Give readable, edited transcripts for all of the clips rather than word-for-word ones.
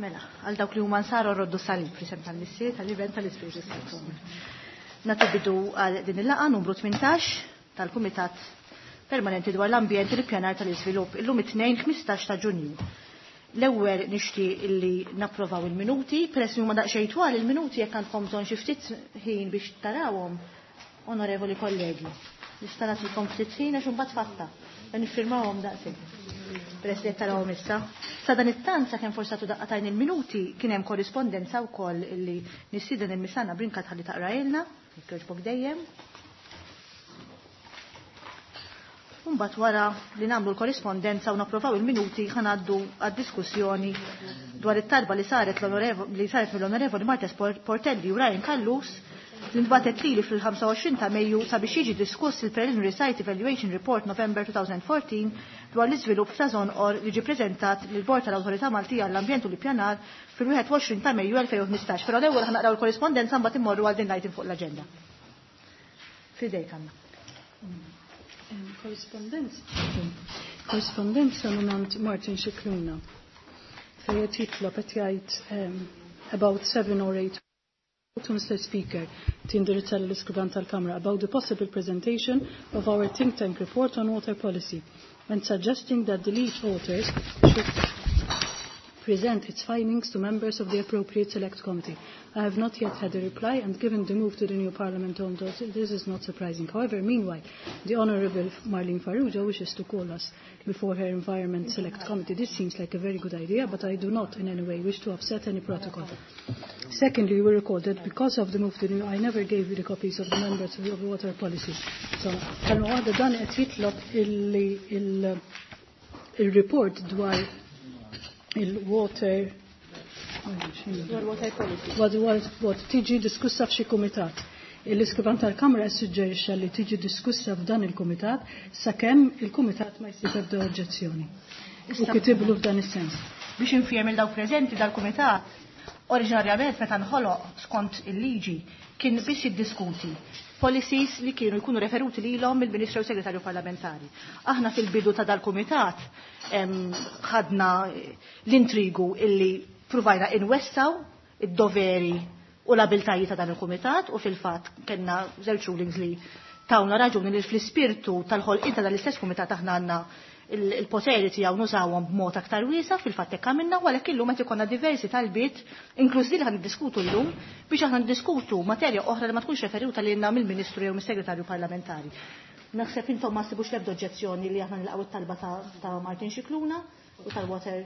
Mela, għal dawk li huma nsaru roddu salib fl-isem tal-Missier, tal-Iben, tal-Ispirtu Santu. Nagħtu bidu għal din il-laqgħa numru 18 tal-Kumitat Permanenti dwar l-Ambjent u l-Ippjanar tal-Iżvilupp illum it-Tnejn 15 ta' Ġunju. L-ewwel nixtieq illi napprovaw il-minuti, peress li huma daqsxejn twal il-minuti jekk għandkom bżonn xi ftit ħin biex tarawhom, onorevoli kollegi. Nista' nagħtikom ftit ħin għax imbagħad fatta. Niffirmawhom daqshekk. Peress li qed tarawhom issa. Sa dan it-tant sakemm forsi għatu daqqatajn il-minuti kien hemm korrispondenza wkoll illi nistieden il-Misana Brincat ħalli taqrajlna, jekk jogħġbok dejjem. Mbagħad wara li nagħmlu l-korrispondenza u napprovaw il-minuti ħa ngħaddu għad-diskussjoni dwar it-talba li saret li saret mill-Onorevoli Martes Portelli u Ryan Callus li ntbatet lili fil-25 ta' Mejju sabiex jiġi diskuss il-Preliminary Site Evaluation Report November 2014 dwar l-iżvilupp ta' Żonqor li ġie preżentat lill-Bord tal-Awtorità Maltija għall-Ambjent u l-Ippjanar fil-21 ta' Mejju 2015. Però l-ewwel ħa naqraw il-korrispondenza mbagħad immorru għal din l-item fuq l-aġenda. F'idejk Anna. Korrispondenza. Korrispondenza mingħand Martin Scicluna fejn qed jitlob qed jgħid about 7 or 8 to Mr. Speaker tindirizza l-iskrivan tal-Kamra about the possible presentation of our think tank report on water policy and suggesting that the lead authors should present its findings to members of the appropriate select committee. I have not yet had a reply, and given the move to the new Parliament on this is not surprising. However, meanwhile, the Honourable Marlene Farrugia wishes to call us before her Environment Select Committee. This seems like a very good idea, but I do not in any way wish to upset any protocol. Secondly, you will recall that because of the move to the new, I never gave you the copies of the members of the water policy. So, kelma waħda dan qed jitlob il-report dwar il-water Dwar policy. Dwar tiġi diskussa f'xi kumitat. Il-iskrivan tal-Kamra suġġerixxa li tiġi diskussa f'dan il-kumitat sakemm il-kumitat ma jsib ebda oġġezzjoni. U kitiblu f'dan is-sens. Biex infiem il dawk preżenti dal-kumitat, oriġinarjament meta nħoloq skont il-liġi kien biex jiddiskuti policies li kienu jkunu referuti lilhom mill-Ministru u Segretarju Parlamentari. Aħna fil-bidu ta' dal-kumitat ħadna l-intrigu illi pruvajna inwessaw id-doveri u l-abiltajiet ta' dan il-kumitat u fil-fatt kellna żewġ rulings li tawna raġuni li fl-ispirtu tal-ħolqien ta' dan l-istess kumitat aħna għandna il-poteri tiegħu nużawhom b'mod aktar wiesa' fil-fatt hekk għamilna u għalhekk illum qed ikollna diversi talbiet inkluż li ħan niddiskutu llum biex aħna niddiskutu materja oħra li ma tkunx referuta lilna mill-Ministru jew mis-Segretarju Parlamentari. Naħseb intom ma ssibux l-ebda oġġezzjoni li aħna nilqgħu it-talba ta' Martin Scicluna u tal-Water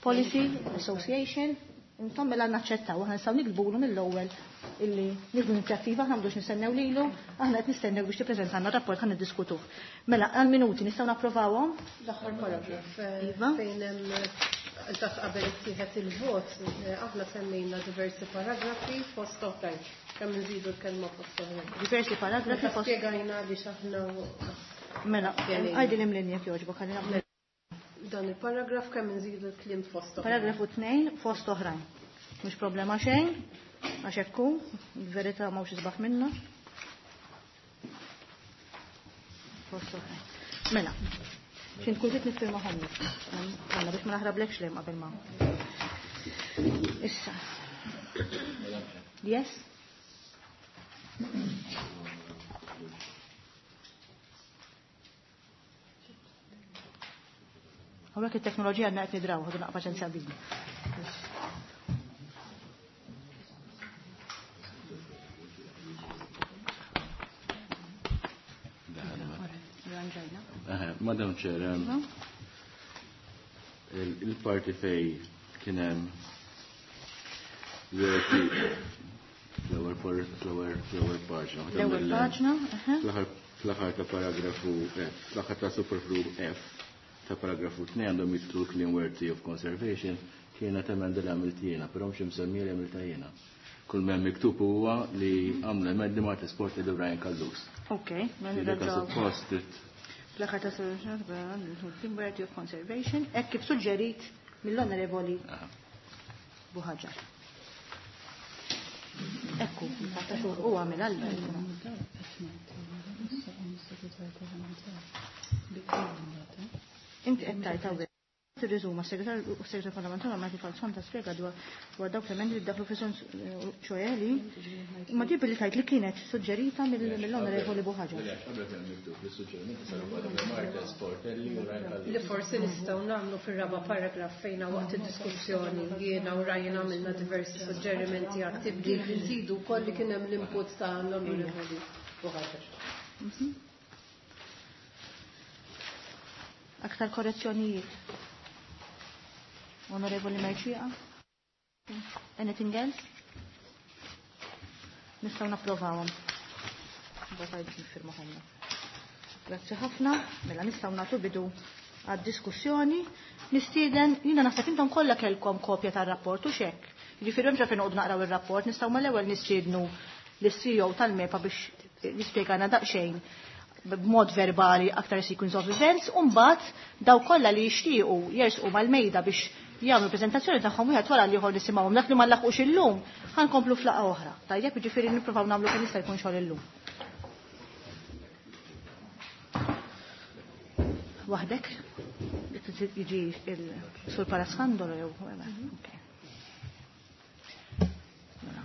Policy Association. Intom mela naċċettaw, aħna nistgħu nikbulu mill-ewwel illi nieħdu inizjattiva, aħna m'għandux nistennew lilu, aħna qed nistennew biex tippreżentanna rapport ħa niddiskutuh. Mela għal minuti nistgħu napprovawhom? L-aħħar paragraf Iva. fejn hemm eżatt qabel ittieħed il-vot, aħna semmejna diversi paragrafi fost oħrajn. Kemm nżidu l-kelma fost oħrajn. Diversi paragrafi Meta fost spjegajna li x'aħna Mela, Spjegajna. għajdi l-imlinja jekk jogħġbok, ħalli naqbel. Dan il-paragraf kemm nżidu l-kliem fost oħrajn. Paragrafu 2 fost oħrajn. Mhux problema xejn, għax hekk hu, il-verità m'hawnx isbaħ minna. Fost oħrajn. Mela, xi tkun trid niffirma ħommi. Għandna biex ma naħrablekx lejn qabel ma. Issa. Yes? Hawnhekk it-teknoloġija għandna qed nidraw, ħadu naqra paċenzja bina. Madam Chair, il-parti fej kien hemm l-ewwel paġna. L-ewwel paġna, aha. Fl-aħħar ta' paragrafu F, fl-aħħar ta' superflu F ta' paragrafu 2 għandhom jitlu clean worthy of conservation kienet emenda li għamilt jiena, però mhux imsemmi li għamilta jiena. Kull m'hemm miktub huwa li għamlu emendi ma' Sport li Brian Callus. Ok, mela Li dak nirraġaw. suppost it- Fl-aħħar ta' clean worthy of conservation, hekk kif suġġerit mill-Onorevoli Buhaġar. Ekku, fatta xhur huwa għamel għal. Inti qed tgħid hawnhekk tirriżuma s-segretarju u s-segretarju parlamentari Michael Falzon ta' spjega dwar dawk l-emendi li daħlu fi ċoe li ma ġib li tajt li kienet suġġerita mill-onorevoli Buħaġa. Li forsi nistgħu nagħmlu fir-raba' paragraf fejna waqt id-diskussjoni jiena u Ryan għamilna diversi suġġerimenti għat tibdil nżidu wkoll li kien hemm l-input ta' l-onorevoli Buħaġa. Aktar korrezzjonijiet. Onorevoli Merċija? Anything else? Nistgħu napprovawhom. Mbagħad biex nifirmuhomna. Grazzi ħafna, mela nistgħu nagħtu bidu għad-diskussjoni. Nistieden, jiena naħseb intom kollha kellkom kopja tar-rapport u xekk. Jiġifieri hemm fejn noqogħdu naqraw ir-rapport, nistgħu mal-ewwel nistiednu lis-CEO tal-MEPA biex jispjegana daqsxejn b'mod verbali aktar sequence of events, u mbagħad daw kollha li jixtiequ jersqu mal-mejda biex jagħmlu preżentazzjoni tagħhom wieħed wara l-ieħor nisimgħuhom dak li ma nlaħqux illum ħankomplu f'laqgħa oħra. Tajjeb, jiġifieri nippruvaw nagħmlu kemm jista' jkun xogħol illum. Waħdek? Jiġi il-sur Paraskandolo jew Mela,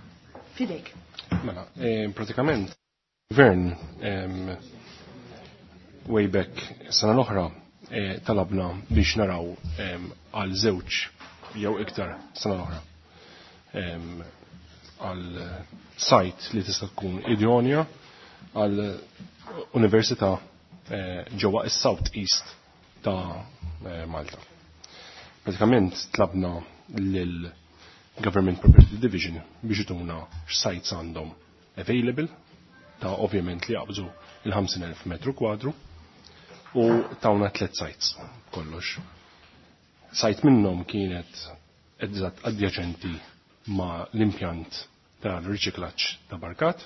fidejk. Mela, pratikament, gvern way back sena l-oħra talabna biex naraw għal żewġ jew iktar sena l-oħra għal sajt li tista' tkun idonja għal università ġewwa is-South East ta' Malta. Pratikament tlabna lil Government Property Division biex ituna x'sajts għandhom available ta' ovvjament li jaqbżu il-50,000 metru kwadru u tawna 3 sites kollox. Sajt minnhom kienet eżatt adjaċenti ma' l-impjant tal-riċiklaġġ ta' Barkat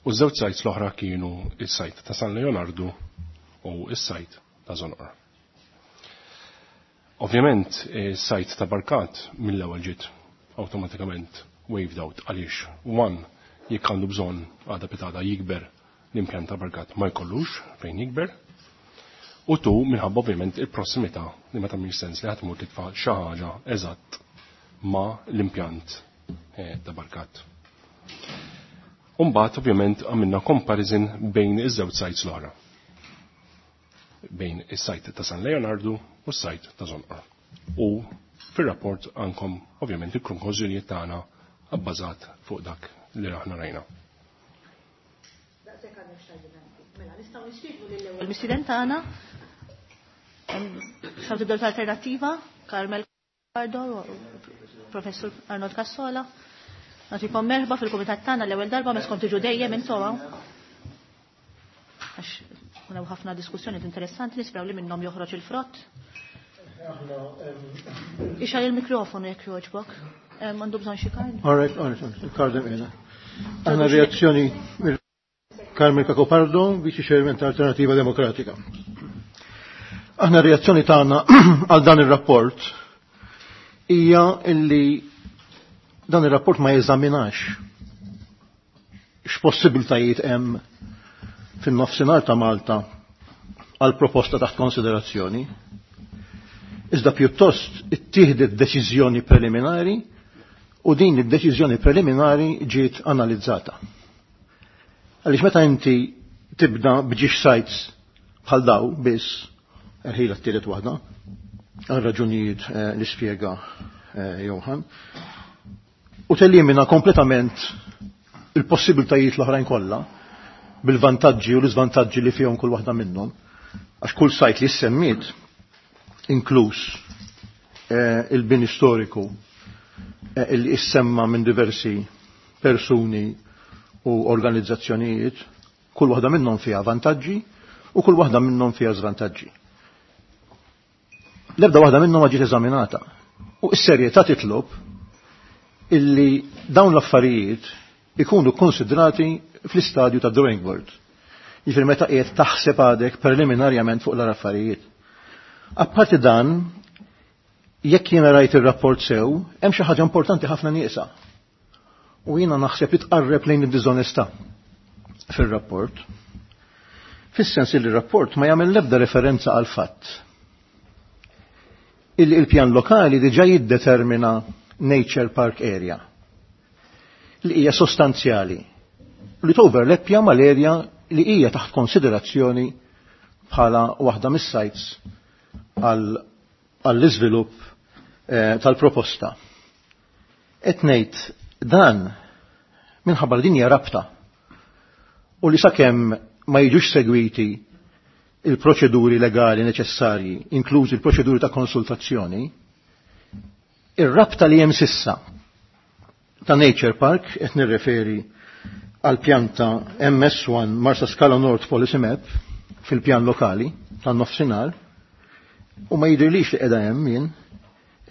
u ż-żewġ sites l-oħra kienu is-sajt ta' San Leonardo u is-sajt ta' Zonqor. Ovvjament, is-sajt ta' Barkat mill-ewwel ġiet awtomatikament waved out għaliex one jekk għandu bżonn għada pitada jikber l-impjant ta' Barkat ma jkollux fejn jikber, u tu minħabba ovvjament il-prossimità li ma tagħmilx sens li ħadd tmur titfa' xi ħaġa eżatt ma l-impjant ta' Barkat. Umbagħad ovvjament għamilna comparison bejn iż-żewġ sites l-oħra. Bejn is-sajt ta' San Leonardo u s-sajt ta' Zonqor. U fir-rapport għandkom ovvjament il-konklużjonijiet tagħna abbażat fuq dak li aħna rajna. Daqshekk għandna x'tgħidilna inti. Mela nistgħu nistiednu lill-ewwel mistieden tagħna. Nistgħu tibdew l-alternattiva, Carmel Cardo, Professur Arnold Cassola. Nagħtikom merħba fil-kumitat tagħna l-ewwel darba meskom tiġu dejjem intom. Għax kun hemm ħafna diskussjonijiet interessanti nisperaw li minnhom joħroġ il-frott. Ixgħal il-mikrofonu jekk jogħġbok. Għandu bżonn xi kard? All right, all right, il-kard hemm qiegħda. Għandna reazzjoni mill Carmel Cacopardo, Viċi Chairman ta' Alternativa Demokratika. Aħna reazzjoni tagħna għal dan ir-rapport hija illi dan ir-rapport ma jeżaminax x'possibiltajiet hemm fin-nofsinhar ta' Malta għal proposta taħt konsiderazzjoni. Iżda pjuttost ittieħdet deċiżjoni preliminari u din id-deċiżjoni preliminari ġiet analizzata. Għaliex meta inti tibda b'ġiex sites bħal daw biss, ħila t-tielet waħda, għal raġunijiet li spjega Johan, u telimina kompletament il-possibiltajiet l-oħrajn kollha bil-vantaġġi u l-iżvantaġġi li fihom kull waħda minnhom, għax kull sajt li semmiet inkluż il-bini storiku li issemma minn diversi persuni u organizzazzjonijiet, kull waħda minnhom fiha vantaġġi u kull waħda minnhom fiha żvantaġġi. L-ebda waħda minnhom ma ġiet eżaminata. U s-serjetà titlob illi dawn l-affarijiet ikunu konsidrati fl-istadju ta' drawing board. Jiġifieri meta qiegħed taħseb għadek preliminarjament fuq l-affarijiet. Apparti dan, jekk jiena rajt ir-rapport sew, hemm xi ħaġa importanti ħafna nieqsa. U jiena naħseb li tqarreb lejn id-diżonestà fir-rapport. Fis-sens li r-rapport ma jagħmel l-ebda referenza għal fatt illi il-pjan lokali diġà jiddetermina Nature Park Area li hija sostanzjali li toverleppja mal-area li hija taħt konsiderazzjoni bħala waħda mis-sites għall-iżvilupp tal-proposta. Qed ngħid dan minħabba li din hija rabta u li sakemm ma jiġux segwiti il-proċeduri legali neċessarji, inklużi il-proċeduri ta' konsultazzjoni, ir-rabta li hemm sissa ta' Nature Park, qed nirreferi għal pjanta MS1 Marsa Scala North Policy Map fil-pjan lokali tan-nofsinhar, u ma jidhirlix li qiegħda hemm jien,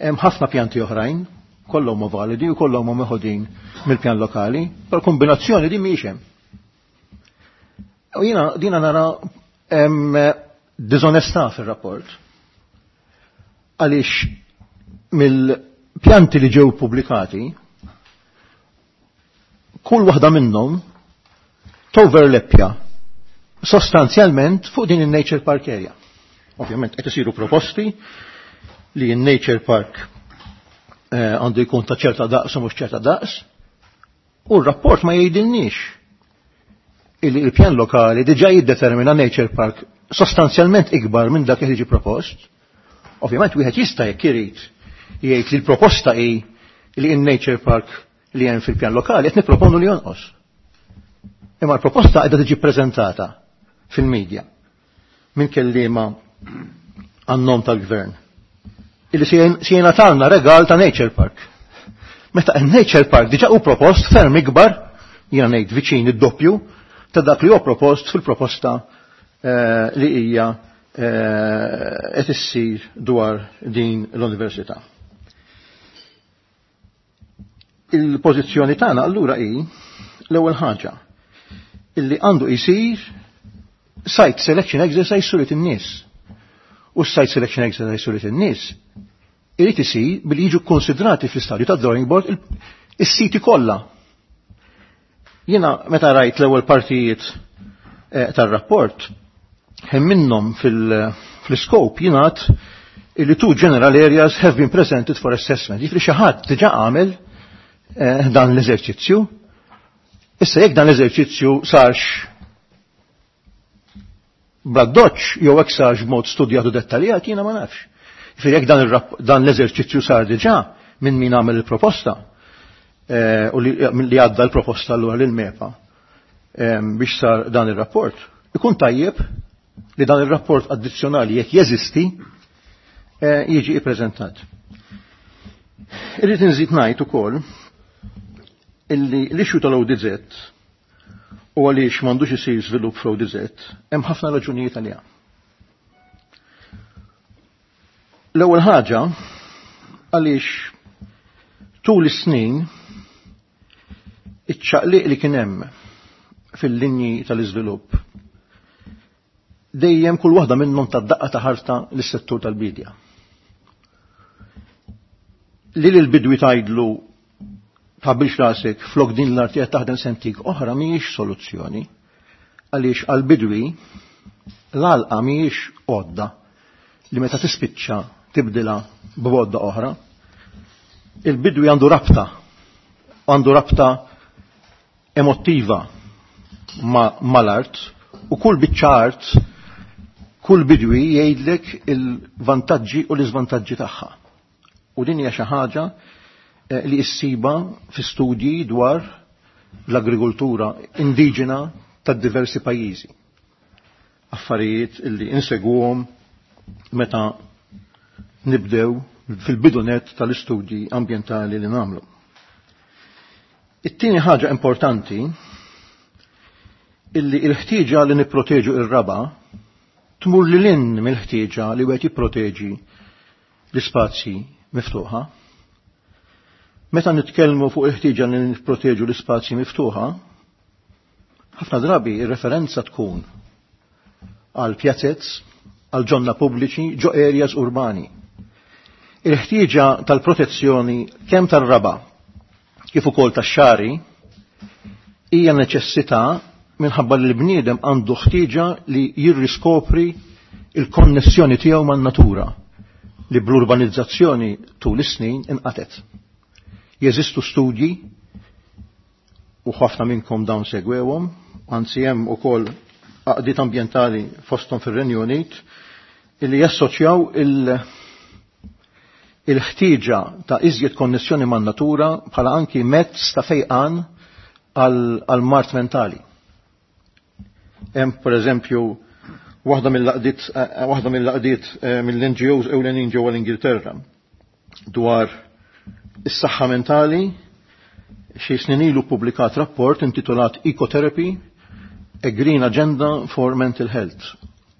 hemm ħafna pjanti oħrajn, kollhom huma validi u kollhom huma meħudin mill-pjan lokali, però kombinazzjoni din mhijiex hemm. U jiena dina nara hemm diżonestà fir-rapport. Għaliex mill-pjanti li ġew pubblikati, kull waħda minnhom toverleppja sostanzjalment fuq din in-Nature Park area. Ovvjament qed isiru proposti li n-Nature Park għandu jkun ta' ċerta daqs u mhux ċerta daqs, u r-rapport ma jgħidilniex illi il-pjan lokali diġà jiddetermina Nature Park sostanzjalment ikbar minn dak li jiġi propost. Ovvjament wieħed jista' jekk irid jgħid li l-proposta hi li in-Nature Park li hemm fil-pjan lokali qed nipproponu li jonqos. Imma l-proposta qiegħda tiġi ppreżentata fil-medja minn kelliema għan-nom tal-gvern. Illi se jingħatalna regal ta' Nature Park. Meta n-Nature Park diġà hu propost ferm ikbar, jiena ngħid viċin id-doppju, ta' dak li hu propost fil-proposta li hija qed issir dwar din l-università. Il-pożizzjoni tagħna allura hi l-ewwel ħaġa illi għandu jsir site selection exercise sulit in-nies. U site selection exercise sulit in-nies irid isir billi jiġu konsidrati fl-istadju ta' drawing board is-siti kollha. Jiena meta rajt l-ewwel partijiet tar-rapport, hemm minnhom fil-scope jingħad illi two general areas have been presented for assessment. Jiġifieri xi ħadd diġà għamel dan l-eżerċizzju. Issa jekk dan l-eżerċizzju sarx bla doċ jew hekk sarx b'mod studjat u dettaljat, jiena ma nafx. Jiġifieri jekk dan l-eżerċizzju sar diġà minn min għamel il-proposta u li għadda l-proposta allura lil MEPA biex sar dan ir-rapport, ikun tajjeb li dan ir-rapport addizzjonali jekk jeżisti jiġi ippreżentat. Irrid inżid ngħid ukoll illi l-issue tal-ODZ u għaliex m'għandux isir żvilupp fl-ODZ hemm ħafna raġunijiet għaliha. L-ewwel ħaġa għaliex tul is-snin iċ-ċaqliq li kien hemm fil-linji tal-iżvilupp dejjem kull waħda minnhom tad-daqqa ta' ħarta lis-settur tal-bidja. Li l-bidwi tgħidlu tħabbilx rasek flok din l-arti qed taħdem sentik oħra mhijiex soluzzjoni għaliex għall-bidwi l-għalqa mhijiex għodda li meta tispiċċa tibdilha b'għodda oħra. Il-bidwi għandu rabta emottiva mal-art u kull biċċa art, kull bidwi jgħidlek il-vantaġġi u l-iżvantaġġi tagħha. U din hija xi ħaġa li issiba fi studji dwar l-agrikoltura indiġena ta' diversi pajjiżi. Affarijiet illi insegwhom meta nibdew fil-bidunet tal-istudji ambjentali li nagħmlu. It-tieni ħaġa importanti illi il-ħtieġa li nipproteġu ir-raba tmur lil hinn mill-ħtieġa li wieħed jipproteġi l-ispazji miftuħa. Meta nitkellmu fuq il-ħtieġa li nipproteġu l-ispazji miftuħa, ħafna drabi ir-referenza tkun għal pjazez, għal ġonna pubbliċi, ġo areas urbani. Il-ħtieġa tal-protezzjoni kemm tar-raba kif ukoll tax-xari hija neċessità Minħabba li l-bniedem għandu ħtieġa li jirriskopri il-konnessjoni tiegħu man-natura li bl-urbanizzazzjoni tul is-snin inqatet. Jeżistu studji u ħafna minnkom dawn segwewhom, anzi hemm ukoll għaqdiet ambjentali fosthom fir-Renju Unit illi jassoċjaw il-ħtieġa ta' iżjed konnessjoni man-natura bħala anki mezz ta' fejqan għal mart mentali. Hemm pereżempju waħda mill-laqdiet waħda mill-laqdiet mill-NGOs ewlenin ġewwa l-Ingilterra dwar is-saħħa mentali xi snin ilu ppubblikat rapport intitolat Ecotherapy: A Green Agenda for Mental Health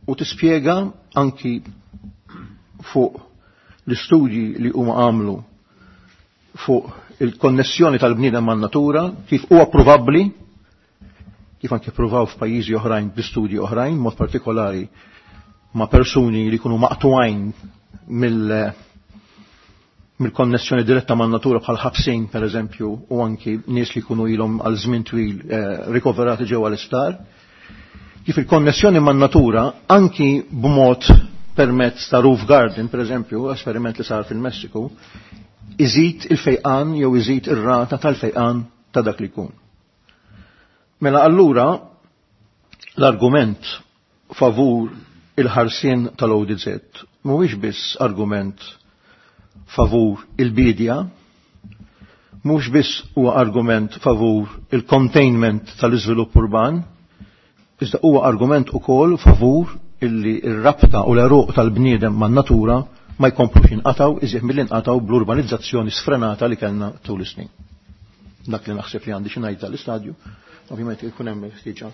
u tispjega anki fuq l-istudji li huma għamlu fuq il-konnessjoni tal-bniedem man-natura kif huwa provabbli kif anke pruvaw f'pajjiżi oħrajn b'istudji oħrajn, mod partikolari ma' persuni li jkunu maqtugħin mill-konnessjoni diretta man natura bħal ħabsin per eżempju u anki nies li jkunu ilhom għal żmien twil rikoverati ġewwa l-isptar. Kif il-konnessjoni man natura anki b'mod permezz ta' roof garden per eżempju, esperiment li sar fil-Messiku, iżid il-fejqan jew iżid ir-rata tal-fejqan ta' dak li jkun. Mela allura l-argument favur il-ħarsien tal-ODZ mhuwiex biss argument favur il-bidja, mhux biss huwa argument favur il-containment tal-iżvilupp urban, iżda huwa argument ukoll favur illi r-rabta u l-eruq tal-bniedem man-natura ma jkomplux jinqataw iżjed milli nqataw bl-urbanizzazzjoni sfrenata li kellna tul is-snin. Dak li naħseb li għandi xi ngħid tal-istadju, ovvjament ikun hemm ħtieġa.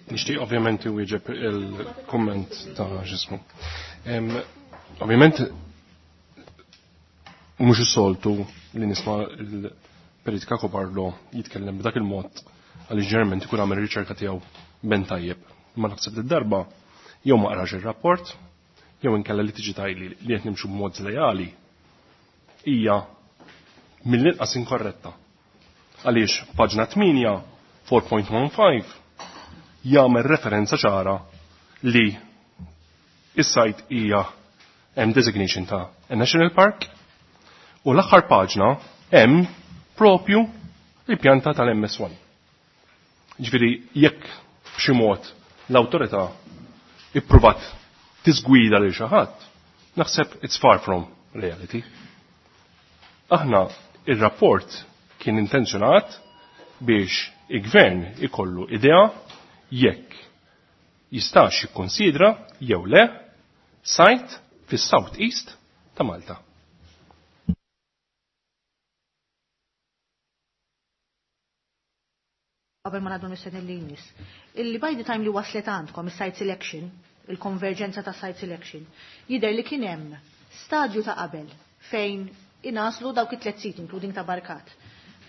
Nixtieq ovvjament iwieġeb il-kumment ta' ġismu. Ovvjament mhux is-soltu li nisma' il-Perit Cacopardo jitkellem b'dak il-mod għaliex ġeneralment ikun għamel riċerka tiegħu ben tajjeb. Ma naħseb li darba jew ma qrax ir-rapport jew inkella li tiġi tajli li qed nimxu b'mod żlejali hija mill-inqas inkorretta. Għaliex paġna 8 4.15 jagħmel referenza ċara li is-site hija hemm designation ta' a National Park u l-aħħar paġna hemm propju il-pjanta tal-MS1. Ġifieri jekk b'xi mod l-awtorità ippruvat tiżgwida lil xi ħadd, naħseb it's far from reality. Aħna ir-rapport kien intenzjonat biex il-gvern ikollu idea jekk jistax jikkonsidra jew le site fis-South East ta' Malta. Qabel ma ngħaddu mis-sena li jmiss. Illi by the time li waslet għandkom is-site selection, il-konverġenza ta' site selection, jidher li kien hemm stadju ta' qabel fejn inaslu dawk it-tliet sit, including ta' Barkat.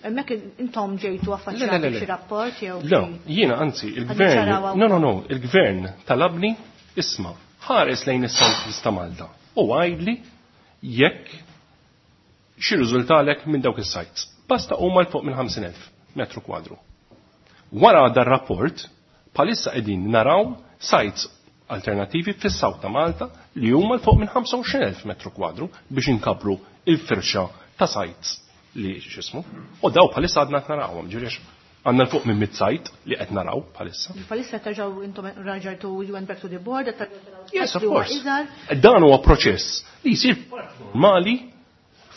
Hemmhekk intom ġejtu affaċċjati xi rapport jew Le, jiena anzi, il-gvern, no, no, no, il-gvern talabni isma' ħares lejn is-South East ta' Malta u għajdli jekk xi riżultalek minn dawk is-sites. Basta huma l fuq minn 50,000 metru kwadru. Wara dar rapport, palissa qegħdin naraw sites alternativi fis-South ta' Malta li huma l fuq minn 25,000 metru kwadru biex inkabru il-firxa ta' sites li x'ismu. U daw bħalissa għadna qed narawhom, ġifieri għandna l fuq minn mid site li qed naraw bħalissa. Bħalissa terġgħu intom raġartu you went back to the board, Yes, of course. Dan huwa proċess li jsir normali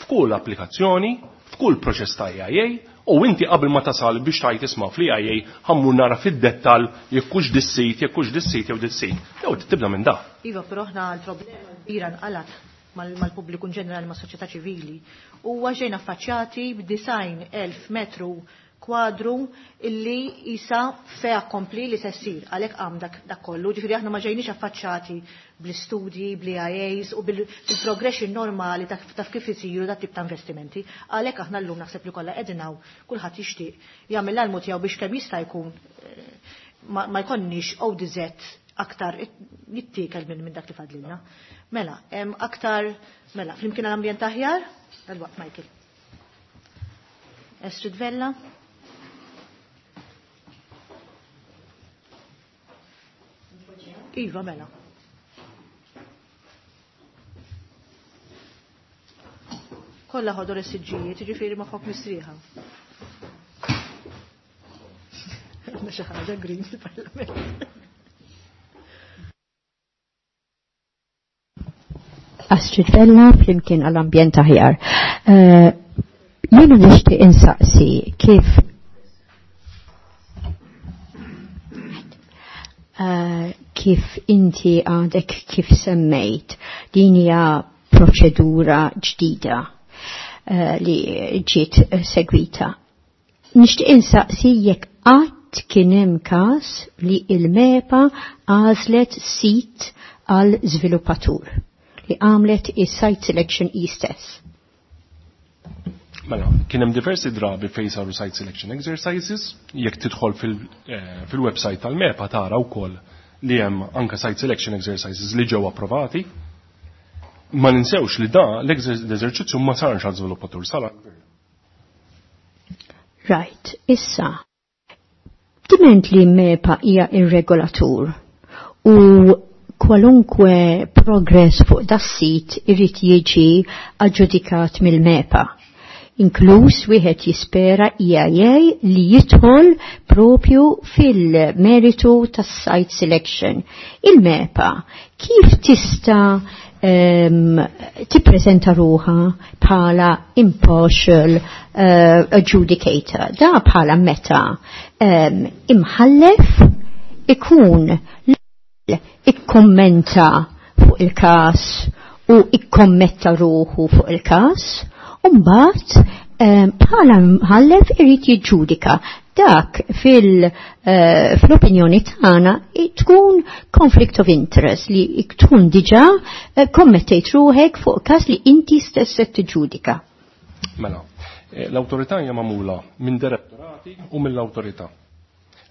f'kull applikazzjoni, f'kull proċess ta' EIA, u inti qabel ma tasal biex tajt isma' fl-EIA ħammur nara fid-dettal jekk hux dis-sit, jekk hux dis-sit jew dis-sit. Jew tibda minn da. Iva, però aħna l-problema kbira nqalat mal-pubbliku ġenerali mas-soċjetà ċivili. Huwa ġejna affaċċjati b'90,000 metru kwadru illi isa fe akkompli li se ssir għalhekk qam dak kollu. Ġifieri aħna ma ġejniex affaċċati bl-istudji, bl-IAs u bil-progression normali ta' kif isiru dat tip ta' investimenti. Għalhekk aħna llum naħseb li kollha qegħdin hawn kulħadd jixtieq jagħmel l-almu tiegħu biex kemm jista' jkun ma jkollniex ODZ aktar jittiekel minn dak li fadlilna. Mela, hemm aktar, mela, flimkien għall-ambjent aħjar? Dal-waqt, Michael. Estrid Vella? Iva, mela. Kollha ħodor is-siġġijiet, jiġifieri moħħok mistrieħa. Għandna xi ħaġa green fil-Parlament. Astrid Vella flimkien għall-ambjent aħjar. Jiena nixtieq insaqsi kif kif inti għadek kif semmejt din hija proċedura ġdida li ġiet segwita. Nixtieq insaqsi jekk qatt kien hemm każ li il-MEPA għażlet sit għal żviluppatur li għamlet is-site selection stess. Mela, kien hemm diversi drabi fejn saru site selection exercises, jekk tidħol fil-website tal-MEPA tara wkoll li hemm anke site selection exercises li ġew approvati. Ma ninsewx li da l-eżerċizzju ma sarx għal żviluppatur sar. Right, issa. Diment li MEPA hija ir-regolatur u kwalunkwe progress fuq das-sit irid jiġi aġġudikat mill-MEPA. Inkluż wieħed jispera EIA li jidħol propju fil-meritu tas-site selection. Il-MEPA kif tista' tippreżenta ruħa bħala impartial adjudicator? Da bħala meta imħallef ikun ikkommenta fuq il-kas u ikkommetta ruħu fuq il-kas, u mbagħad bħala mħallef irid jiġġudika. Dak fl-opinjoni tagħna tkun conflict of interest li tkun diġà kommettejt ruħek fuq każ li inti stess qed tiġġudika. Mela, l-awtorità hija magħmula minn direttorati u mill-awtorità.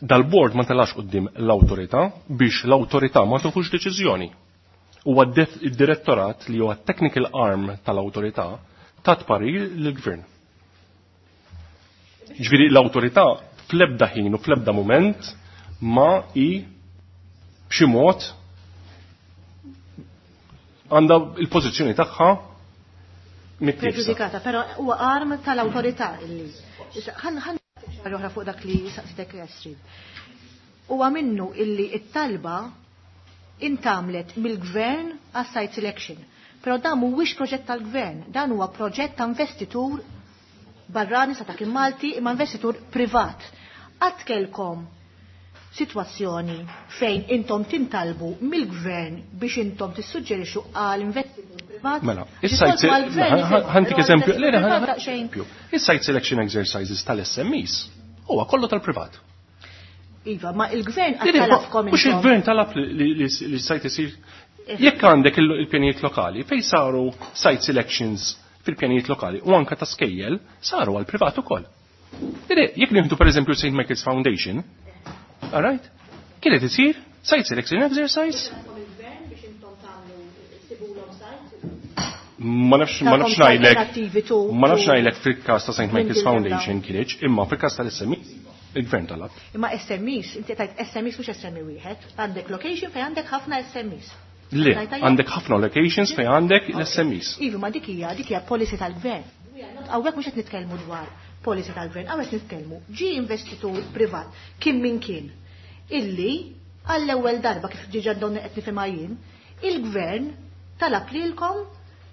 Dal-bord ma telax quddiem l-awtorità biex l-awtorità ma tieħux deċiżjoni. Huwa id-direttorat li huwa technical arm tal-awtorità tat parir lill-gvern. Ġifieri l-awtorità fl-ebda ħin u fl-ebda mument ma hi b'xi mod għandha il-pożizzjoni tagħha mittiefsa. Preġudikata, però huwa arm tal-awtorità illi. Issa ħan oħra fuq dak li saqsitek Astrid. Huwa minnu illi it-talba intamlet mill-gvern għas-site selection. Però dan mhuwiex proġett tal-gvern, dan huwa proġett ta' investitur barrani sa ta' kien Malti imma investitur privat. Qatt kellkom sitwazzjoni fejn intom tintalbu mill-gvern biex intom tissuġġerixxu għal investitur privat? Mela, Għax is-site isoltu għall-gvern jifhem, ħantik però eżempju, għall le, le, investitur privat ħantik daqsxejn. eżempju. Is-site selection exercises tal-SMEs huwa kollu tal-privat. Iva, ma il-gvern Le, le, għattalafkom mhux intom. il-gvern talab li site isir. Jekk għandek il-pjanijiet lokali, fejn saru site selections fil-pjanijiet lokali u anka ta' skejjel saru għal privat ukoll. Le, jekk nieħdu pereżempju St. Michael's Foundation, all right? Kienet isir site selection exercise? Ma nafx, ma nafx Ta'kom ngħidlek. alternattivi tu- Ma nafx tu- ngħidlek fil-każ ta' St. Michael's Minn Foundation kienx, imma fil-każ tal-SMEs il-gvern talab. Imma SMEs, inti tajt SMEs mhux SME wieħed, għandek location fejn għandek ħafna SMEs. Le, Tajt tajjeb? għandek ħafna locations fejn għandek l-SMEs. Iva, ma dik hija, dik hija policy tal-gvern. Hawnhekk mhux qed nitkellmu dwar policy tal-gvern, hawnhekk nitkellmu ġi investitur privat kien min kien illi għall-ewwel darba kif diġà donna qed nifhimha jien, il-gvern talab lilkom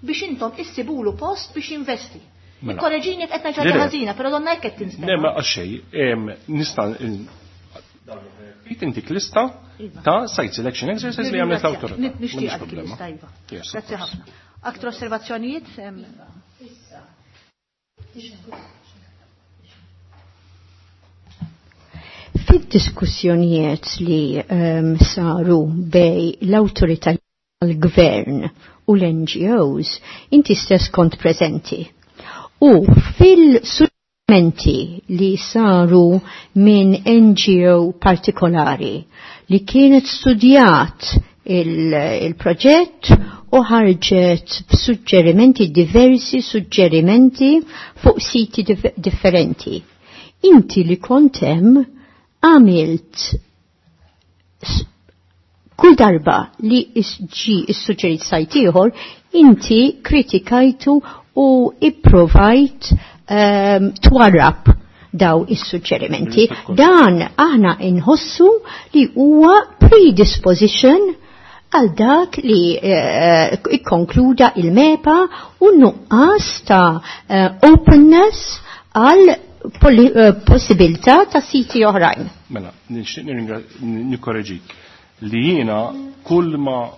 biex intom issibulu post biex jinvesti. Mela. Korreġini qed ngħid Le, le. ħażina, però donna hekk qed tinstema'. Ne, ma għaxej, nista' intik lista Iva. ta' site selection exercise li għamlet l-awtorità. Nixtieq M'għandix dik problema. il-lista, iva. Yes, of Grazzi course. ħafna. Aktar osservazzjonijiet? Fid-diskussjonijiet li saru bej l-awtorità tal-gvern u l-NGOs, inti stess kont preżenti. U fil-suġġerimenti li saru minn NGO partikolari li kienet studjat il-proġett u ħarġet b'suġġerimenti, diversi suġġerimenti fuq siti differenti. Inti li kont hemm għamilt kull darba li ġi issuġġerit sajt ieħor, inti kritikajtu u ipprovajt twarrab daw is-suġġerimenti. Dan aħna inħossu li huwa predisposition għal dak li ikkonkluda il-MEPA u nuqqas ta' openness għal possibilità ta' siti oħrajn. Mela, nixtieq nikkoreġik li jiena kull ma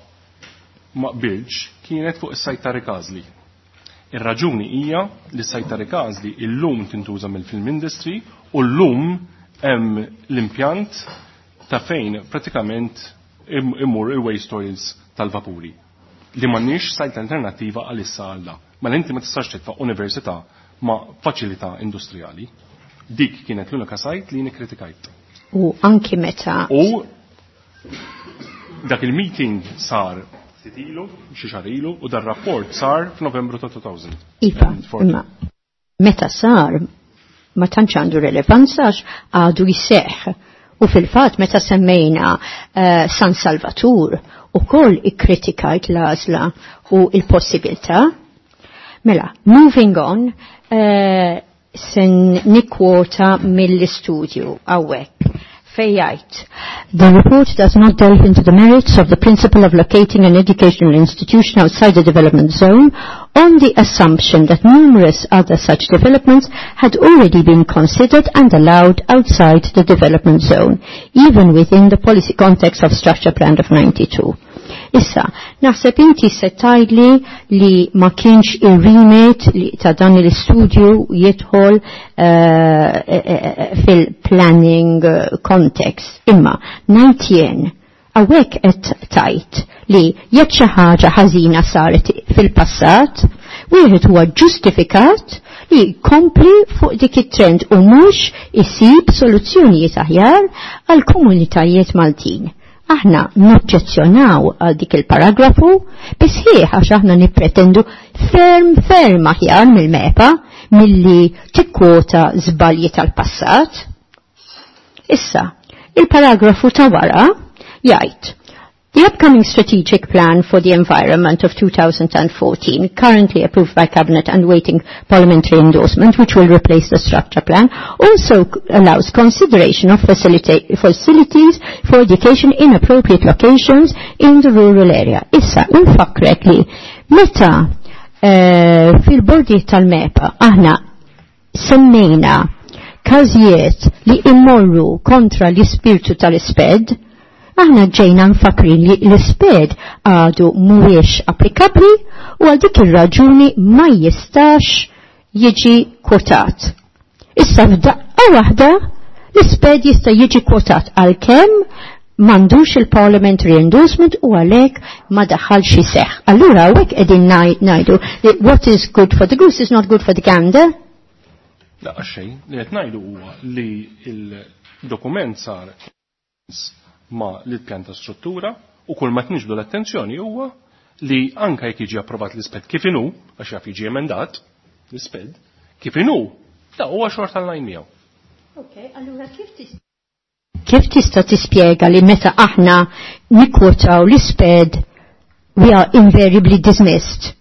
qbilx kienet fuq is-sajt ta' Rikażli. Ir-raġuni hija li s-sajt ta' Rikażli illum tintuża mill-film industry u llum hemm l-impjant ta' fejn pratikament imur il-waste oils tal-vapuri. Li m'għandniex sajt alternattiva għalissa għal. Mela inti ma tistax titfa' università ma' faċilità industrijali. Dik kienet l-unika sajt li nikkritikajt. U anki meta. U dak il-meeting sar ftit ilu, xi xahar ilu, u dar rapport sar f'Novembru ta' 2000. Iva, imma meta sar ma tantx għandu relevanza għax għadu jseħħ. U fil-fatt meta semmejna San Salvatur ukoll ikkritikajt l-għażla u il-possibilità. Mela, moving on, sen nikkwota mill-istudju hawnhekk. Fejjajt. The report does not delve into the merits of the principle of locating an educational institution outside the development zone on the assumption that numerous other such developments had already been considered and allowed outside the development zone, even within the policy context of Structure Plan of 92. Issa, naħseb inti se tgħidli li ma kienx ir-remit li ta' dan l-istudju jidħol fil-planning context. Imma, ngħid jien, hawnhekk qed tajt li jekk xi ħaġa ħażina saret fil-passat, wieħed huwa ġustifikat li jkompli fuq dik it-trend u mhux isib soluzzjonijiet aħjar għal komunitajiet Maltin. Aħna noġġezzjonaw għal dik il-paragrafu bisħieħ għax aħna nippretendu ferm ferm aħjar mill-MEPA milli tikkwota żbalji tal-passat. Issa, il-paragrafu ta' wara jgħid: The upcoming strategic plan for the environment of 2014, currently approved by Cabinet and waiting parliamentary endorsement, which will replace the structure plan, also allows consideration of facilities for education in appropriate locations in the rural area. Issa, nfakrek li meta fil-bordi tal-MEPA aħna semmejna każijiet li immorru kontra l-ispirtu tal-isped, aħna ġejna nfakrin li l-isped għadu mhuwiex applikabli u għal dik ir-raġuni ma jistax jiġi kwotat. Issa f'daqqa waħda l-isped jista' jiġi kwotat għalkemm m'għandux il-parliamentary endorsement u għalhekk ma daħalx iseħħ. Allura hawnhekk qegħdin ngħidu li what is good for the goose is not good for the gander. La xejn, li qed ngħidu huwa li il-dokument sar ma l-pjan ta' struttura u kull ma tniġbdu l-attenzjoni huwa li anka jekk jiġi approvat l-isped kif inhu, għax jaf jiġi emendat l-isped, kif inhu, da huwa xorta l-lajn miegħu. Ok, allura kif tista' tispjega li meta aħna nikkwotaw l-isped we are invariably dismissed?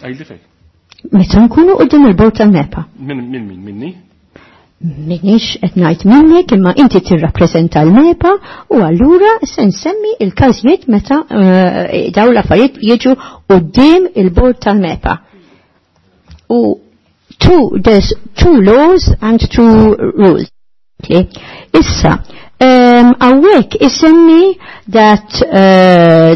Għajli fej. Meta nkunu quddiem il-bord tal-MEPA. Min min minni? Minix qed ngħid minnek imma inti tirrappreżenta l-MEPA u allura se nsemmi il-każijiet meta dawn l-affarijiet jiġu quddiem il-bord tal-MEPA. U there's two laws and two rules. Issa, hawnhekk isemmi that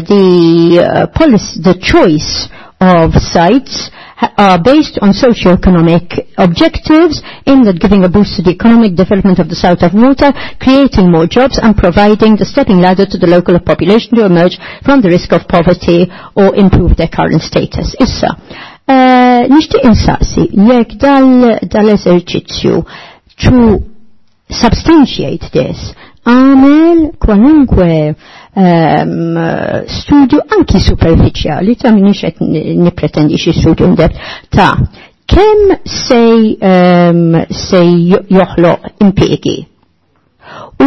the policy, the choice of sites are based on socio-economic objectives aimed at giving a boost to the economic development of the south of Malta, creating more jobs and providing the stepping ladder to the local population to emerge from the risk of poverty or improve their current status. Issa, nixtieq insaqsi jekk dal-eżerċizzju to substantiate this. għamel kwalunkwe studju anki superfiċjali ta' minix qed nippretendi xi studju in-depth ta' kemm se joħloq impjiegi. U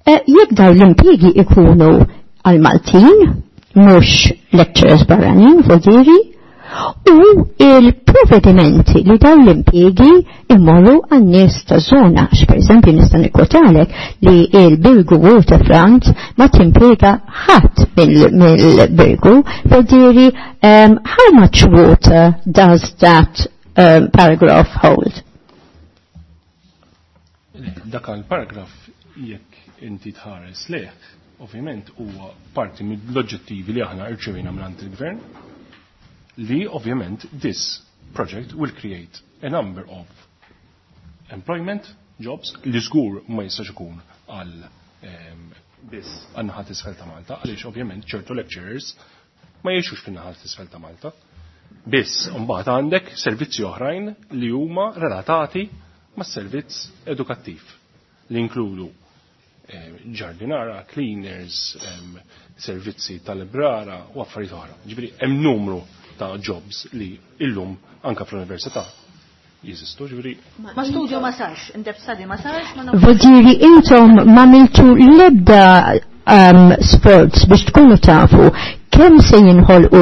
jekk dawn l-impjiegi ikunu għal Maltin, mhux lecturers barranin, vodiri, u il-provvedimenti li dawn l-impjiegi immorru għan-nies ta' zona. Għax per eżempju nista' nikkotalek li il-Birgu Waterfront ma timpjega ħadd mill-Birgu, vodiri how much water does that paragraph hold? Dak il-paragraf jekk inti tħares leh, ovvjament huwa parti mill-oġġettivi li aħna rċevejna minn il-gvern li ovvjament this project will create a number of employment jobs li żgur ma jistax ikun għal biss għan-naħa t'isfel ta' Malta, għaliex ovvjament ċertu lecturers ma jgħixux fin-naħa t'isfel ta' Malta. Biss mbagħad għandek servizzi oħrajn li huma relatati mas-servizz edukattiv li inkludu ġardinara, cleaners, servizzi tal-librara u affarijiet oħra. Ġifieri hemm numru ta' jobs li illum anka fl-università jeżistu, ġifieri. Ma studju ma sarx, in-depth study ma sarx, ma nafx. Vodiri intom ma miltu lebda sforz biex tkunu tafu kemm se jinħolqu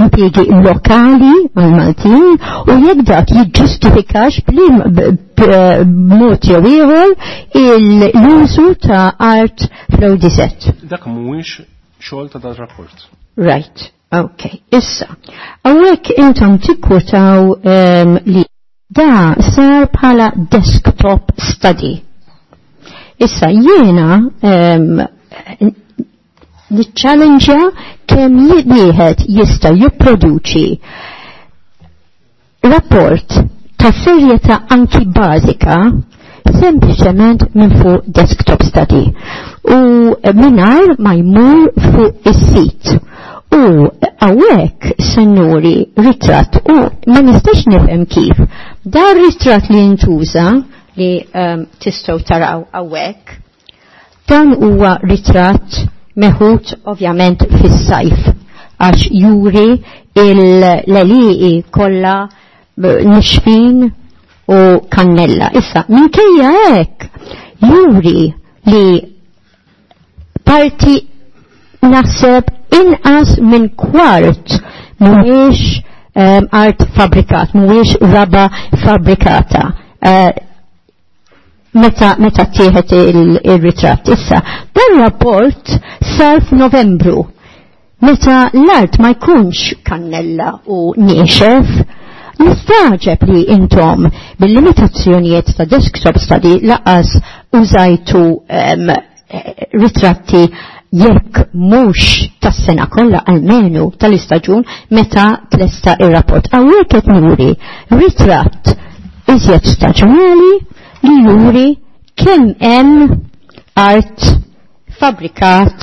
impjiegi lokali għal-Maltin u jekk dak jiġġustifikax b'mod jew ieħor l-użu ta' art fl-ODZ. Dak mhuwiex xogħol ta' dan rapport. Right, ok. Issa, hawnhekk intom tikkwutaw li da sar bħala desktop study. Issa jiena niċċallenġja kemm wieħed jista' jipproduċi rapport ta' serjetà anki bażika sempliċement minn fuq desktop study u mingħajr ma jmur fuq is-sit. U hawnhekk se nuri ritratt u ma nistax nifhem kif dan ritratt li ntuża li tistgħu taraw hawnhekk, dan huwa ritratt meħud ovvjament fis-sajf għax juri l-għelieqi kollha nixfin u kannella. Issa, minkejja hekk juri li parti naħseb inqas minn kwart mhuwiex art fabrikat, mhuwiex raba fabrikata. Meta tieħed il-ritratt. Issa, dan rapport sar f'Novembru. Meta l-art ma jkunx kannella u niexef, nistaġeb li intom bil-limitazzjonijiet ta' desktop study laqas użajtu ritratti jekk mhux tas-sena kollha almenu tal-istaġun meta tlesta ir-rapport. Hawnhekk qed nuri ritratt iżjed staġunali li juri kemm hemm art fabrikat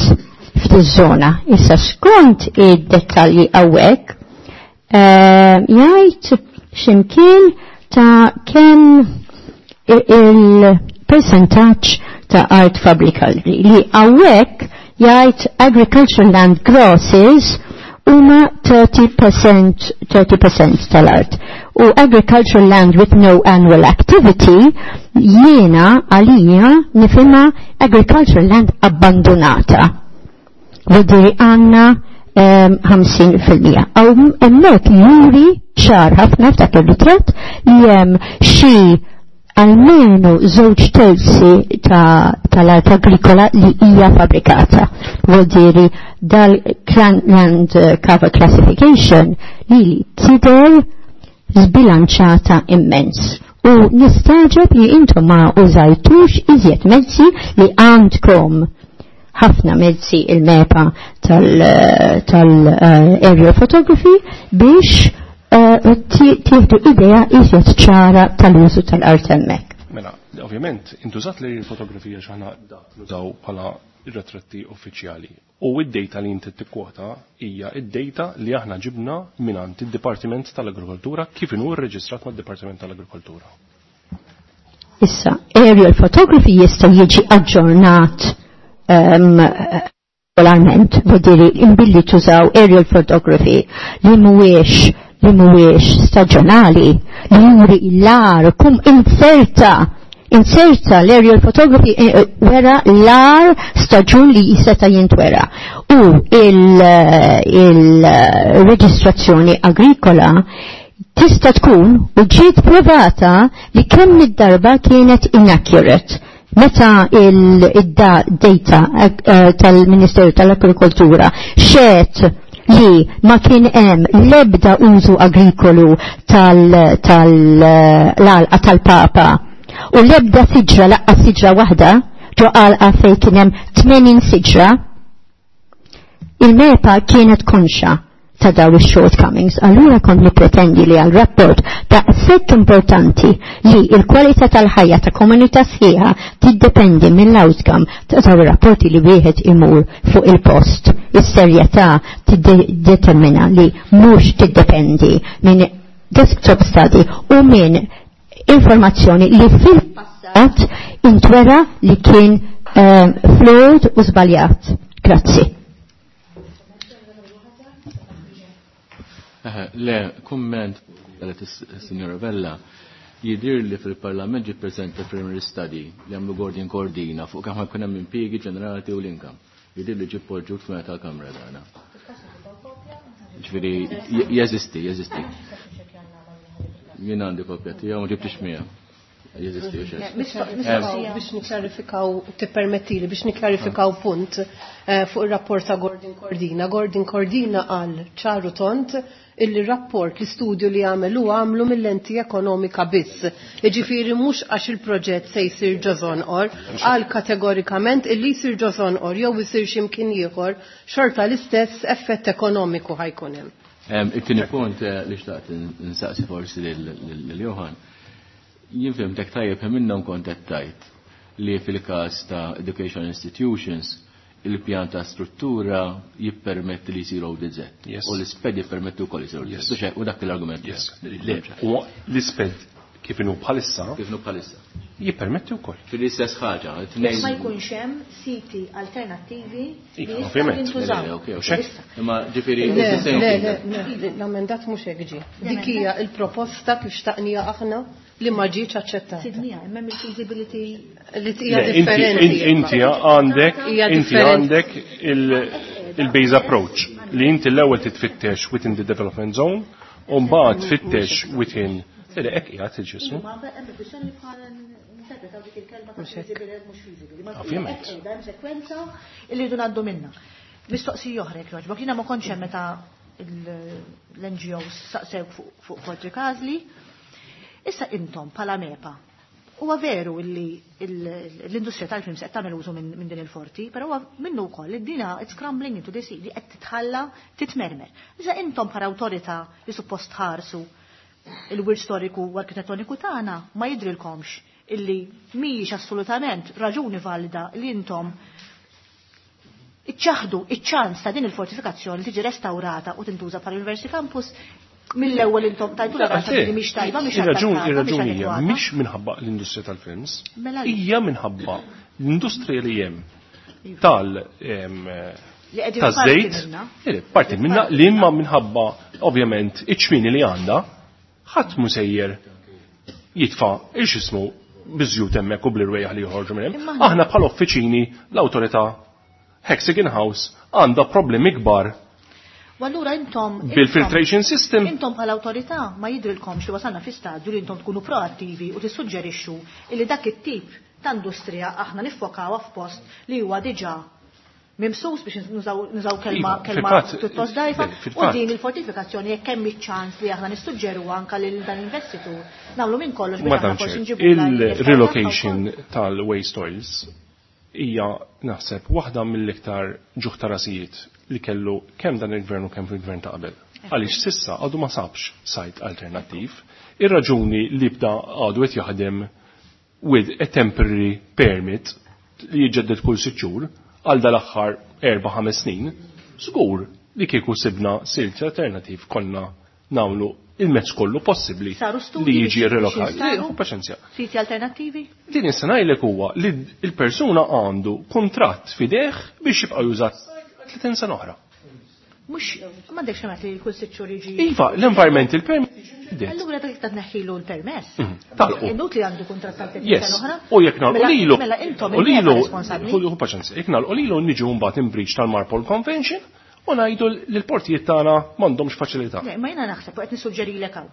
f'diż-żona. Issa skont id-dettalji hawnhekk jgħid x'imkien ta' kemm il-percentaġġ ta' art fabrikali li hawnhekk jgħid agricultural land grosses huma 30% tal-art. U agricultural land with no annual activity jiena għalija nifhimha agricultural land abbandonata. Vodiri għandna 50%. Aw hemmhekk juri ċar ħafna f'dak ir-ritratt li hemm xi almenu żewġ terzi tal-art agrikola li hija fabrikata. Vuol dal-land cover classification li tidher zbilanċata immens. U nistaġeb li intom ma użajtux iżjed mezzi li għandkom ħafna mezzi il-MEPA tal-aerial photography biex tieħdu idea iżjed ċara tal-użu tal-art hemmhekk. Mela, ovvjament, intużat li l-fotografija x'aħna nużaw bħala ritratti uffiċjali. U id-data li inti tikkwota hija id-data li aħna ġibna mingħand id-Dipartiment tal-Agrikoltura kif inhu rreġistrat mad-Dipartiment tal-Agrikoltura. Issa, aerial photography jista' jiġi aġġornat regolarment, vuol imbilli tużaw aerial photography li mhuwiex staġjonali, li juri l-ar kum inserta l-aerial photography wera l-ar staġun li jiseta jintwera. U il-reġistrazzjoni agrikola tista' tkun u ġiet provata li kemm id-darba kienet inaccurate. Meta il-data tal-Ministeru tal-Agrikoltura xed li ma kien hemm l-ebda użu agrikolu tal-alqa tal-Papa u l-ebda siġra laqqa siġra waħda ġo għalqa fej kien hemm 80 siġra, il-MEPA kienet konxa ta' daw il-shortcomings. Allura kont nipretendi li għal rapport ta' sekk importanti li il-kwalità tal-ħajja ta' komunità sħiħa tiddependi mill-outcome ta' daw ir-rapporti li wieħed imur fuq il-post. Is-serjetà tiddetermina li mhux tiddependi minn desktop study u minn informazzjoni li fil-passat intwera li kien flawed u żbaljat. Grazzi. Le, kumment għalet il-Signora Vella, jidir li fil-Parlament ġi prezenta preliminary study li għamlu Gordon Cordina fuq kemm ħajkun hemm impjiegi ġenerati u l-income. Jidir li ġi poġġut f'meta tal-Kamra dana. Ġifieri jeżisti, jeżisti. Jien għandi kopja tiegħu ma ġibtix miegħu. Jeżisti, Biex niklarifikaw, tippermettili, biex niklarifikaw punt fuq ir-rapport ta' Gordon Cordina. Gordon Cordina qal ċaru tont illi rapport l-istudju li għamel u għamlu mill-lenti ekonomika biss. Iġifieri mhux għax il-proġett se jsir ġo Żonqor, qal kategorikament illi jsir ġo Żonqor jew isir x'imkien ieħor, xorta l-istess effett ekonomiku ħajkun hemm. It-tieni punt li xtaqt nsaqsi forsi lil Johan. Jien fhimtek tajjeb hemm minnhom kont qed tgħid li fil-każ ta' education institutions il-pjan ta' struttura jippermetti li jsiru ODZ. Yes. U l-isped jippermetti wkoll jsiru ODZ. Yes. U dak l-argument. Yes. Le, u l-isped kif inhu bħalissa. Kif inhu bħalissa. Jippermetti wkoll. Fil-istess ħaġa, Jekk ma jkunx hemm siti alternattivi li Iva, jistgħu ovvjament. jintużaw. Le, ok, ok. Issa. Imma ġifieri, Le, it's the same le, thing. le, le, l-amendat mhux hekk ġie. Dik hija l-proposta kif xtaqnija aħna li ma ġietx aċċettata. Sidnija, hemm il-feasibility Li hija Le, inti- differenti. Inti għandek, Hija inti differenti. għandek il-base approach li inti l-ewwel titfittex within the development zone u mbagħad tfittex within Le, hekk qiegħed il-ġismu. Ma hemm kwistjoni bħala interpretaw dik il-kelma ta' feasible mhux feasible. Ma Ovvjament. hekk qiegħda hemm sekwenza li rridu ngħaddu minnha. Mistoqsija oħra jekk jogħġbok, jiena ma kontx hemm meta l-NGOs saqsew fuq Forti Każli. Issa intom bħala MEPA, huwa veru li l-industrija tal-films qed tagħmel użu minn din il-forti, però huwa minnu wkoll li dina it's crumbling into the sea li qed titħalla titmermer. Issa intom bħala awtorità li suppost tħarsu il-wirt storiku u arkitettoniku tagħna ma jidrilkomx illi mhijiex assolutament raġuni valida li intom iċċaħdu iċ-ċans ta' din il-fortifikazzjoni tiġi restaurata u tintuża bħala University Campus mill-ewwel intom tajtu la Għalfejn? li mhix tajba, mhix Ir-raġuni adattata, mhix ir-raġuni hija adekwata. mhix minħabba l-industrija tal-films, Mela li. hija minħabba l-industrija li hemm tal Li qegħdin taż-żejt, parti minna. le, parti minna li imma minħabba ovvjament iċ-ċmini li għandha, ħadd mhu sejjer jitfa' il-xismu biżjut hemmhekk u bl-irwejjaħ li joħorġu minn hemm. Imma aħna- Aħna bħala uffiċini l-awtorità Hexagon House għandha problemi kbar U allura intom bil-filtration system. Intom bħala awtorità ma jidrilkomx li wasalna fi stadju li intom tkunu proattivi u tissuġġerixxu li dak it-tip ta' industrija aħna niffokawha f'post li huwa diġà mimsus biex nużaw kelma Iva, kelma fil-fatt, pjuttost dajfa le, u fil-fatt. din il-fortifikazzjoni jekk hemm iċ-ċans li aħna nissuġġeru anke lil dan investitur nagħmlu minn kollox biex Madam aħna forsi Chair, nġibu il-relocation tal-waste oils hija naħseb waħda mill-iktar ġuħ ta' rasijiet li kellu kemm dan il-gvern u kemm fil-gvern ta' qabel. Għaliex sissa għadu ma sabx sajt alternattiv. Ir-raġuni li bda għadu qed jaħdem with a temporary permit li jiġġedded kull sitt xhur għal dal-aħħar 4-5 snin, żgur li kieku sibna silt alternativ konna nagħmlu il-mezz kollu possibbli Saru studji li jiġi biex relokat. jinstabu? Ħu paċenzja. Siti alternattivi? Din nista' ngħidlek huwa li l-persuna għandu kuntratt fideh biex jibqa' jużat 30 sena oħra. Mhux m'għandekx xemat li kull sitt xhur jiġi. Iva, l-environmental permit jiġi Allura dak ta' tneħħilu l-permess. Talqu. Inut li għandu kuntratt tal 30 Yes. sena oħra. U jekk nagħlqu Mela- lilu. Mela intom U lilu, responsabbli. ħu paċenzja, jekk nagħlqu lilu niġu mbagħad in breach tal-Marpol Convention u ngħidu li l-portijiet tagħna m'għandhomx faċilità. Le, ma jiena naħseb u qed nissuġġerilek hawn.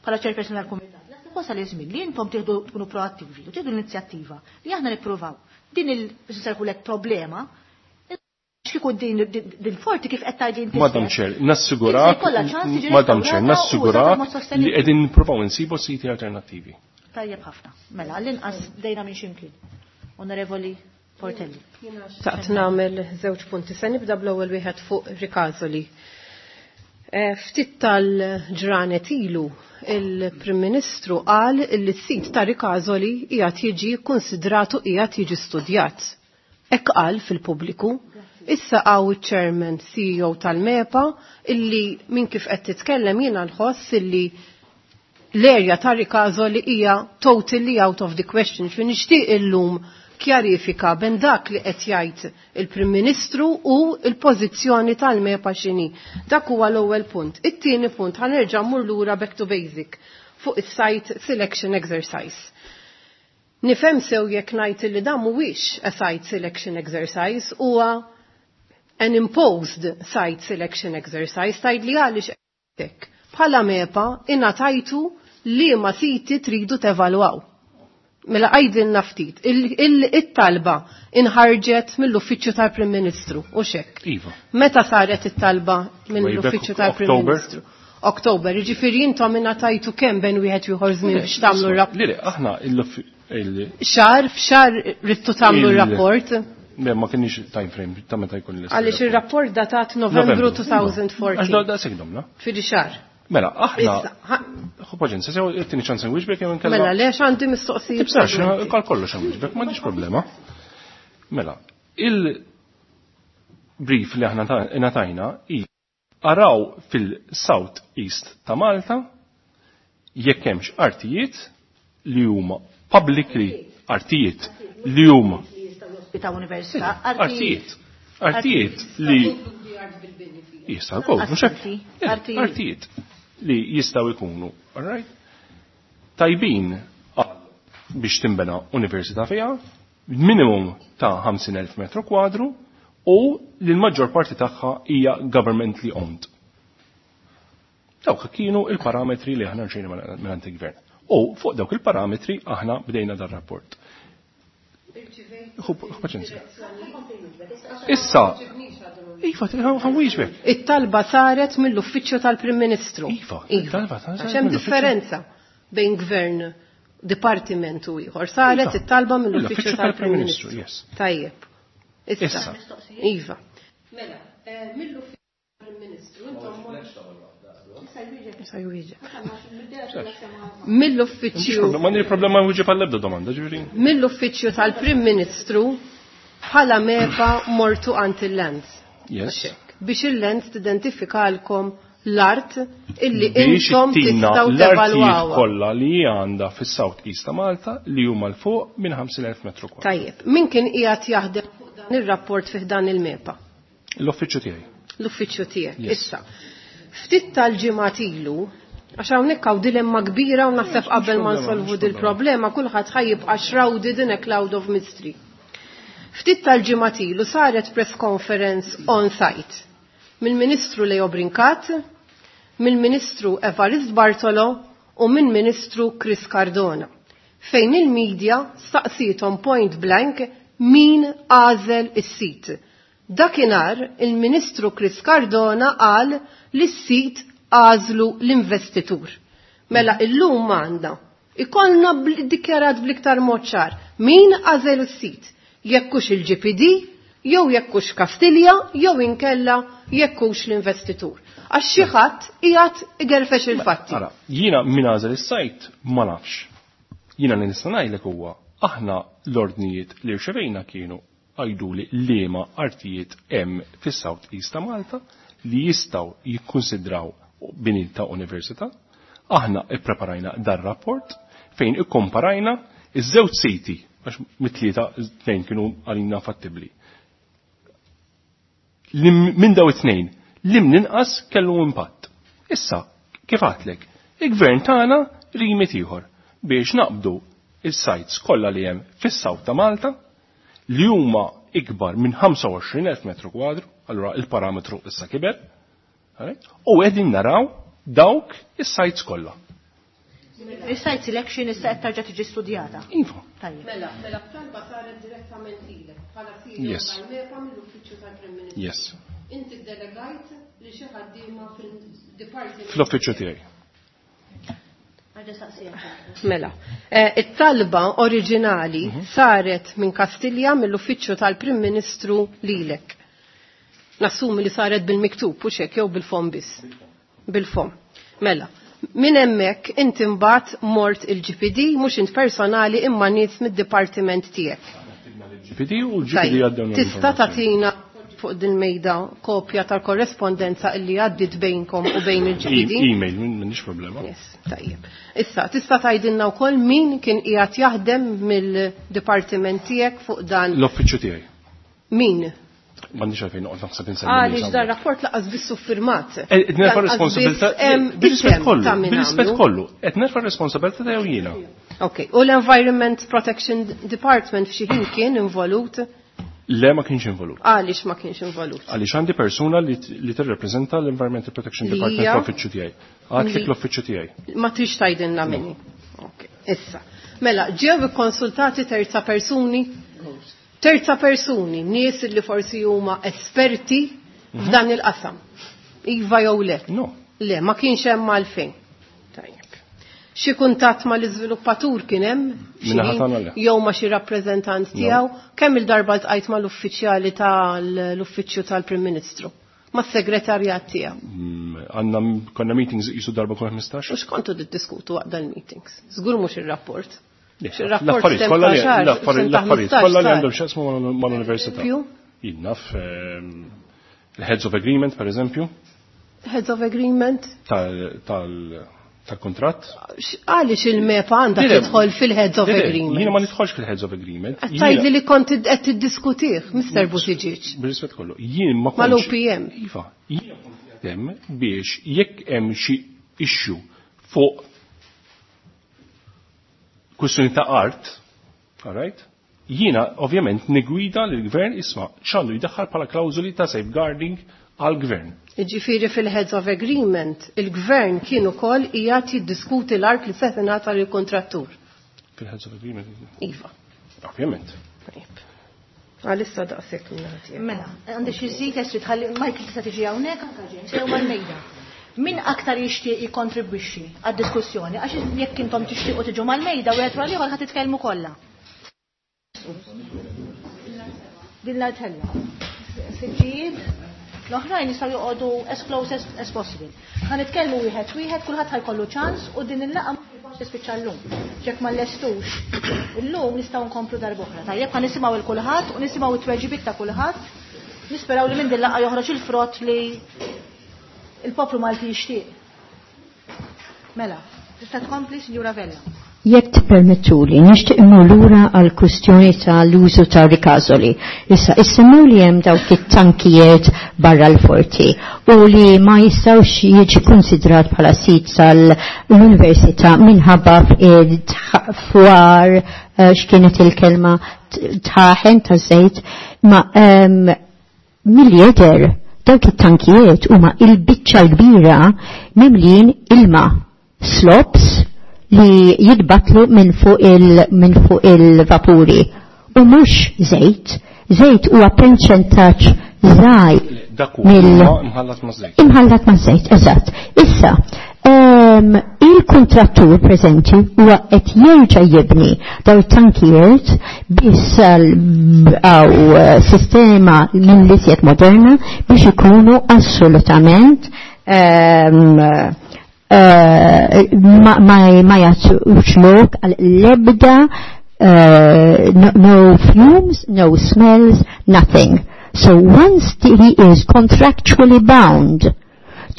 Bħala chairperson tal-kumitat. Naħseb wasal iż-żmien li intom tieħdu tkunu proattivi u tieħdu l-inizjattiva li aħna nippruvaw din il biex nsejħulek problema x'kieku din din forti kif qed tgħid inti. Madam stess. Chair, nassigurak, Se jkollha ċans tiġi Madam Chair, restaurata u użata nassigurak b'mod sostenibbli. li qegħdin nippruvaw insibu siti alternattivi. Tajjeb ħafna. Mela, għall-inqas dejna minn ximkien. Onorevoli Portelli. Taqt nagħmel żewġ punti. Se nibda bl-ewwel wieħed fuq Rikazoli. Ftit tal-ġranet ilu il-Prim Ministru qal li s-sit ta' Rikazoli qiegħed jiġi kkunsidratu qiegħed jiġi studjat. Hekk qal fil-pubbliku. Issa għaw iċ-Chairman CEO tal-MEPA illi minn kif qed titkellem jiena nħoss illi l-erja ta' Rikazoli hija totally out of the question. Fi nixtieq illum kjarifika ben dak li qed jgħid il-Prim Ministru u l-pożizzjoni tal-MEPA x'inhi. Dak huwa l-ewwel punt. It-tieni punt ħanerġa' mmur lura back to basic fuq is-site selection exercise. Nifhem sew jekk ngħid li dan mhuwiex a site selection exercise huwa an imposed site selection exercise tgħid li għaliex hekk. Bħala MEPA ingħatajtu li ma siti tridu tevalwaw. Mela għajdilna ftit, it-talba inħarġet mill-Uffiċċju tal-Prim Ministru u xek. Iva. Meta saret it-talba Way back mill-Uffiċċju tal-Prim October. Ministru? Oktober, jiġifieri intom ingħatajtu kemm bejn wieħed ieħor żmien biex tagħmlu r-rapport. Le, le, aħna il Xar, f'xar rittu tagħmlu r-rapport. Le, ma kienx time frame ta' meta jkun l Għaliex ir-rapport datat Novembru Għax 2014. da sekk domna. Fidi xar. Mela, aħna, Issa, ha- ħu paċenzja, sew it-tieni ċans nwieġbek jew inkella. Mela, lex għandi mistoqsijiet. Tibsax, segwenti. kal kollox nwieġbek, m'għandix problema. Mela, il-brief li aħna ngħatajna hi araw fil-South East ta' Malta jekk hemmx artijiet li huma publicly artijiet li huma Ta' università. artijiet artijiet li jistgħu jkunu, mhux hekk? Artijiet. Eh, Artijiet. Artijiet li jistgħu jkunu, all right? Tajbin għal biex timbena università fiha, minimum ta' 50,000 metru kwadru u li l-maġġor parti tagħha hija governmentally owned. Dawk kienu il-parametri li aħna rċejna minn il-gvern. U fuq dawk il-parametri aħna bdejna dar rapport. Ħu paċenzja. Issa, iva, ħa nwieġbek. It-talba saret mill-Uffiċċju tal-Prim Ministru. Iva, it-talba saret Għax hemm mill-Uffiċċju. differenza bejn gvern, dipartiment u ieħor. Saret Iva, it-talba mill-Uffiċċju mill-Uffiċċju tal-Prim tal-Prim Ministru. Ministru, yes. Tajjeb. Issa. Issa. Iva. Mela, mill-Uffiċċju tal-Prim Ministru intom Issa jwieġeb. Mill-Uffiċċju Ma nir problema nwieġeb għall-ebda domanda, ġifieri. mill-Uffiċċju tal-Prim Ministru bħala MEPA mortu għand il-Lands. Yes. Biex il-Lands tidentifikalkom l-art illi Biex intom ittina tistgħu l-artijiet tevalwawha. kollha li hija għandha fis-South East ta' Malta li huma l fuq minn 50,000 metru kwadru. Tajjeb, min kien qiegħed jaħdem fuq dan ir-rapport fih dan il-MEPA? L-uffiċċju tiegħi. L-uffiċċju tiegħek. Yes. Issa, ftit tal-ġimgħat ilu, għax hawnhekk hawn dilemma kbira u naħseb qabel ma problema, nsolvu mhux dil-problema kulħadd ħa jibqa' shrouded in a cloud of mystery. Ftit tal-ġimgħat ilu saret press conference on site mill-Ministru Leo Brincat, mill-Ministru Evarist Bartolo u minn Ministru Chris Cardona fejn il-medja staqsietom point blank min għażel is-sit. Dakinhar il-Ministru Chris Cardona qal li s-sit għażlu l-investitur. Mela illum għandna ikollna dikjarat bl-iktar mod ċar min għażel is-sit jekkux il-GPD, jew jekkux Kastilja, jew inkella jekkux l-investitur. Għax xi ħadd qiegħed igerfex il-fatti. Ara, jiena min għażel is-sajt ma nafx. Jiena li nista' ngħidlek huwa aħna l-ordnijiet li rċevejna kienu għajduli liema artijiet hemm fis-South East ta' Malta li jistgħu jikkonsidraw bini ta' università. Aħna ippreparajna dar rapport fejn ikkomparajna iż-żewġ siti għax mit-tlieta tnejn kienu għalina fattibbli. Minn daw it-tnejn, li ninqas kellu impatt. Issa, kif għatlek, il-gvern tagħna rimit ieħor biex naqbdu is-sites kollha li hemm fis-South ta' Malta li huma ikbar minn 25,000 metru kwadru, allura il-parametru issa kiber, u qegħdin naraw dawk is-sites kollha. Is-site selection issa qed tarġa' tiġi studjata. Iva. Tajjeb. Mela, mela talba saret direttament lilek bħala CEO tal-MEPA mill-Uffiċċju tal-Prim Ministru. Yes. Inti ddelegajt li xi ħaddiema fil-dipartiment. Fl-uffiċċju tiegħi. Mela, it-talba oriġinali saret minn Kastilja mill-Uffiċċju tal-Prim Ministru lilek. Nassumi li saret bil-miktub u xek jew bil-fom biss. Bil-fom. Mela, minn hemmhekk inti mbagħad mort il-GPD mhux int personali imma nies mid-dipartiment tiegħek. GPD u l-GPD għaddew. Tista' tagħtina fuq din mejda kopja tal-korrespondenza illi għaddit bejnkom u bejn il-GPD? E-mail, m'għandix problema. Yes, tajjeb. Issa, tista' tgħidilna wkoll min kien qiegħed jaħdem mill-dipartiment tiegħek fuq dan l-uffiċċju tiegħi. Min? M'għandix għalfejn noqgħod naħseb insemmi. Għaliex dan rapport laqas biss firmat. Qed nerfa' responsabilità bir-rispett kollu, bir-rispett kollu, qed nerfa' responsabilità tiegħu jiena. Ok, u l-Environment Protection Department f'xi ħin kien involut? Le ma kienx involut. Għaliex ma kienx involut? Għaliex għandi persuna li tirrepreżenta l-Environmental Protection Department l-uffiċċju tiegħi. Għadlek l-uffiċċju tiegħi. Ma trix tgħidilna minni. Ok, issa. Mela, ġew ikkonsultati terza persuni? Terza persuni, nies li forsi huma esperti f'dan il-qasam. Iva jew le? No. Le, ma kienx hemm għalfejn. Tajjeb. Xi kuntatt mal-iżviluppatur kien hemm? Jew ma xi rappreżentant tiegħu? Kemm il-darba ltqajt mal-uffiċjali tal-uffiċċju tal-Prim Ministru? Mas-segretarjat tiegħu? Għandna konna meetings qisu darba kull 15. U x'kontu tiddiskutu waqt dal-meetings? Żgur mhux ir-rapport. L-affarijiet kollha li għandhom x'jaqsmu mal-università. Jien naf il-heads of agreement, per eżempju. Heads of agreement? Tal-kontratt. Għaliex il-MEPA għandha tidħol fil-heads of agreement? Jiena ma nidħolx fil-heads of agreement. Tgħidli li kont qed tiddiskutih, Mr. Buttigieg. Bir-rispett kollu. Jien ma kontx. Mal-OPM. Iva, jien kont hemm biex jekk hemm xi issue fuq kwistjoni ta' art, all right? Jiena ovvjament nigwida lill-gvern isma' x'għandu jdaħħal bħala klawżoli ta' safeguarding għall-gvern. Jiġifieri fil-heads of agreement, il-gvern kien ukoll qiegħed jiddiskuti l-art li se tingħata lill-kuntrattur. Fil-heads of agreement? Iva. Ovvjament. Tajjeb. Għalissa daqshekk minn Mela, għandi xi żid trid tħalli Michael tista' tiġi hawnhekk anke James jew mal-mejda. Min aktar jixtieq jikkontribwixxi għad-diskussjoni għax jekk intom tixtiequ tiġu mal-mejda wieħed wara l-ieħor ħa titkellmu kollha. Din l-artella. Siġġijiet l-oħrajn jistgħu joqogħdu as close as possible. Ħa nitkellmu wieħed wieħed, kulħadd ħajkollu ċans u din il-laqgħa mhux tispiċċa llum. Jekk ma llestux illum nistgħu nkomplu darb'oħra. Tajjeb ħa nisimgħu il kulħadd u nisimgħu it-tweġibiet ta' kulħadd. Nisperaw li minn din laqgħa joħroġ il-frott li il-poplu Malti jixtieq. Mela, tista' tkompli, Sinjura Vella. Jekk tippermettuli, nixtieq immur lura għal kwistjoni tal-użu ta' rikasoli. Issa, issemmew li hemm dawk it-tankijiet barra l-forti u li ma jistgħux jiġi konsidrat bħala sit tal-università minħabba fwar x'kienet il-kelma tħaħen ta' żejt ma mill-jeder dawk it-tankijiet huma il-biċċa l-kbira mimlin ilma slops li jitbatlu minn fuq il-vapuri u mhux żejt. Żejt huwa perċentaġġ żgħir imħallat ma' żejt. Imħallat ma' żejt, eżatt. Issa, il-kontrattur preżenti huwa qed jerġa' jibni daw it-tankijiet biss għaw sistema mill-iżjed moderna biex ikunu assolutament ma jagħtux lok għal l-ebda no fumes, no smells, nothing. So once he is contractually bound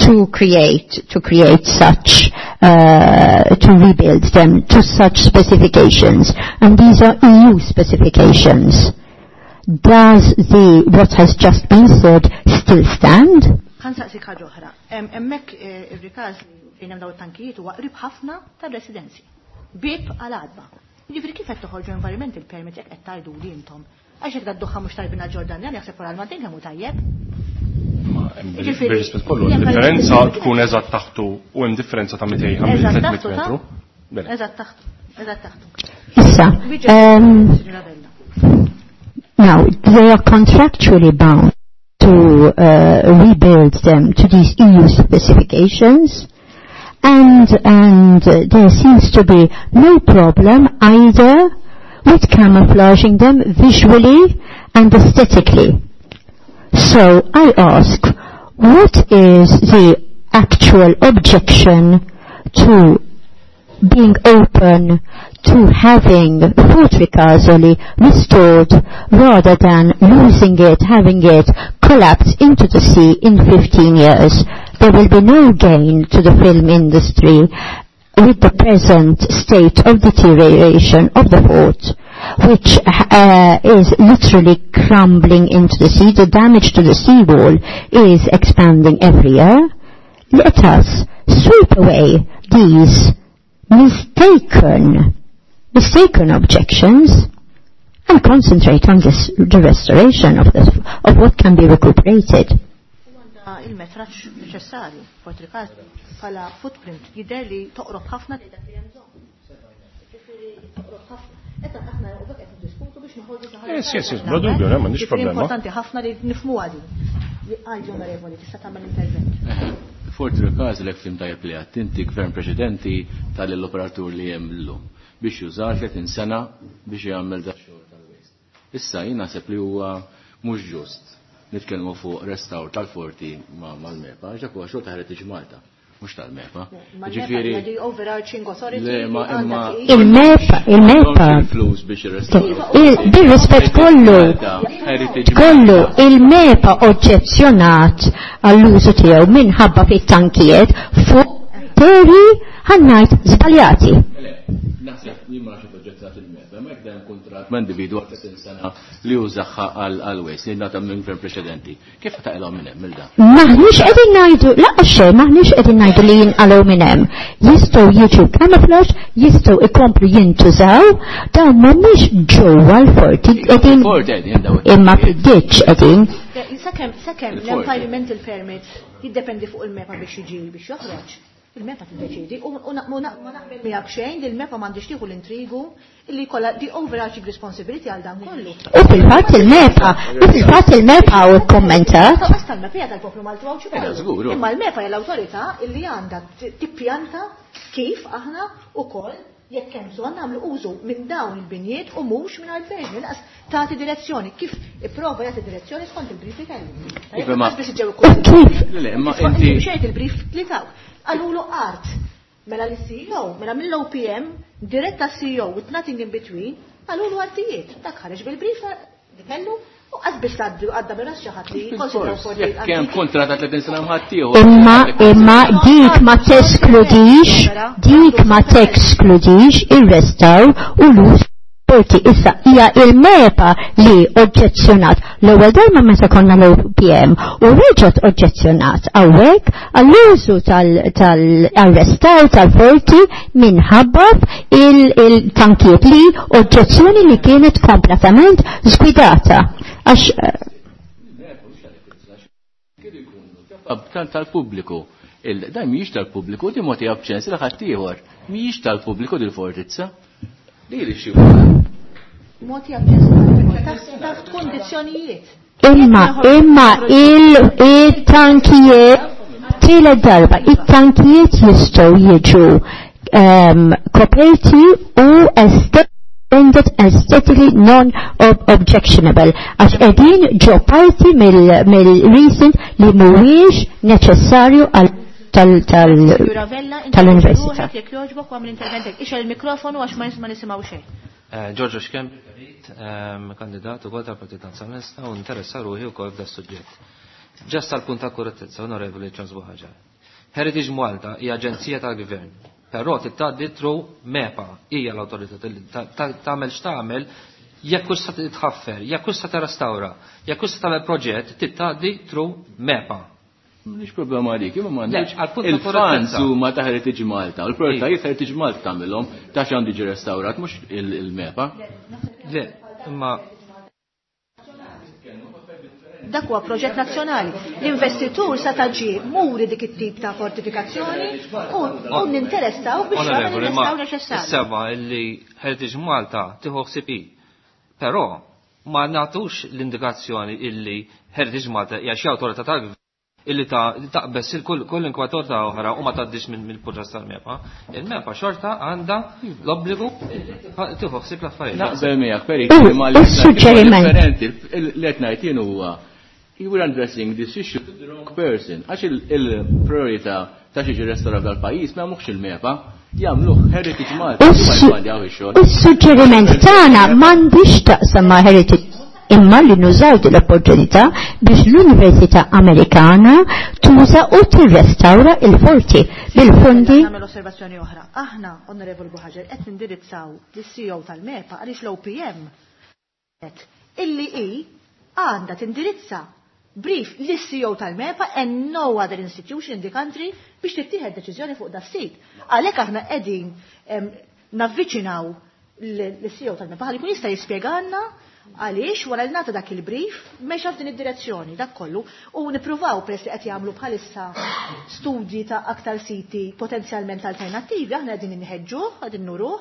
to create to create such to rebuild them to such specifications, and these are EU specifications. Does the what has just been said still stand? Ħa nsaqsik ħaġa oħra. Hemmhekk ir-Rikażli fejn hemm dawn it-tankijiet huwa qrib ħafna tar-residenzi. Bieb għal għadba. Jiġifieri kif qed toħorġu environmental permit jekk qed tgħidu li intom? Għax jekk dad-duħħa mhux tajbin għall-Ġordanjan jaħseb wara l-Maltin kemm hu tajjeb. Bir-rispett kollu, differenza tkun eżatt taħtu u hemm differenza ta' 200 300 metru. Eżatt taħtu. Eżatt taħtu. Issa, now, they are contractually bound to rebuild them to these EU specifications, and and there seems to be no problem either with camouflaging them visually and aesthetically. So I ask, what is the actual objection to being open to having Fort Ricasoli restored rather than losing it, having it collapse into the sea in 15 years? There will be no gain to the film industry with the present state of deterioration of the fort, which is literally crumbling into the sea. The damage to the seawall is expanding every year. Let us sweep away these mistaken mistaken objections and concentrate on this, the restoration of, this, of what can be recuperated. Il-metraġġ neċessarju, Fort Ricasoli, bħala footprint jidher li toqrob ħafna li dak li hemm bżonn. Ġifieri toqrob ħafna. Qed aħna u qed niddiskutu biex noħorġu xi ħaġa. Yes, bla dubju, le, m'għandix problema. Importanti ħafna li nifhmuha din. Għajdi onorevoli, tista' tagħmel intervent. Fort Ricasoli jekk fhimt tajjeb li għedt inti gvern preċedenti tal-operatur li hemm illum biex jużar 30 sena biex jagħmel da xogħol tal-waste. Issa jien naħseb li huwa mhux ġust nitkellmu fuq restawr tal-forti mal-MEPA, għax dak huwa xogħol ta' Heritage Malta, mhux tal-MEPA. Ġifieri overarching authority. Le, ma imma Il-MEPA, il-MEPA. flus biex jirrestawraw. Bir-rispett kollu, kollu, il-MEPA oġġezzjonat għall-użu tiegħu minħabba fit-tankijiet fuq teri ħa ngħid żbaljati. Naħseb jien ma nafx oġġezzjonat il-MEPA, ma jekk hemm kuntratt ma' individwu għal 30 sena li jużaha għal waste li ngħata minn gvern preċedenti. Kif taqilgħu minn hemm il-da? Maħniex qegħdin ngħidu, laqgħa xejn, maħniex qegħdin ngħidu li jinqalgħu minn hemm. Jistgħu jiġu camouflage, jistgħu ikomplu jintużaw, dawn mhumiex ġewwa l-forti qegħdin Fort qegħdin daw. imma fid-ditch qegħdin. Sakemm l-environmental permit jiddependi fuq il-MEPA biex jiġi biex joħroġ. Il-MEPA tiddeċidi u ma naqbel miegħek xejn li l-MEPA m'għandix tieħu l-intrigu illi jkollha the overarching responsibility għal dan kollu. U fil-fatt il-MEPA, u fil-fatt il-MEPA u kommentat. Basta l-MEPA hija tal-poplu Malti u Eh, żgur, Imma l-MEPA hija l-awtorità illi għandha tippjanta kif aħna ukoll jekk hemm bżonn nagħmlu użu minn dawn il-binjiet u mhux minn għall-verġni laqas tagħti direzzjoni kif ipprova jagħti direzzjoni skont il-brief li kellu. Iva, ma- Biex ġew U kif Le, imma inti xejt il-brief li taw. Qalulu art. Mela l-CEO, mela mill-OPM, diretta CEO with nothing in between, qalulu artijiet. Dak ħareġ bil-brief li kellu u qas biss għadda minn ras xi ħadd li jikkonsidraw forti. jekk hemm kuntratt ta' 30 sena mħaddieħor. Imma imma dik ma teskludix, dik ma teskludix ir-restawr u l-uż forti issa hija il-MEPA li oġġezzjonat l-ewwel darba meta konna l-OPM u reġgħet oġġezzjonat hawnhekk għall-użu tal-arrestar tal-forti minħabba il-tankiet li oġġezzjoni li kienet kompletament żgwidata. Għax Tal-pubbliku. Dan mhijiex tal-pubbliku, di moti b'ċens li ħadd ieħor. Mhijiex tal-pubbliku dil-fortizza. Li li xi Moti aċċess taħt kondizzjonijiet. Imma, imma il-tankijiet, tielet darba, il-tankijiet jistgħu jiġu koperti u rendered aesthetically non-objectionable. Għax qegħdin ġo parti mill-recent li mhuwiex neċessarju għal Juravella, tal-università. Jekk jogħġbok u għamil interventek. Ixgħel il-mikrofonu għax ma nisimgħu xejn. Giorgio Schembri, Perit, kandidat ukoll tal-Partit Nazzjonalista u interessa ruħi wkoll f'da suġġett. Just għal punt ta' korrettezza, Onorevoli Charles Buhaġar. Heritage Malta hija aġenzija tal-gvern, però tgħaddi through MEPA, hija l-awtorità tagħmel x'tagħmel jekk hux se titħaffer, jekk hux se tirrestawra, jekk hux se tagħmel proġett, tgħaddi through MEPA. Mhix problema għalik, imma m'għandix. Le, għal-punt ta' Il-fans korrettezza. huma ta' Heritage Malta, u l-prioritajiet Heritage Malta tagħmilhom ta' xi għandu jiġi restawrat mhux il-MEPA. Le, imma Dak huwa proġett nazzjonali. L-investitur sa taġi muri dik it-tip ta' fortifikazzjoni u ninteressaw biex jagħmel Onorevoli, ma il-restawr neċessarju. sema illi Heritage Malta tieħu ħsieb hi. Però ma nagħtux l-indikazzjoni illi Heritage Malta hija xi awtorità tal-gvern illi ta' taqbess il-kull kull inkwatorta oħra u ma tgħaddix minn mill-proċess tal-MEPA. Il-MEPA xorta għandha l-obbligu illi tieħu ħsieb l-affarijiet. Naqbel miegħek, Peri, ma U s-suġġeriment. differenti. Li qed ngħid jien huwa you were addressing this issue to the wrong person. Għax il-priorità ta' xi restawrat dal-pajjiż ma jagħmluhx il-MEPA, jagħmluh Heritage Malta, U huma jfandjaw ix-xogħol. s-suġġeriment tagħna m'għandix taqsam ma' Heritage imma li nużaw din l-opportunità biex l-Università Amerikana tuża u tirrestawra il-forti bil-fondi Nagħmel osservazzjoni oħra. Aħna, Onorevoli Buhaġar, qed nindirizzaw lis-CEO tal-MEPA għaliex l-OPM qed illi hi għandha tindirizza brief lis-CEO tal-MEPA and no other institution in the country biex tittieħed deċiżjoni fuq da sit. Għalhekk aħna qegħdin navviċinaw l-CEO tal-MEPA ħalli jkun jista' jispjegalna għaliex wara li nagħta dak il-brief mexa f'din id-direzzjoni dak kollu u nippruvaw peress li qed jagħmlu bħalissa studji ta' aktar siti potenzjalment alternattivi aħna qegħdin inħeġġuh, qegħdin nuruh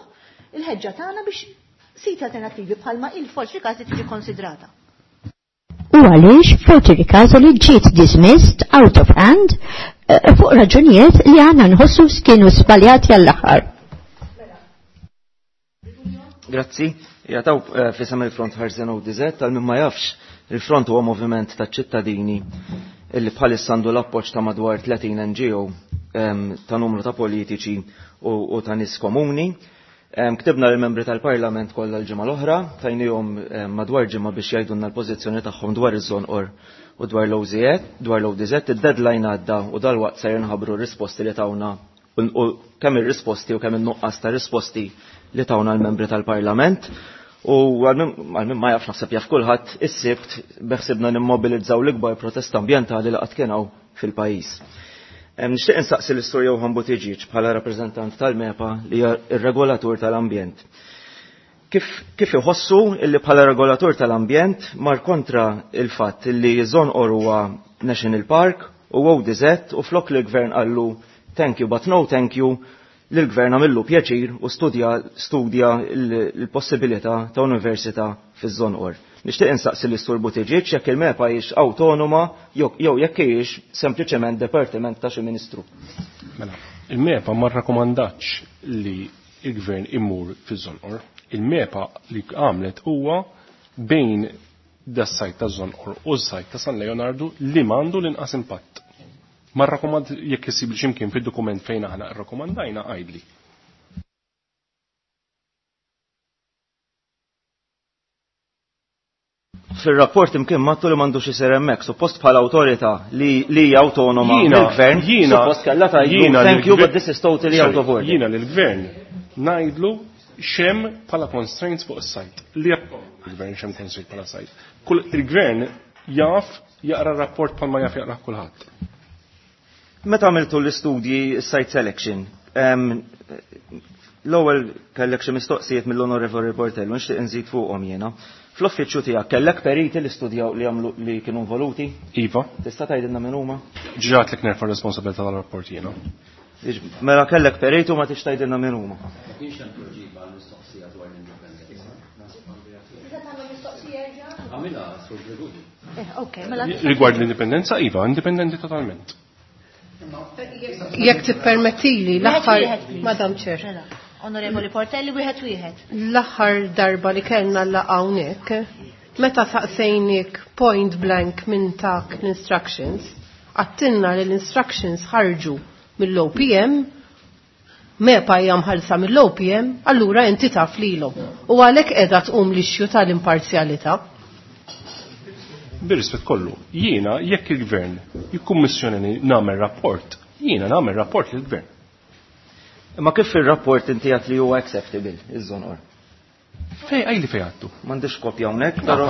il-ħeġġa tagħna biex siti alternattivi bħalma il-Forti Ricasoli tiġi konsidrata. U għaliex Forti Ricasoli ġiet dismissed out of hand fuq raġunijiet li għandna nħossu kienu żbaljati għall-aħħar. Grazzi. Jataw fisem il-Front Ħarsien ODZ, tal-min ma jafx, il-Front huwa moviment ta' ċittadini illi bħalissa għandu l-appoġġ ta' madwar 30 NGO ta' numru ta' politiċi u ta' nies komuni. Ktibna lill-membri tal-Parlament kollha l-ġimgħa l-oħra, tajnihom madwar ġimgħa biex jgħidulna l-pożizzjoni tagħhom dwar iż-Żonqor u dwar l-OZZ, dwar l-ODZ, id-deadline għadda u dalwaqt se jinħabru r-risposti li tawna u kemm ir-risposti u kemm in-nuqqas ta' risposti li tawna l-membri tal-Parlament. U għal min ma jafx naħseb jaf kulħadd, is-Sibt beħsibna nimmobilizzaw l-ikbar protesta ambjentali li qatt kien hawn fil-pajjiż. Nixtieq insaqsi l-Istur Johann Buttigieg bħala rappreżentant tal-MEPA li hija r-regolatur tal-ambjent. Kif iħossu illi bħala regolatur tal-ambjent mar kontra il-fatt illi Żonqor huwa National Park u ODZ u flok li l-gvern qallu thank you but no thank you, li l-gvern għamillu pjaċir u studja l-possibilità ta' università fiż-Żonqor. Nixtieq insaqsi l-Istur Buttigieg jekk il-MEPA hijiex awtonoma jew jekk hijiex sempliċement departiment ta' xi ministru. Mela, il-MEPA ma rrakkomandax li il-gvern immur fiż-Żonqor. Il-MEPA li għamlet huwa bejn das-sajt ta' Żonqor u s-sajt ta' San Leonardo li m'għandu l-inqas impatt. Ma rrakkomand jekk isib li x'imkien fid-dokument fejn aħna rrakkomandajna għajdli. Fil-rapport imkien mattu li m'għandux isir hemmhekk, suppost bħala awtorità li hija awtonoma mill-gvern, suppost kellha tgħidlu thank you but this is totally out of order. Jiena lill-gvern ngħidlu xem bħala constraints fuq is-sajt. Li il-gvern xem constraints bħala sajt. Kull il-gvern jaf jaqra rapport bħalma jaf jaqra kulħadd. Meta għamiltu l-istudji site selection, l-ewwel kellek xi mistoqsijiet mill-Onorevoli Portello, nixtieq inżid fuqhom jiena. Fl-uffiċċju tiegħek kellek periti li studjaw li għamlu li kienu involuti? Iva. Tista' tgħidilna min huma? Ġrat li nerfa' responsabilità tal-rapport jiena. Mela kellek periti u ma tix tgħidilna min huma. Kienx hemm tweġiba għall-mistoqsija dwar l-indipendenza. Għamilha Sur Gregorio. Ok, mela. Rigward l-indipendenza, iva, indipendenti totalment. Jekk tippermettili l-aħħar, Madam Chair. Mela, Onorevoli Portelli, wieħed wieħed. L-aħħar darba li kellna l-laqgħa hawnhekk, meta saqsejnik point blank minn tak l-instructions, għattilna li l-instructions ħarġu mill-OPM, MEPA hija mħallsa mill-OPM, allura inti taf lilhom. U għalhekk qiegħda tqum l-issue tal-imparzjalità. bir-rispett kollu, jiena jekk il-gvern jikkummissjonani nagħmel rapport, jiena nagħmel rapport lill-gvern. Imma kif fir-rapport inti għedt li huwa acceptable iż-Żonqor? Fej għajli fej għattu? M'għandix kopja hawnhekk, però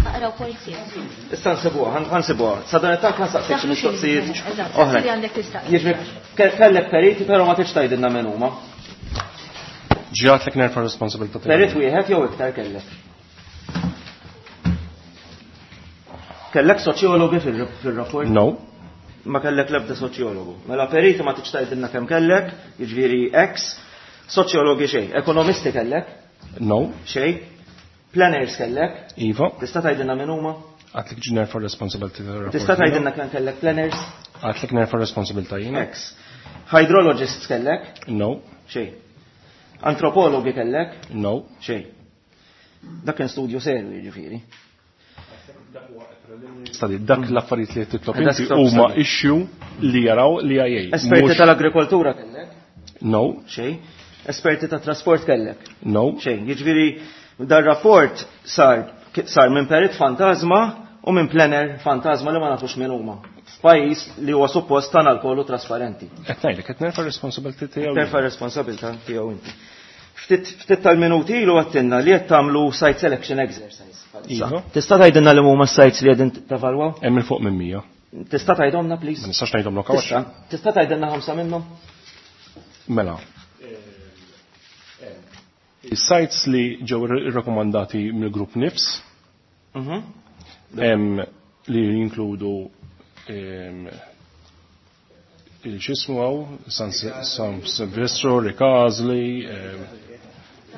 Aqraw point 6. Issa nsibuha, ħa nsibuha. Sa dan it-tant ħa nsaqsik xi mistoqsijiet Eżatt, oħra. li għandek tistaqsi. Jiġifieri kellek periti però ma tridx tgħidilna min huma. Ġiegħedtlek nerfa' responsabilità tiegħi. Perit wieħed jew iktar kellek? Kellek soċjologi fil-rapport? No. Ma kellek l-ebda soċjologu. Mela periti ma tridx tgħidilna kemm kellek, jiġifieri X, soċjologi xejn. Ekonomisti kellek? No. Xejn. Planners kellek? Iva. Tista' tgħidilna min huma? Għedtlek ġi nerfa' responsabilità tar-rapport. Tista' tgħidilna kemm kellek planners? Għedtlek nerfa' responsabilità jiena. X. Hydrologists kellek? No. Xejn. Antropologi kellek? No. Xejn. Dak kien studju serju jiġifieri. Study, dak l-affarijiet li titlob inti Desktop huma study. issue li jaraw li IA. Esperti tal-agrikoltura kellek? No. Xejn. Esperti tat trasport kellek? No. Xejn. Jiġifieri dar-rapport sar minn perit fantasma u minn planner fantasma li ma nafux min huma. F'pajjiż li huwa suppost tana l-kollu trasparenti. Qed ngħidlek qed nerfa' responsabilità tiegħu. Terfa' responsabilità tiegħu inti. Ftit tal-minuti ilu għedtilna li qed tagħmlu site selection exercise. Iva. Tista' tgħidilna li huma s-sites li qegħdin tevalwaw? Hemm il fuq minn 100. Tista' tgħidhomna please? Ma nistax ngħidhom hawn. Tista' Tista' tgħidilna ħamsa minnhom? Mela. Is-sites li ġew irrakkomandati mill-grupp NIFS hemm li jinkludu il-xismu għaw, San Silvestro, Ricasoli,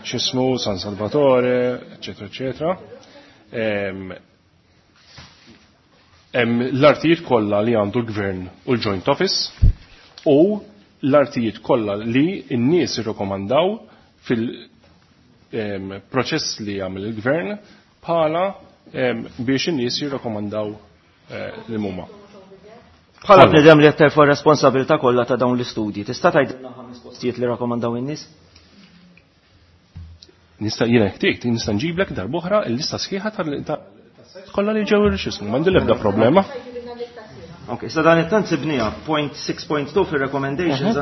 xismu, San Salvatore, eccetera, eccetera. Hemm l-artijiet kollha li għandu l-gvern u l-joint office u l-artijiet kollha li n-nies irrekomandaw fil-proċess li għamel il-gvern bħala biex in-nies jirrekomandaw li huma. Bħala Kollha. bniedem li qed terfa' responsabilità kollha ta' dawn l-istudji, tista' tgħidilna ħames postijiet li rakkomandaw in-nies? Nista' jiena jekk nista' nġiblek darb'oħra l-lista sħiħa tal kollha li ġew irxismu, m'għandi l-ebda problema. Ok, sa dan it-tant sibnija, point 6.2 fil-recommendations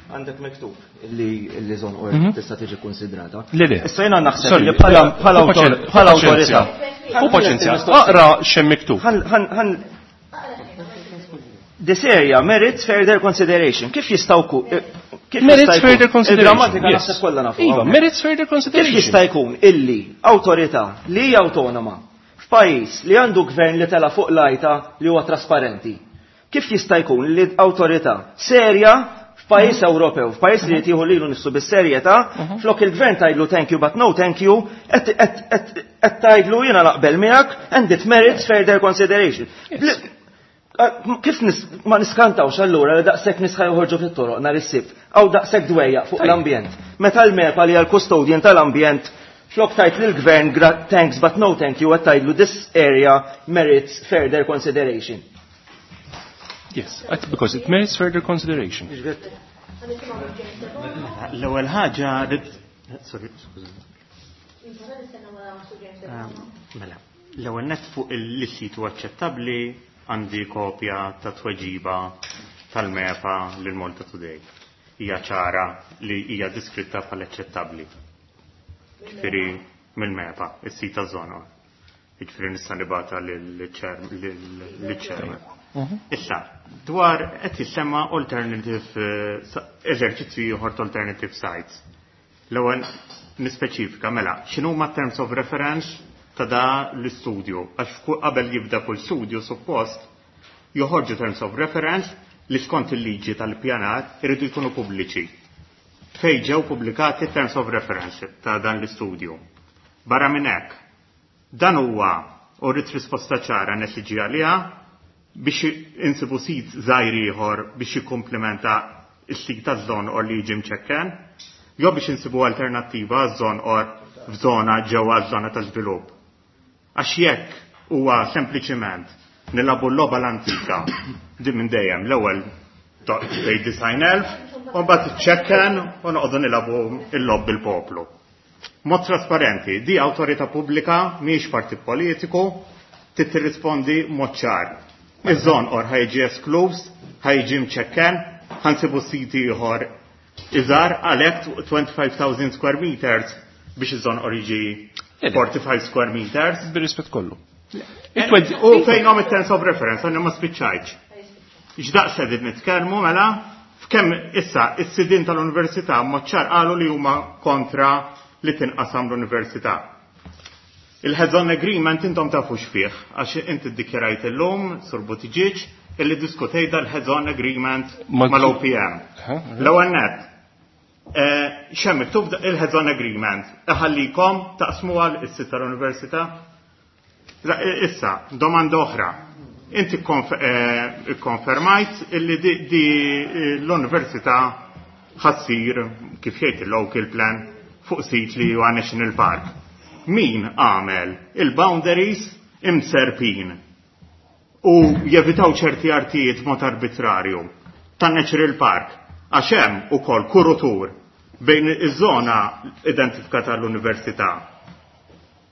għandek miktub illi Żonqor tista' tiġi konsidrata. Le, le. Issa jiena naħseb Sorry, li bħala hu paċenzja. bħala awtorità. Hu paċenzja. Aqra x'hemm miktub. This area merits further consideration. Kif jistgħu kif Merits jista' jkun? further consideration, Il-grammatika yes. naħseb kollha nafu. Iva, hawnhekk. merits further consideration. Kif jista' jkun illi awtorità li hija awtonoma f'pajjiż li għandu gvern li tela fuq lajta li huwa trasparenti. Kif jista' jkun li awtorità serja f'pajjiż Ewropew, f'pajjiż li jtieħu lilu nnifsu bis-serjetà, flok il-gvern tgħidlu thank you but no thank you, qed tgħidlu jiena naqbel miegħek and it merits further consideration. Kif ma niskantawx allura li daqshekk nies ħa joħorġu fit-toroq nhar is-Sibt, għaw daqshekk dwejjaq fuq l-ambjent. Meta l-MEPA li għal-custodian tal-ambjent flok tgħid lill-gvern thanks but no thank you, qed tgħidlu this area merits further consideration. Yes, because it merits further consideration. L-ewwel ħaġa sorry, skużani. Mela, l-ewwel net fuq il-sit huwa aċċettabbli għandi kopja ta' tweġiba tal-MEPA lil Malta Today. Hija ċara li hija diskritta bħala aċċettabbli. Ġifieri mill-MEPA, is-sit taż-Żonqor. Jiġifieri nista' nibgħatha lill-chairman. Issa, dwar qed jissemma alternative eżerċizzju ieħor ta' alternative sites. L-ewwel nispeċifika mela, x'inhuma terms of reference ta' da l-istudju, għax qabel jibda kull studju suppost joħorġu terms of reference li skont il-liġi tal-pjanar iridu jkunu pubbliċi. Fej ġew pubblikati terms of reference ta' dan l-istudju. Barra minn hekk, dan huwa u rrid risposta ċara nesiġi għaliha biex insibu sit żgħir ieħor biex jikkumplementa s-sit taż-Żonqor li jiġi mċekken, jew biex insibu alternattiva għaż-Żonqor f'żona ġewwa żona ta' żvilupp. Għax jekk huwa sempliċiment nilagħbu l-logħba l-antika din minn dejjem l-ewwel tgħid 90,000 u mbagħad iċċekken u noqogħdu nilagħbu l-logħob bil-poplu. Mod trasparenti, di awtorità pubblika mhijiex partit politiku, trid tirrispondi mod ċar. Iż-Żonqor ħa jiġi eskluż, ħa jiġi mċekken, ħa nsibu siti ieħor iżgħar għalhekk 25,000 square meters biex iż-Żonqor jiġi 45 square meters. Bir-rispett kollu. U fejnhom it-terms of reference, għandna ma spiċċajtx. X'daqs qegħdin nitkellmu mela f'kemm issa is-sidien tal-università mod ċar qalu li huma kontra li tinqasam l-università. Il-heads-on agreement intom tafu x'fih, għax inti ddikjarajt illum, Sur Buttigieg, illi diskutejt dal-heads-on agreement mal-OPM. L-ewwel nett, x'hemm miktub il-heads-on agreement? Iħallikom taqsmu għal is-sit tal-università? Issa, domanda oħra. Inti konfermajt illi di l-università ħa ssir, kif jgħid il-local plan, fuq sit li huwa National Park. Min għamel il-boundaries imserpin u jevitaw ċerti artijiet mod arbitrarju tan Natural Park, għax hemm ukoll kurutur bejn iż-żona identifikata l-università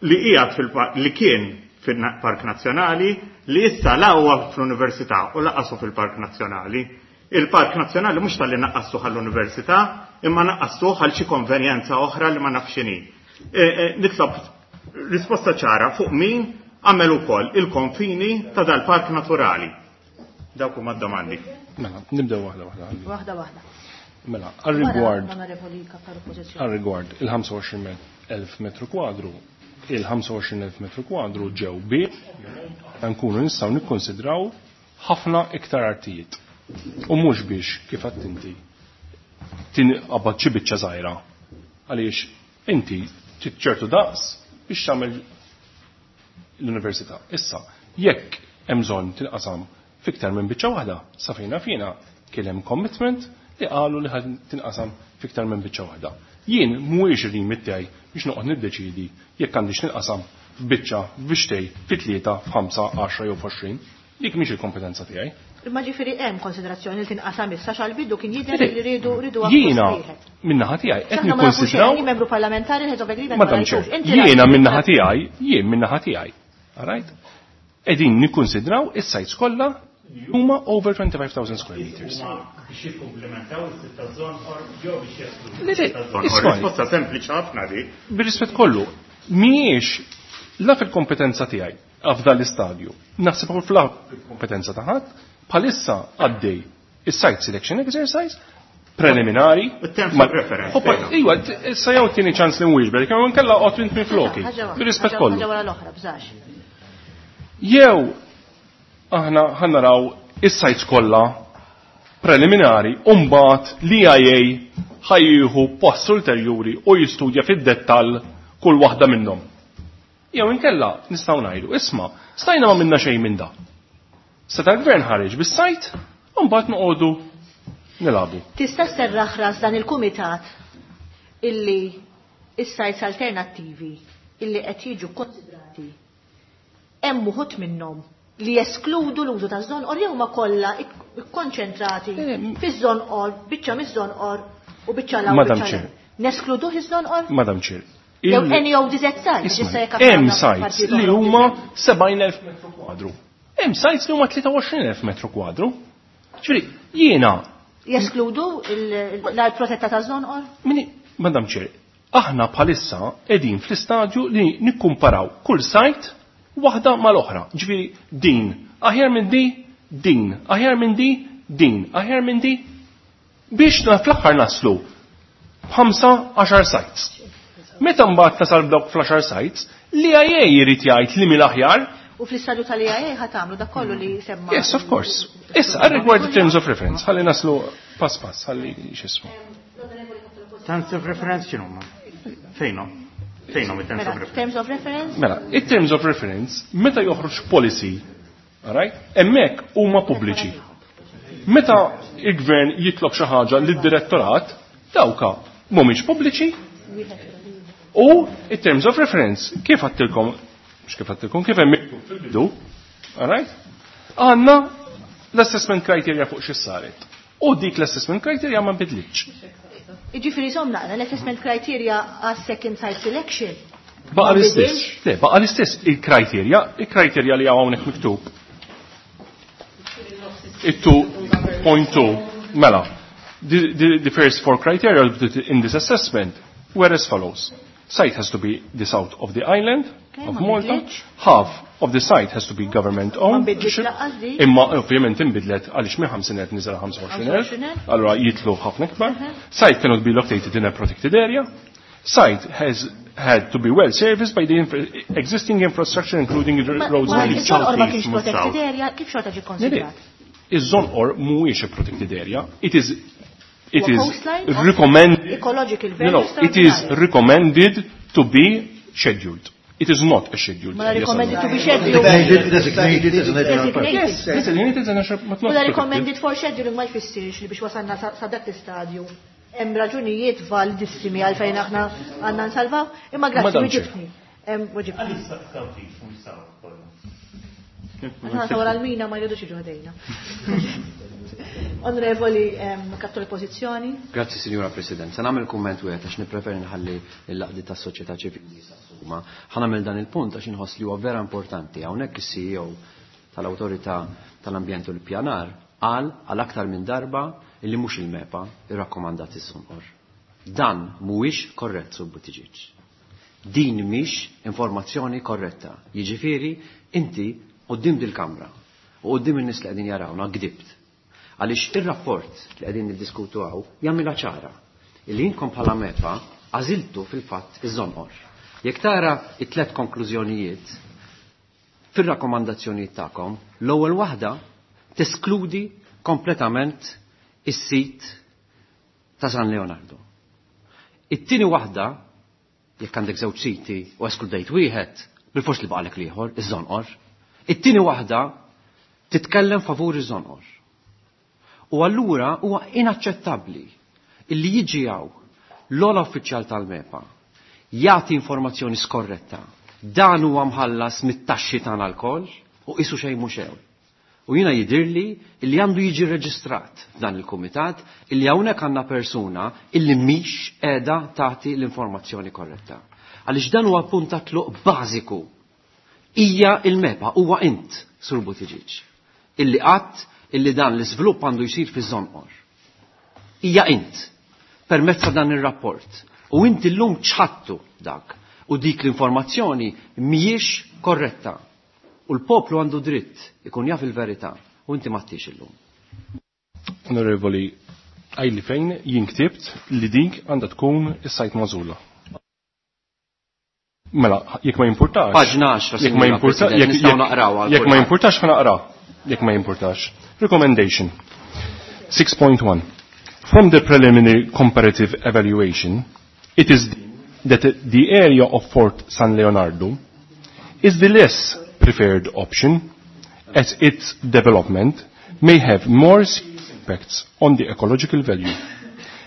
li qiegħed fil-park, li kien fil-Park Nazzjonali, li issa la huwa fl-Università u lanqas hu fil-Park Nazzjonali. Il-Park Nazzjonali mhux talli naqqastuh għall-Università, imma naqqastuh għal xi konvenjenza oħra li ma nafx x'inhi. Nitlob risposta ċara fuq min għamel ukoll il-konfini ta' dal-Park Naturali. Dawk huma d-domandi. Mela, nibdew waħda waħda. Waħda waħda. Mela, għal-rigward Onorevoli Kap tal-Oppożizzjoni. Għal-rigward il-25,000 metru kwadru, il-25,000 metru kwadru ġew bi nkunu nistgħu nikkonsidraw ħafna iktar artijiet. U mhux biex kif għedt inti tinqabad xi biċċa żgħira. Għaliex inti trid ċertu daqs biex tagħmel l-università. Issa, jekk hemm bżonn tinqasam fiktar minn biċċa waħda, sa fejna fina kien hemm commitment li qalu li ħad tinqasam fiktar minn biċċa waħda. Jien mhuwiex ir-remit tiegħi biex noqgħod niddeċidi jekk għandix tinqasam f'biċċa, f'biċċtej, fi 3, f'ħamsa, 10 jew f'għoxrin. Dik mhix il-kompetenza tiegħi. Imma ġifieri hemm konsiderazzjoni li tinqasam issa x'għall-bidu kien jidher li rridu Jiena akkost wieħed. min-naħa tiegħi qed X'aħna ma nafux nikkonsidraw xejn, membru parlamentari heads of agreement ma Madam rajtux. Chair, Inti jiena rajt. min-naħa tiegħi, jien min-naħa tiegħi. All right? Qegħdin nikkonsidraw is-sites kollha li huma over 25,000 square meters. Biex jikkumplementaw is-sit taż-Żonqor jew biex jeskludu Le, le, is-sit taż-Żonqor. isma' Risposta sempliċi ħafna di. Bir-rispett kollu, mhijiex la fil-kompetenza tiegħi f'dan l-istadju. Naħseb ukoll fil-kompetenza ta' ħadd, bħalissa għaddej is-site selection exercise preliminari. Il-terms of reference, Hoppa, fejn? iwa, issa jew tieni ċans li nwieġbek, kemm inkella qgħod int minn floki. Ħaġa waħda, Bir-rispett ħaġa kollu. ħaġa wara l-oħra, bżax. Jew aħna ħa naraw is-sites kollha preliminari u mbagħad l-EIA ħa jieħu post ulterjuri u jistudja fid-dettall kull waħda minnhom. Jew inkella nistgħu ngħidu, isma' stajna ma minna xejn minn da. Seta' l-gvern ħareġ bis-site u mbagħad noqogħdu nilagħbu. Tista' sserraħ ras dan il-kumitat illi is-sites alternattivi illi qed jiġu konsidrati hemm uħud minnhom li jeskludu l-użu taż-Żonqor jew ma kollha ikkonċentrati fiż-Żonqor, biċċa miż-Żonqor u biċċa l Madam biċċa Chair. l Neskluduh iż-Żonqor? Madam Chair. Jew any ODZ site, Isma' issa jekk hemm aħna sites partit li oħra huma ODZ. 70,000 metru kwadru. Hemm sites li huma 23,000 metru kwadru. Ġifieri, jiena Jeskludu l-art protetta taż-Żonqor? Mini, Madam Chair, aħna bħalissa qegħdin fl-istadju li nikkumparaw kull site waħda mal-oħra. Ġifieri din, aħjar minn di, din, aħjar minn di, din, aħjar minn di, biex fl-aħħar naslu b'ħamsa 10 sites. Meta mbagħad tasal b'dawk fl-10 sites, l-EIA jrid jgħid li mill-aħjar. U fl-istadju tal-EIA ħa tagħmlu dak kollu li semma. Yes, of course. Issa, għal-rigward the terms of reference, ħalli naslu pass pass, ħalli x'ismu. Terms of reference x'inhuma? Fejnhom? Fejnhom it-terms Mela, of reference? terms of reference? Mela, it-terms of reference, meta joħroġ policy, alright, hemmhekk huma pubbliċi. Meta il-gvern jitlob xi ħaġa lid-direttorat, dawka mhumiex pubbliċi u it-terms of reference, kif għedtilkom, mhux kif għedtilkom, kif hemm miktub fil-bidu, alright, għandna l-assessment criteria fuq xi saret. U dik l-assessment criteria ma nbidlitx. Jiġifieri żomm naqra l-assessment criteria għas second site selection. Baqa l-istess. Le, baqa l-istess il-kriterja, il-kriterja li hawnhekk miktub. It-2.2 mela. The first four criteria in this assessment were as follows. Site has to be the south of the island of Malta. Half of the site has to be government owned. Imma ovvjament inbidlet għaliex minn 50,000 niżel 25,000, allura jitlu ħafna ikbar. Site cannot be located in a protected area. Site has had to be well serviced by the existing infrastructure including the roads and the Ma kienx protected area, kif xorta ġie konsidrat? Iż-Żonqor mhuwiex a protected area. It is recommended ecological No, it is recommended to be scheduled. It is not a scheduled area. recommended to be scheduled. Designated as a national park. Yes, designated as a national park. Mela recommended for scheduling ma jfissirx li biex wasalna sa dak l-istadju. Hemm raġunijiet validissimi għalfejn aħna għandna nsalvaw, imma grazzi weġibtni. Weġibtni. Aħna wara l-mina ma jridux jiġu ħdejna. Onorevoli Kap tal-Oppożizzjoni. Grazzi, Signora President. Se nagħmel kumment wieħed għax nippreferi nħalli l-għaqdiet tas-soċjetà ċivili jistaqsuma. Ħa nagħmel dan il-punt għax inħoss li huwa vera importanti. Hawnhekk is-CEO tal-Awtorità tal-Ambjent u l-Pjanar qal għal aktar minn darba illi mhux il-MEPA irrakkomandat iż-Żonqor. Dan mhuwiex korrett, Sur Buttigieg. Din mhix informazzjoni korretta. Jiġifieri inti quddiem dil-Kamra u quddiem in-nies li qegħdin jarawna gdibt. Għaliex ir-rapport li qegħdin niddiskutu hawn jagħmilha ċara illi inkom bħala MEPA għażiltu fil-fatt iż-Żonqor. Jekk tara it-tlet konklużjonijiet fir-rakkomandazzjonijiet tagħkom, l-ewwel waħda teskludi kompletament is-sit ta' San Leonardo. It-tieni waħda, jekk għandek żewġ siti u eskludejt wieħed, bil-fors li baqalek l-ieħor, iż-Żonqor. It-tieni waħda titkellem favur iż-Żonqor. U allura huwa inaċċettabbli illi jiġi hawn l-ogħla uffiċjal tal-MEPA jagħti informazzjoni skorretta. Dan huwa mħallas mit-taxxi tagħna lkoll u qisu xejn mhux xejn. U jiena jidirli illi għandu jiġi reġistrat f'dan il-kumitat illi hawnhekk għandna persuna illi mhix qiegħda tagħti l-informazzjoni korretta. Għaliex dan huwa punt ta' tluq bażiku. Hija il-MEPA, huwa int, Sur Buttigieg, illi qatt illi dan l-iżvilupp għandu jsir fiż-Żonqor. Hija int, permezz ta' dan ir-rapport. U inti llum ċħattu dak u dik l-informazzjoni mhijiex korretta. U l-poplu għandu dritt ikun jaf il-verità u inti m'għadtix illum. Onorevoli, għidli fejn jien ktibt li dik għandha tkun is-site magħżula. Mela, jekk ma jimpurtax. Paġna 10, Jekk ma Sinjura jimpurtax, President, nistgħu naqrawha għal jekk ma kulħadd. jimpurtax ħa naqra. Jekk ma jimpurtax. Recommendation 6.1. From the preliminary comparative evaluation, it is that the area of Fort San Leonardo is the less preferred option, as its development may have more serious impacts on the ecological value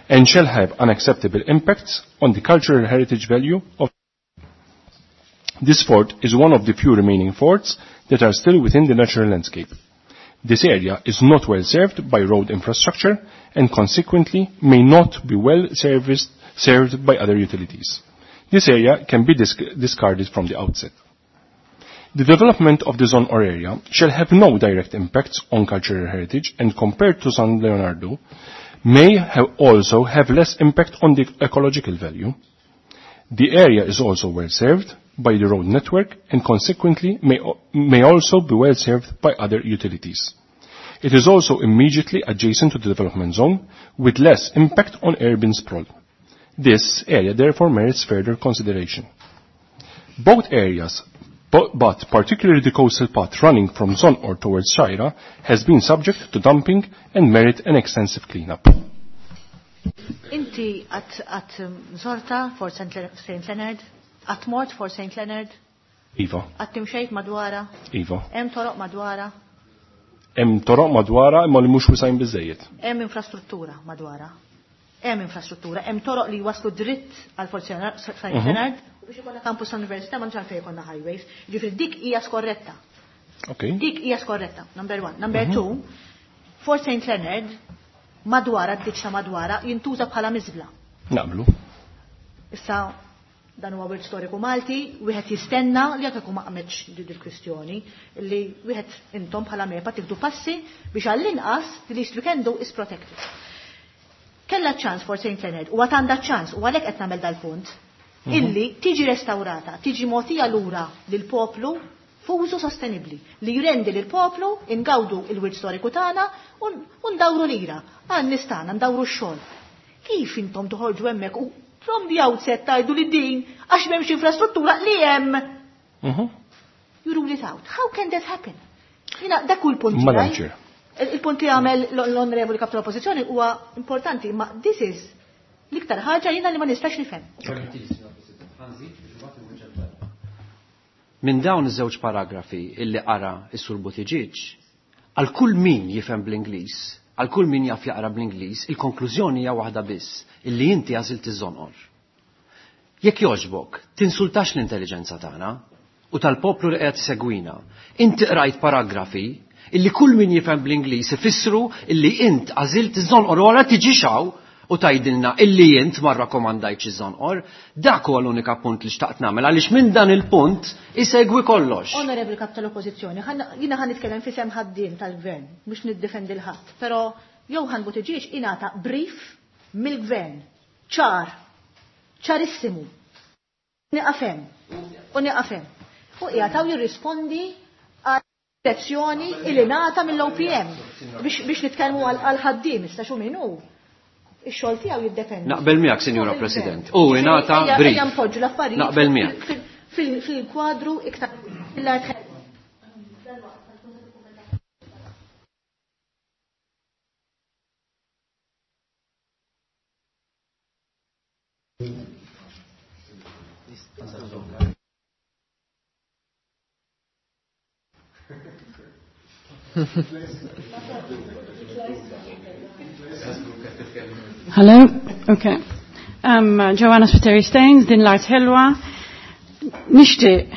and shall have unacceptable impacts on the cultural heritage value of. This fort is one of the few remaining forts that are still within the natural landscape. This area is not well served by road infrastructure and consequently may not be well served by other utilities. This area can be discarded from the outset. The development of the Żonqor area shall have no direct impacts on cultural heritage and compared to San Leonardo may also have less impact on the ecological value. The area is also well served by the road network and consequently may also be well served by other utilities. It is also immediately adjacent to the development zone with less impact on urban sprawl. This area therefore merits further consideration. Both areas, but particularly the coastal path running from Żonqor towards Xgħajra, has been subject to dumping and merit an extensive cleanup. Inti għat żortha Fort Saint Leonard? Għat mort Fort Saint Leonard? Iva. Għat timxejt madwara? Iva. Hemm toroq madwara? Hemm toroq madwara imma li mhux wisgħin biżejjed. Hemm infrastruttura madwara. Hemm infrastruttura, hemm toroq li waslu dritt għal Fort Saint Leonard u biex ikollna campus tal-università ma nix għalfejn ikollna highways. Ġifieri dik hija skorretta. Dik hija skorretta, number one. Number two, Fort Saint Leonard madwara, d-ditx ta' madwara, jintuża bħala miżbla. Naqblu. Issa dan huwa wirt storiku Malti, wieħed jistenna li jekk ma qametx din il-kwistjoni, li wieħed intom bħala MEPA tieħdu passi biex għall-inqas the least we can do is protect it. Kella ċans for St. Leonard, u għad għandha ċans, u għalhekk qed nagħmel dal-punt, illi tiġi restaurata, tiġi mogħtija lura lill-poplu f'użu sostenibbli li jrendi lill-poplu ingawdu il-wirt storiku tagħna u ndawru lira, għan-nies tagħna ndawru x-xogħol. Kif intom toħorġu hemmhekk u from the outset tgħidu li din għax m'hemmx infrastruttura li hemm? You rule it out. How can that happen? Jiena dak hu l-punt Madam tiegħi. Chair. Il-punt li għamel l-onorevoli kap tal-oppożizzjoni huwa importanti, ma this is l-iktar ħaġa jiena li ma nistax nifhem. Minn dawn iż-żewġ paragrafi illi qara is-Sur Buttigieg, għal kull min jifhem bl-Ingliż, għal kull min jaf jaqra bl-Ingliż, il-konklużjoni hija waħda biss, illi inti għażilt iż-żonqor. Jekk jogħġbok, tinsultax l-intelligenza tagħna u tal-poplu li qed segwina. Inti qrajt paragrafi illi kull min jifhem bl-Ingliż ifissru illi int għażilt iż-żonqor wara tiġix hawn u tgħidilna illi int ma rrakkomandajtx iż-żonqor. Dak huwa l-unika punt li xtaqt nagħmel għaliex minn dan il-punt isegwi kollox. Onorevoli kap tal-Oppożizzjoni, jiena ħa nitkellem f'isem ħaddiem tal-Gvern biex niddefendi l-ħadd, però Johann Buttigieg ingħata brief mill-Gvern ċar, ċarissimu. Nieqaf hemm, u nieqaf hemm. U qiegħed hawn jirrispondi għal direzzjoni illi ngħata mill-OPM biex nitkellmu għal ħaddiem issa xu min hu. Ix-xogħol tiegħu jiddependi. Naqbel miegħek, Sinjura President. U ingħata brief. Ejja npoġġu l-affarijiet Naqbel miegħek. fil-kwadru iktar l-art. Hello? Okay. Joanna Spiteri Staines, din l-art ħelwa. Nixtieq,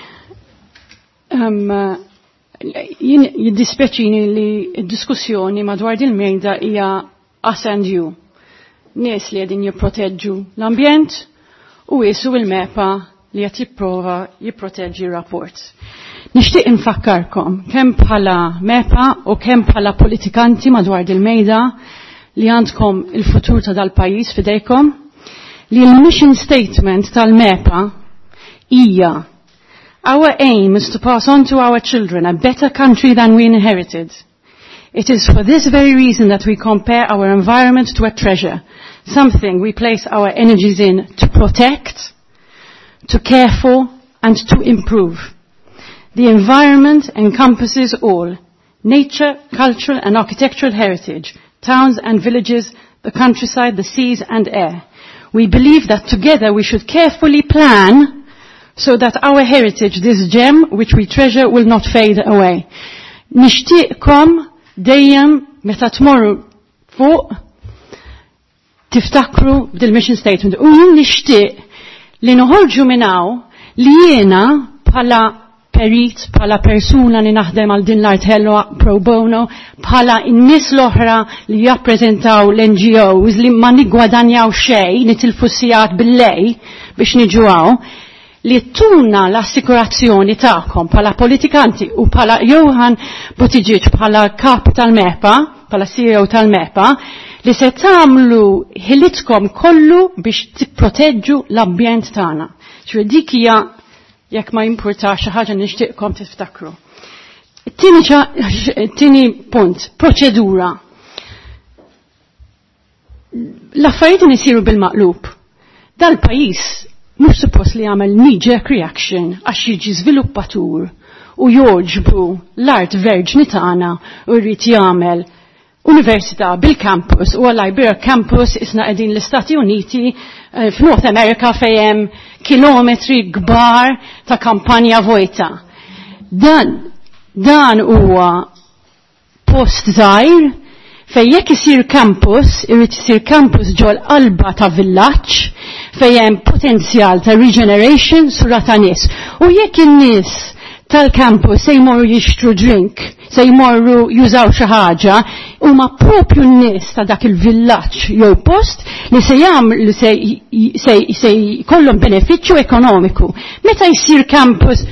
jien jiddispeċini li d-diskussjoni madwar din mejda hija us and you. Nies li qegħdin jipproteġġu l-ambjent u qisu il-MEPA li qed jipprova jipproteġġi r-rapport. Nixtieq infakkarkom kemm bħala MEPA u kemm bħala politikanti madwar dil-mejda li għandkom il-futur ta' dal-pajjiż fidejkom, li l-mission statement tal-MEPA hija Our aim is to pass on to our children a better country than we inherited. It is for this very reason that we compare our environment to a treasure, something we place our energies in to protect, to care for, and to improve. The environment encompasses all, nature, cultural and architectural heritage, towns and villages, the countryside, the seas and air. We believe that together we should carefully plan so that our heritage, this gem which we treasure, will not fade away. Nixtieqkom dejjem meta tmorru fuq tiftakru dil-mission statement. U jien nixtieq li noħorġu minn hawn li jiena bħala perit, bħala persuna li naħdem għal din l-art ħelwa pro bono, bħala n-nies l-oħra li jappreżentaw l-NGOs li ma niggwadanjaw xejn, nitilfu sigħat bil-lej biex niġu hawn, li tuna l-assikurazzjoni tagħkom bħala politikanti u bħala Johann Buttigieg bħala kap tal-MEPA, bħala CEO tal-MEPA, li se tagħmlu ħilitkom kollu biex tipproteġġu l-ambjent tagħna. Ġifieri dik hija jekk ma jimpurtax xi ħaġa nixtieqkom tiftakru. It-tieni punt, proċedura. L-affarijiet isiru bil-maqlub. Dal-pajjiż mhux suppost li jagħmel knee-jerk reaction għax jiġi żviluppatur u jogħġbu l-art verġni tagħna u jrid jagħmel università bil-campus u għal campus isna qegħdin l-Istati Uniti f'North America fejn hemm kilometri kbar ta' kampanja vojta. Dan huwa post żgħir fejn jekk isir campus, irid isir campus ġol qalba ta' villaġġ fejn hemm potenzjal ta' regeneration sura ta' nies. U jekk in-nies tal-campus se jmorru jixtru drink, se jmorru jużaw xi ħaġa, huma propju n-nies ta' dak il-villaġġ jew post li se jagħmlu se, se, se jkollhom benefiċċju ekonomiku. Meta jsir campus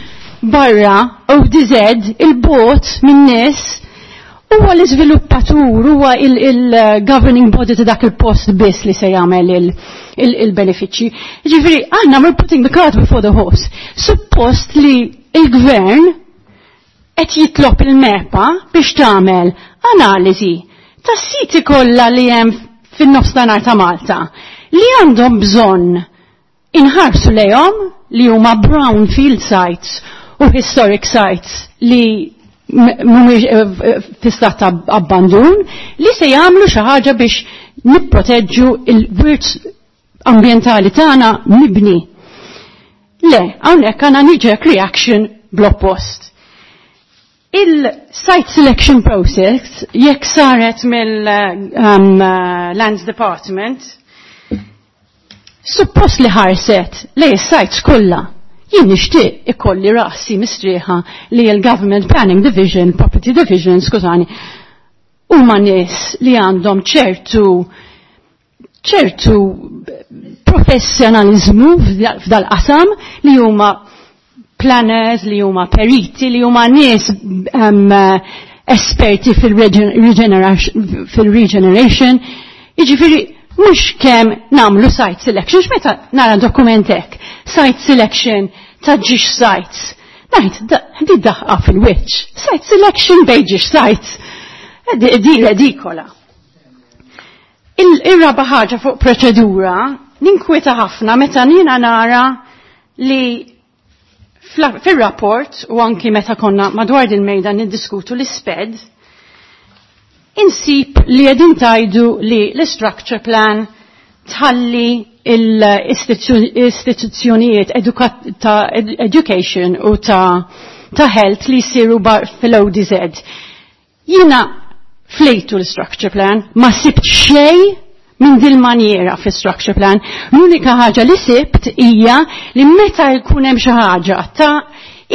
barra ODZ il-bot min-nies huwa l-iżviluppatur, huwa il-governing body ta' dak il-post biss li se jagħmel il-benefiċċji. Ġifieri aħna we're putting the cart before the horse. Suppost li il-gvern qed jitlob il-MEPA biex tagħmel analiżi tas-siti kollha li hemm fin-nofstanhar ta' Malta li għandhom bżonn inħarsu lejhom li huma brownfield sites u historic sites li mhumiex fi stat ta' abbandun li se jagħmlu xi ħaġa biex nipproteġġu il-wirt ambjentali tagħna mibni. Le, hawnhekk għandna knee-jerk reaction bl-oppost. Il-site selection process, jekk saret mill-Lands Department, suppost li ħarset lej sites kollha. Jien nixtieq ikolli rasi mistrieħa li l-Government Planning Division, Property Division, skużani, huma nies li għandhom ċertu ċertu professjonalizmu f'dal-qasam li huma planners, li huma periti, li huma nies esperti fil-regeneration. Jiġifieri mhux kemm nagħmlu site selection, x'meta nara dokument hekk, site selection ta' ġiex sites. Ngħid, di daħqa fil-wiċċ. Site selection bejn ġiex sites. Di redikola. Ir-raba ħaġa fuq proċedura, ninkwieta ħafna meta jiena nara li fil-rapport u anki meta konna madwar din mejda niddiskutu l-isped, insib li qegħdin tajdu li l-structure plan tħalli l-istituzzjonijiet ta' education u ta' health li jsiru fil-ODZ. Jiena flejtu l-structure plan, ma sibt xej minn dil maniera fi structure plan. L-unika ħaġa li sibt hija li meta jkun hemm xi ħaġa ta'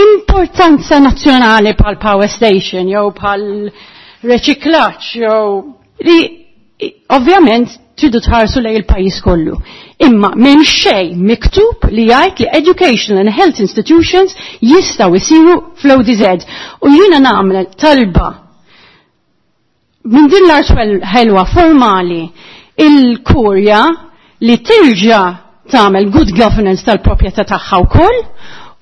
importanza nazzjonali bħal power station jew bħal reċiklaġġ jew li ovvjament tridu tħarsu lej il-pajjiż kollu. Imma m'hemm xejn miktub li jgħid li educational and health institutions jistgħu jsiru fl-ODZ. U jiena nagħmel talba minn din l-art ħelwa formali il-kurja li terġa' tagħmel good governance tal-proprjetà tagħha wkoll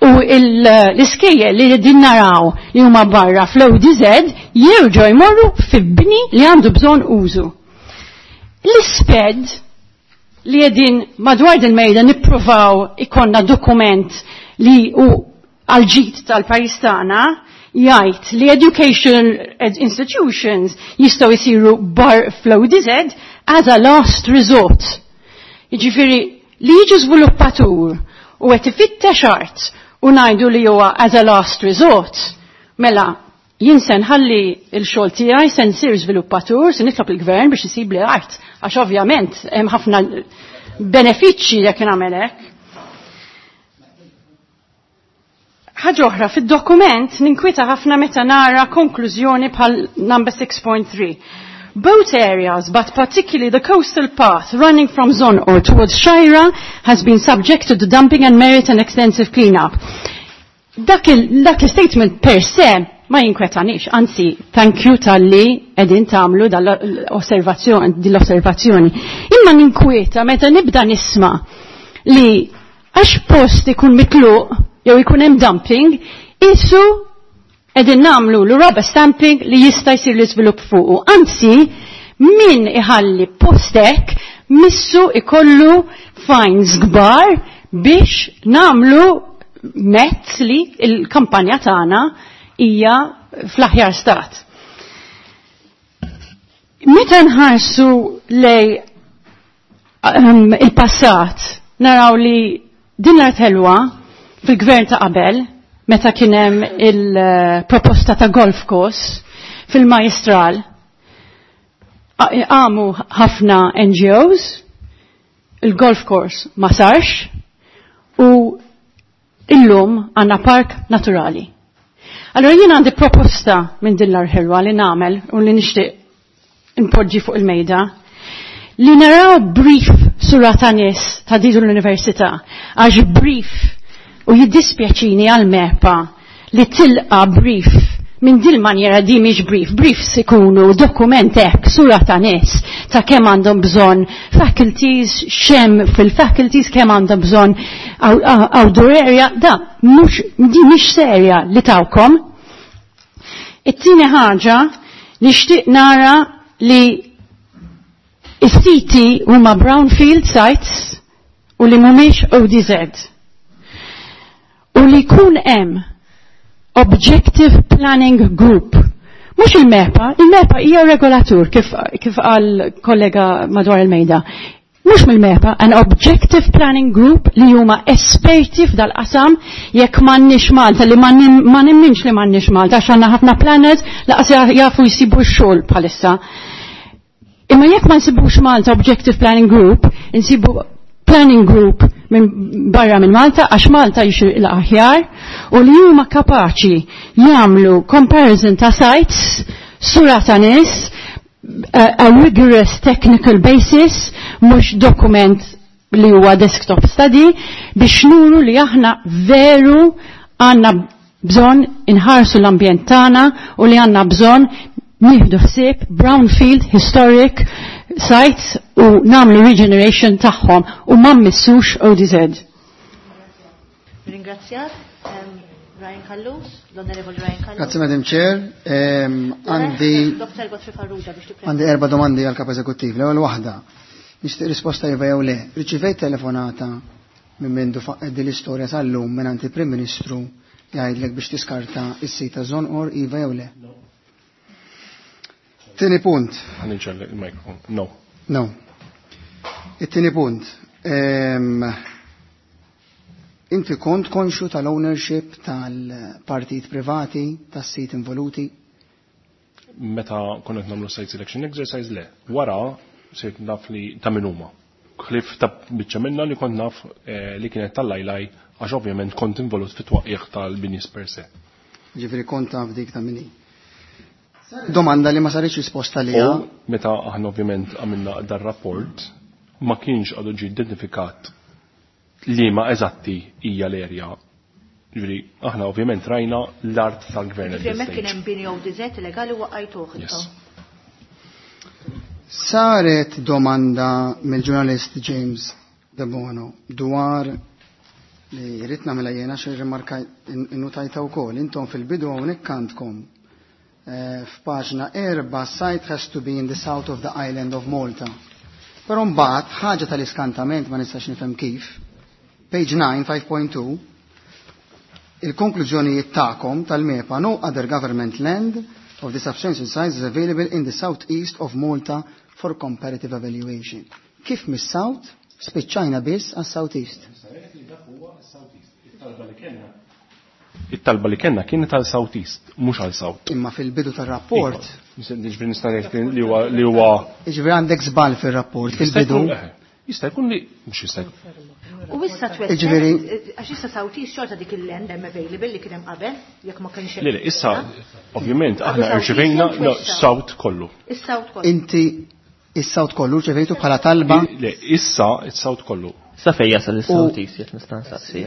u l-iskejjel li din naraw li huma barra fl-ODZ jerġgħu jmorru fi bni li għandu bżonn użu. L-isped li qegħdin madwar din mejda nippruvaw ikonna dokument li hu għal-ġid tal-pajjiż tagħna jgħid li education institutions jistgħu jsiru bar fl-ODZ as a last resort. Jiġifieri li jiġi żviluppatur u qed ifittex art u ngħidu li huwa as a last resort, mela jien se nħalli l-xogħol tiegħi se nsir żviluppatur, se nitlob il-gvern biex isib li art, għax ovvjament hemm ħafna benefiċċji jekk nagħmel hekk. Ħaġa oħra, fid-dokument ninkwieta ħafna meta nara konklużjoni bħal number 6.3. Both areas, but particularly the coastal path running from Zonor towards Xgħajra, has been subjected to dumping and merit an extensive clean-up. Dak il-statement per se ma jinkwetanix, anzi, thank you tal-li edin tamlu dell-osservazzjoni. Imma ninkwieta meta nibda nisma li għax post ikun mitluq jew ikun hemm dumping, isu edin namlu l rubber stamping li jista' jsir l-iżvilupp fuqu. Anzi, min iħalli postek missu ikollu fines kbar biex namlu mezz li il-kampanja tagħna hija fl-aħjar stat. Meta nħarsu lej il-passat, naraw li din l-art ħelwa fil-gvern ta' qabel, meta kien hemm il-proposta ta' golf course fil-Majestral, għamu ħafna NGOs, il-golf course ma sarx, u illum għanna park naturali. Allora jien għandi proposta minn din l-arħelwa li nagħmel u li nixtieq impoġġi fuq il-mejda li naraw brief sura ta' nies ta' din l-università għax brief u jiddispjaċini għal MEPA li tilqa brief minn dil manjera di mhix brief, briefs ikunu dokument hekk sura ta' nies ta' kemm għandhom bżonn faculties, xem fil-faculties kemm għandhom bżonn outdoor area, da mhux di mhix serja li tawkom. It-tieni ħaġa nixtieq nara li is-siti huma brownfield sites u li mhumiex ODZ. U li jkun hemm Objective Planning Group. Mhux il-MEPA, il-MEPA hija regolatur kif, kif qal kollega madwar il-mejda. Mhux mill-MEPA, an Objective Planning Group li huma esperti f'dal-qasam jekk m'għandniex Malta li ma nemminx li m'għandniex Malta għax għandna ħafna planners laqas jafu jsibu x-xogħol bħalissa. Imma jekk ma nsibux Malta Objective Planning Group, insibu planning group minn barra minn Malta għax Malta jixir l-aħjar u li huma kapaċi jagħmlu comparison ta' sites sura ta' nies a, a rigorous technical basis mhux dokument li huwa desktop study biex nuru li aħna veru għandna bżonn inħarsu l-ambjent tagħna u li għandna bżonn nieħdu ħsieb brownfield historic sites u namlu regeneration tagħhom u ma mmissux ODZ. Ringrazzjak, Ryan Callus, l-Onorevoli Ryan Callus. Grazie Madam Chair. Għandi Dr. Godfrey Farrugia biex tippreżenta. għandi erba' domandi għal kap eżekuttiv. L-ewwel waħda. Nixtieq risposta iva jew le. Riċivejt telefonata minn mindu faqqed din l-istorja sal-lum minn il-Prim Ministru jgħidlek biex tiskarta is-sit ta' Żonqor iva jew le. Tieni punt. Ħa niġġel il-mikrofon. No. No. It-tieni punt. Inti kont konxu tal-ownership tal-partit privati, tas-sit involuti? Meta konna qed nagħmlu site selection exercise le. Wara sirt naf li ta' min huma. Ħlief ta' biċċa minna li kont naf li kienet tal-lajlaj għax ovvjament kont involut fit-twaqqigħ tal-binis per se. Ġifieri kont taf dik ta' min hi. Domanda li ma saritx risposta liha. U meta aħna ovvjament għamilna dar-rapport ma kienx għadu ġie identifikat li ma eżatti hija l-erja. Ġifieri aħna ovvjament rajna l-art tal-gvern at Ġifieri this hemmhekk kien stage. hemm bini ODZ illegali waqqajtuh Yes. intom. Saret domanda mill-ġurnalist James Debono dwar li rrid nagħmilha jiena xi rimarka innutajta wkoll. Intom fil-bidu hawnhekk għandkom f'paġna 4 site has to be in the south of the island of Malta. Però mbagħad ħaġa tal-iskantament ma nistax nifhem kif. Page 9, 5.2, il-konklużjonijiet tagħkom tal-MEPA no other government land of the substantial size is available in the southeast of Malta for comparative evaluation. Kif mis-south spiċċajna biss għas-southeast? It-talba li kellna kienet għal Southeast, mhux għal South. Imma fil-bidu tar-rapport, Ġifieri nista' ngħid li huwa li huwa jiġifieri għandek żball fir-rapport Jista' fil-bidu. jkun- Jista' jkun li mhux jista' jkun. U issa twessgħet, Jiġifieri- għax issa Southeast xorta dik il-land hemm available li kien hemm qabel, jekk ma kienx hemm. Le, le, issa ovvjament aħna Għadu South rċevejna East no, jew South kollu. Is-South kollu. Inti is-South kollu rċevejtu bħala talba Le, issa is-South kollu. Sa fejn jasal is-South East jekk nista' nsaqsi.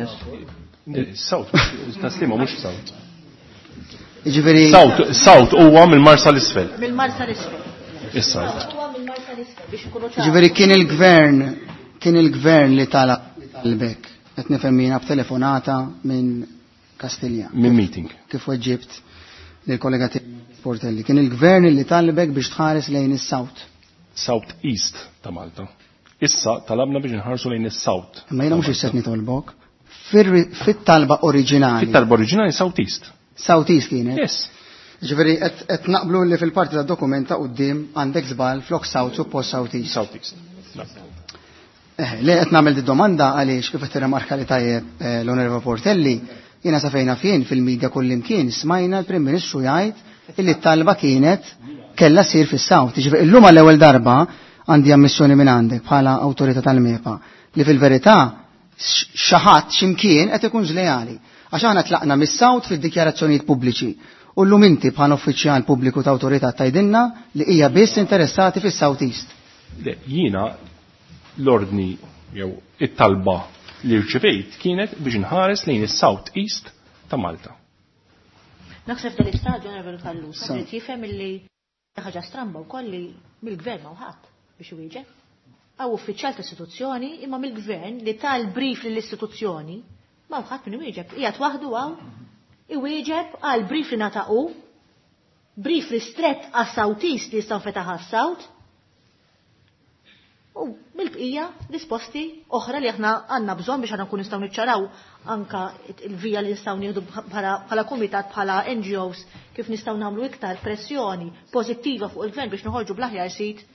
Le, South, taslima mhux South. Jiġifieri South, South huwa mill-Marsa l-isfel. Mill-Marsa l-isfel. Is-South. Huwa mill-Marsa l-isfel biex ikunu ċari. Jiġifieri kien il-gvern li talab talbek qed nifhem jiena b'telefonata minn Kastilja. Minn meeting. Kif weġġibt lill-kollega tiegħi Portelli. Kien il-gvern li talbek biex tħares lejn is-South. South East ta' Malta. Issa talabna biex nħarsu lejn is-South. Imma jiena mhux issa nitolbok. Fit-talba oriġinali. Fit-talba oriġinali South East. South East kienet. Yes. Ġifieri qed naqblu li fil-parti tad-dokument ta' quddiem għandek żball flok South suppost South East. South East. Le qed nagħmel di domanda għaliex kif qed tirrimarka li tajjeb l-Onorevole Portelli, jiena sa fejna fien fil-medja kullimkien smajna l-Prim Ministru jgħid illi t-talba kienet kellha ssir fis-South. Ġifieri illum għall-ewwel darba għandi ammissjoni minn għandek bħala awtorità tal-MEPA li fil-verità xi ħadd x'imkien qed ikun żlejali. Għax aħna tlaqna mis-South fid-dikjarazzjonijiet pubbliċi. U llum inti bħal uffiċjal pubbliku ta' awtorità tgħidilna li hija biss interessati fis-South East. Le, jiena l-ordni jew it-talba li rċevejt kienet biex nħares lejn is-South East ta' Malta. Naħseb dal-istadju Onorevoli Callus, trid jifhem illi ħaġa stramba wkoll li mill-gvern ma ħadd biex iwieġeb. Hawn uffiċjal ta' istituzzjoni imma mill-gvern li tal brief lill-istituzzjoni ma ħadd min iwieġeb. Qiegħed waħdu hawn iwieġeb għal brief li ngħata brief ristrett għas-South East li jistgħu fetaħ għas-South U mill-bqija risposti oħra li aħna għandna bżonn biex aħna nkun nistgħu niċċaraw anka il-vija li nistgħu nieħdu bħala kumitat bħala NGOs kif nistgħu nagħmlu iktar pressjoni pożittiva fuq il-gvern biex noħorġu bl-aħjar sit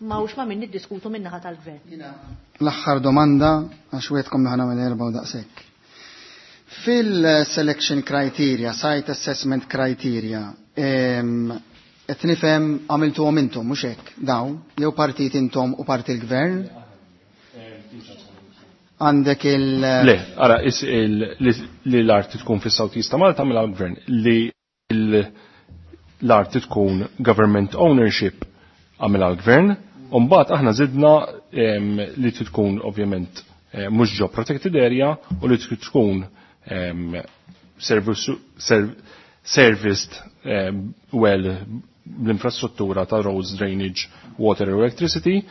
ma hux ma min niddiskutu min-naħa tal-gvern. L-aħħar domanda għax wetkom li ħana erba' u daqshekk. Fil-selection criteria, site assessment criteria, qed nifhem għamiltuhom intom mhux hekk dawn, jew partit intom u parti l-gvern? Għandek il- Le, ara, li l-art tkun fis-South East ta' Malta mill gvern li l-art tkun government ownership għamilha l-gvern, u mbagħad aħna żidna li tkun ovvjament mhux ġo protected area u li tkun serviced well l-infrastruttura ta' roads, drainage, water u electricity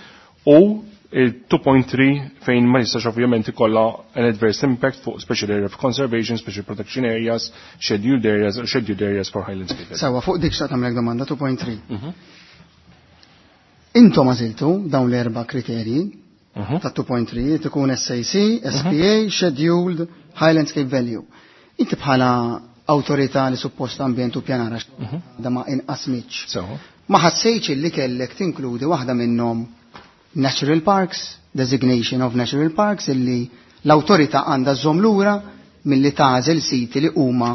u il-2.3 fejn ma jistax ovvjament ikollha an adverse impact fuq special area of conservation, special protection areas, scheduled areas, scheduled areas for high landscape. Sawa, fuq dik xtaqt nagħmlek domanda 2.3. Intom għażiltu dawn l-erba' kriterji ta' 2.3 tkun SAC, SPA, Scheduled, High Landscape Value. Inti bħala awtorità li suppost ambjent u pjanara da ma inqasmitx. Ma ħassejtx li kellek tinkludi waħda minnhom Natural Parks, designation of Natural Parks, illi l-awtorità għandha żżomm lura milli tagħżel siti li huma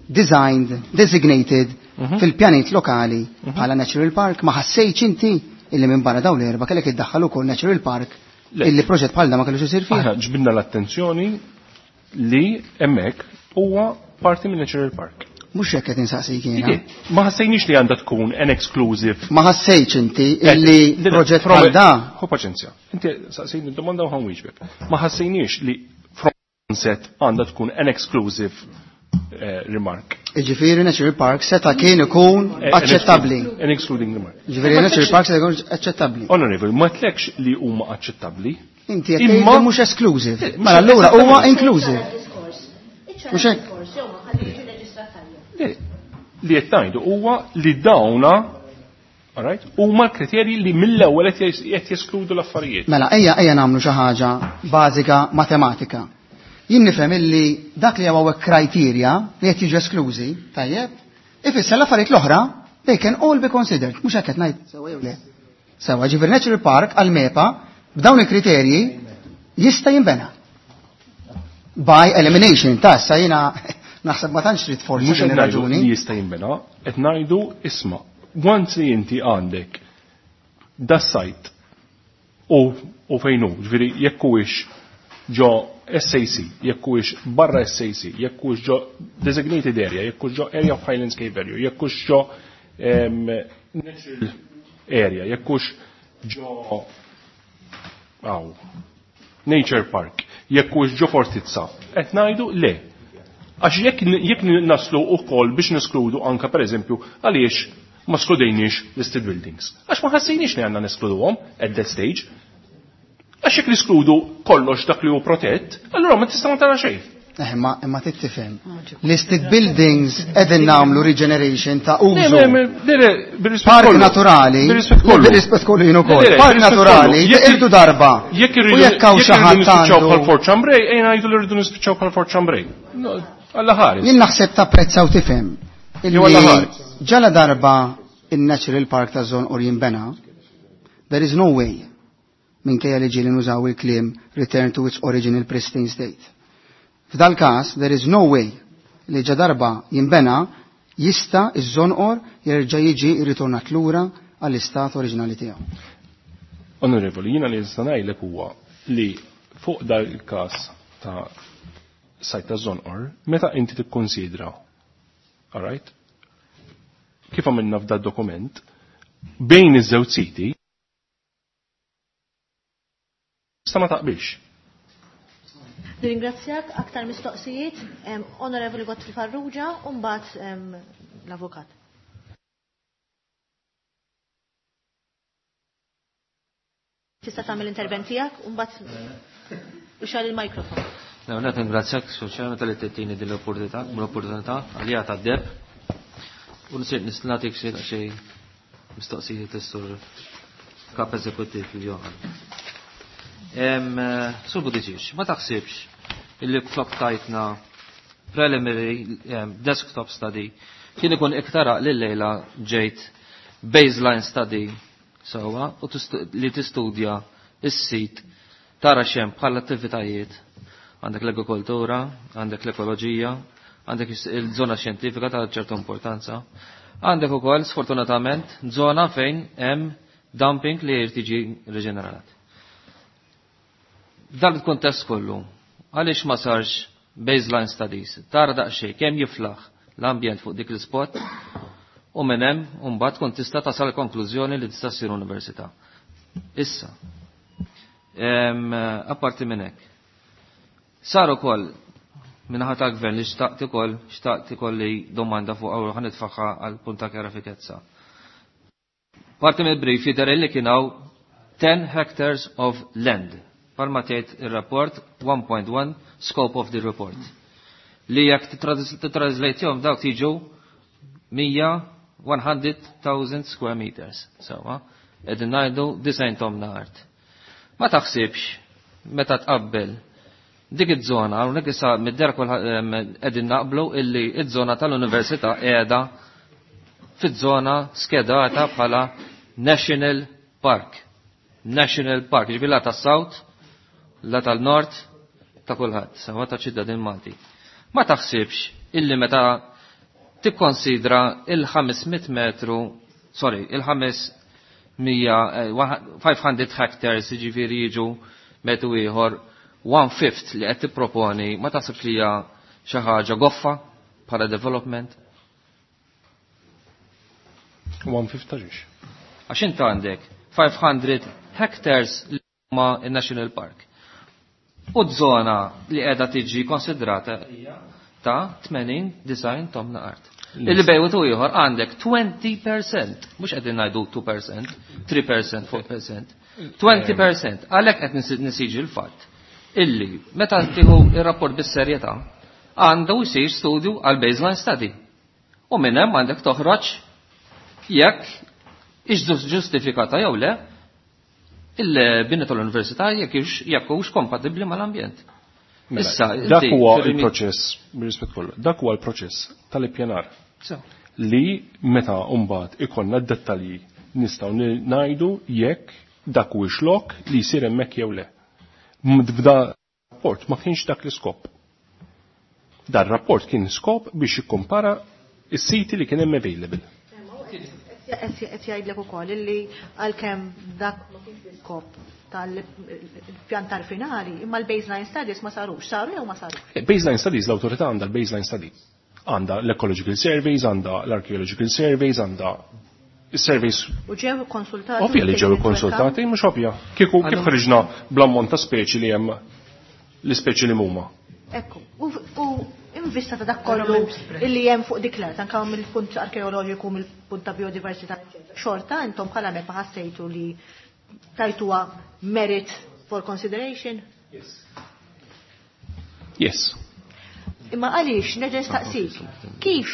designed, designated fil-pjanit lokali bħala Natural Park. Ma ħassejtx inti illi minn barra dawn l-erba' kellek iddaħħal ukoll Natural Park illi proġett bħal da ma kellux isir fih? Aħna ġbidna l-attenzjoni li hemmhekk huwa parti minn Natural Park. Mhux hekk qed insaqsik jiena. Ma ħassejniex li għandha tkun an exclusive. Ma ħassejtx inti illi proġett bħal da. Ħu paċenzja. Inti saqsejni domanda u ħa nwieġbek. Ma ħassejniex li from onset għandha tkun an exclusive remark. Iġifieri Natural Park seta' kien ikun aċċettabbli. An excluding remark. Ġifieri Natural Park seta' jkun aċċettabbli. Honorable, ma tlekx li huma aċċettabbli. Inti qed tgħid li mhux exclusive. Mela allura huwa inclusive. Mhux hekk? Li qed ngħidu huwa li dawna, all right, huma l-kriterji li mill-ewwel qed jeskludu l-affarijiet. Mela ejja nagħmlu xi ħaġa bażika matematika. Jien nifhem illi dak li hawn criteria li qed jiġu esklużi, tajjeb, ifisser l-affarijiet l-oħra they can all be considered. Mhux hekk qed ngħid sewa jew le. Sewa, ġifieri Natural Park għal MEPA b'dawn il-kriterji jista' jinbena. By elimination, ta' issa jiena naħseb ma tantx trid forsi Mhux din qed ngħidu ir-raġuni. li jista' jinbena, qed ngħidu isma' once li inti għandek da site u fejn hu, ġifieri jekk huwiex ġo SAC, jekk huwiex barra SAC, jekk huwiex ġo designated area, jekk huwiex ġo area of high landscape value, jekk huwiex ġo natural area, jekk hux ġo aw, nature park, jekk hux ġo fortizza, qed ngħidu le. Għax jekk naslu wkoll biex neskludu anka pereżempju għaliex ma skludejniex listed buildings. Għax ma ħassejniex li għandna neskluduhom at that stage. Għax jekk niskludu kollox dak li hu protett, allura ma tista' ma tara xejn. Imma trid tifhem. Listed buildings qegħdin nagħmlu regeneration ta' użu. Le, le, le, le, bir-rispett Park kollu. naturali. Bir-rispett kollu. Bir-rispett kollu jien ukoll. Le, le, Park bir-rispett naturali, kollu. irdu darba. Jekk U jekk hawn irridu xi ħadd nispiċċaw għandu bħal Fort Chambray, ejja ngħidu li rridu nispiċċaw bħal Fort Chambray. No, Alla ħares. Jien naħseb tapprezza u tifhem illi Jew Alla ħares. ġala darba in-Natural Park ta' Żonqor jinbena, there is no way minkejja li ġieli nużaw il-kliem return to its original pristine state. F'dal każ, there is no way li ġa darba jinbena jista' iż-Żonqor jerġa' jiġi ritornat lura għall-istat oriġinali tiegħu. Onorevoli, jiena li nista' ngħidlek huwa li fuq dal il-każ ta' sajt ta' Żonqor, meta inti tikkonsidra, alright? Kif għamilna f'da dokument, bejn iż-żewġ siti, sta ma taqbilx. Nirringrazzjak aktar mistoqsijiet, Onorevoli Godfrey Farrugia, u mbagħad l-avukat. Tista' tagħmel intervent tiegħek u mbagħad ixgħal il-mikrofon. L-ewwel ringrazzjak Sur tal-li tittini din l-opportunità għalija tad-deb. U nisir nagħtik xi mistoqsijiet is-sur kap eżekuttiv il-Johan. Sur Buttigieg, ma taħsibx illi flok tajtna preliminary desktop study kien ikun iktar li lejla ġejt baseline study sewwa u li tistudja is-sit tara xem bħala attivitajiet. Għandek l-agrikoltura, għandek l-ekoloġija, għandek il-żona xjentifika ta' ċertu importanza. Għandek ukoll sfortunatament żona fejn hemm dumping li jrid jiġi riġenerat. Dan il-kuntest kollu, għaliex ma sarx baseline studies, tara daqsxejn kemm jiflaħ l-ambjent fuq dik l-spot u minn hemm mbagħad tkun tista' tasal konklużjoni li tista' ssir università. Issa, apparti minn hekk, sar ukoll minnaħa tal-gvern li xtaqt ukoll xtaqt ikolli domanda fuq għaw ħa nitfagħha għal punt ta' kjarifikezza. Parti mill-brief jidher li kien hawn 10 hectares of land. Palma tgħid ir-rapport 1.1 scope of the report. Li jekk titranslate dawk tiġu 100,000 square meters. Sewwa, qegħdin ngħidu 90 tomna art. Ma taħsibx meta tqabbel dik iż-żona, hawnhekk issa mid-der qegħdin naqblu illi iż-żona tal-università qiegħda fiż-żona skedata bħala National Park. National Park, ġifieri la tas-South, la tal-Nord, ta' kulħadd, sewa ta' ċittadin Malti. Ma taħsibx illi meta tikkonsidra il-500 metru, sorry, il-500 500 hectares, ġifieri jiġu metru ieħor, one fifth li qed tipproponi, ma taħsibx li hija xi ħaġa goffa bħala development? One fifth ta' ġiex. Għax int għandek 500 hectares li huma il-National Park. U żona li qiegħda tiġi konsidrata hija ta' 80 design tomna art. Illi bejwet u ieħor għandek 20%, mhux qegħdin ngħidu 2%, 3%, 4%, 20%. Għalhekk qed nisiġi l-fatt illi meta tieħu ir-rapport bis-serjetà għandu jsir studju għal baseline study. U minn hemm għandek toħroġ jekk ix ġustifikata jew le il-bini tal-università jekk hux kompatibbli mal-ambjent. Mela, Issa, dak inti huwa fir-rimi- il-proċess, bir-rispett kollu, dak huwa l-proċess tal-ippjanar So. li meta mbagħad ikollna d-dettalji nistgħu ngħidu jekk dak huwiex lok li jsir hemmhekk jew le. F'da rapport ma kienx dak l-iskop. Dar rapport kien skop biex jikkumpara is-siti li kien hemm available. Qed jgħidlek ukoll illi għalkemm dak ma kienx l-iskop tal-pjantar finali, imma l-baseline studies ma sarux, saru jew ma sarux? Baseline studies, l-autorità għandha l-baseline studies. Għandha l-ecological surveys, għandha l-archaeological surveys, għandha surveys U ġew konsultati? Ovvja li ġew konsultati, mhux ovvja. Kieku kif ħriġna bl-ammont ta' speċi li hemm l-ispeċi li huma. Ekku, u invista ta' dak kollu illi hemm fuq dik l-art, anke mill-punt arkeoloġiku, mill-punt ta' biodiversità, eċetera. Xorta intom bħala MEPA ħassejtu li tajtuha merit for consideration? Yes. Imma għaliex nerġa' nistaqsik, kif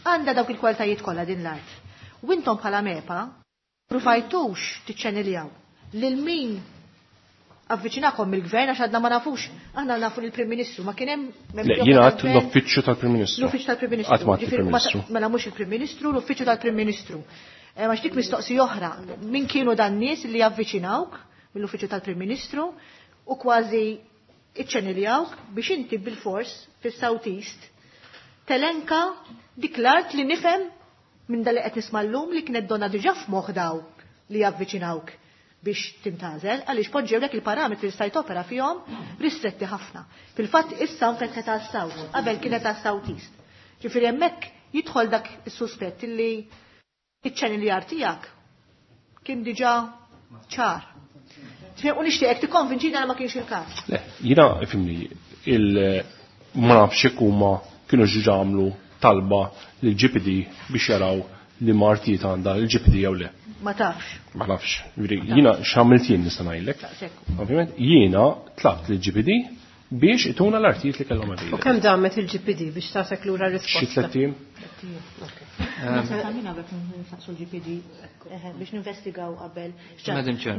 għandha dawk il-kwalitajiet kollha din l-art? U intom bħala MEPA pruvajtux tiċċeniljaw lil min avviċinakom mill-gvern għax għadna ma nafux, aħna nafu lill-Prim Ministru, ma kien hemm Le, jiena għadt l-uffiċċju tal-Prim Ministru. L-uffiċċju tal-Prim Ministru. Qatt ma għadt Ġifieri, il-Prim Ministru. Mela mhux il-Prim Ministru, l-uffiċċju tal-Prim Ministru. Ma dik mistoqsi oħra, min kienu dan nies li javviċinawk mill-uffiċċju tal-Prim Ministru u kważi iċċeniljawk biex inti bil-fors fis-South East telenka dik l-art li nifhem minn dal li qed nisma' llum li kienet donna diġà f'moħħ dawk li javviċinawk. biex tintgħażel għaliex poġġewlek il-parametri li stajt opera fihom ristretti ħafna. Fil-fatt issa nfetħet għas-South, qabel kienet għas-South East. Ġifieri hemmhekk jidħol dak is-suspett illi iċ-channel tiegħek kien diġà ċar. U nixtieqek tikkonvinċina li ma kienx il-każ. Le, jiena ifhimni il ma nafx jekk huma kienu ġiġa għamlu talba lil GPD biex jaraw li ma artijiet għandha il-GPD jew le. Ma tafx. Ma nafx. Jiena x'għamilt jien nista' ngħidlek. Ovvjament jiena tlabt lil GPD biex ituna l-artijiet li kellhom U kemm damet il-GPD biex tagħtek lura risposta? Xi tlett ijiem. Għamina għabek nsaqsu l-GPD biex ninvestigaw qabel.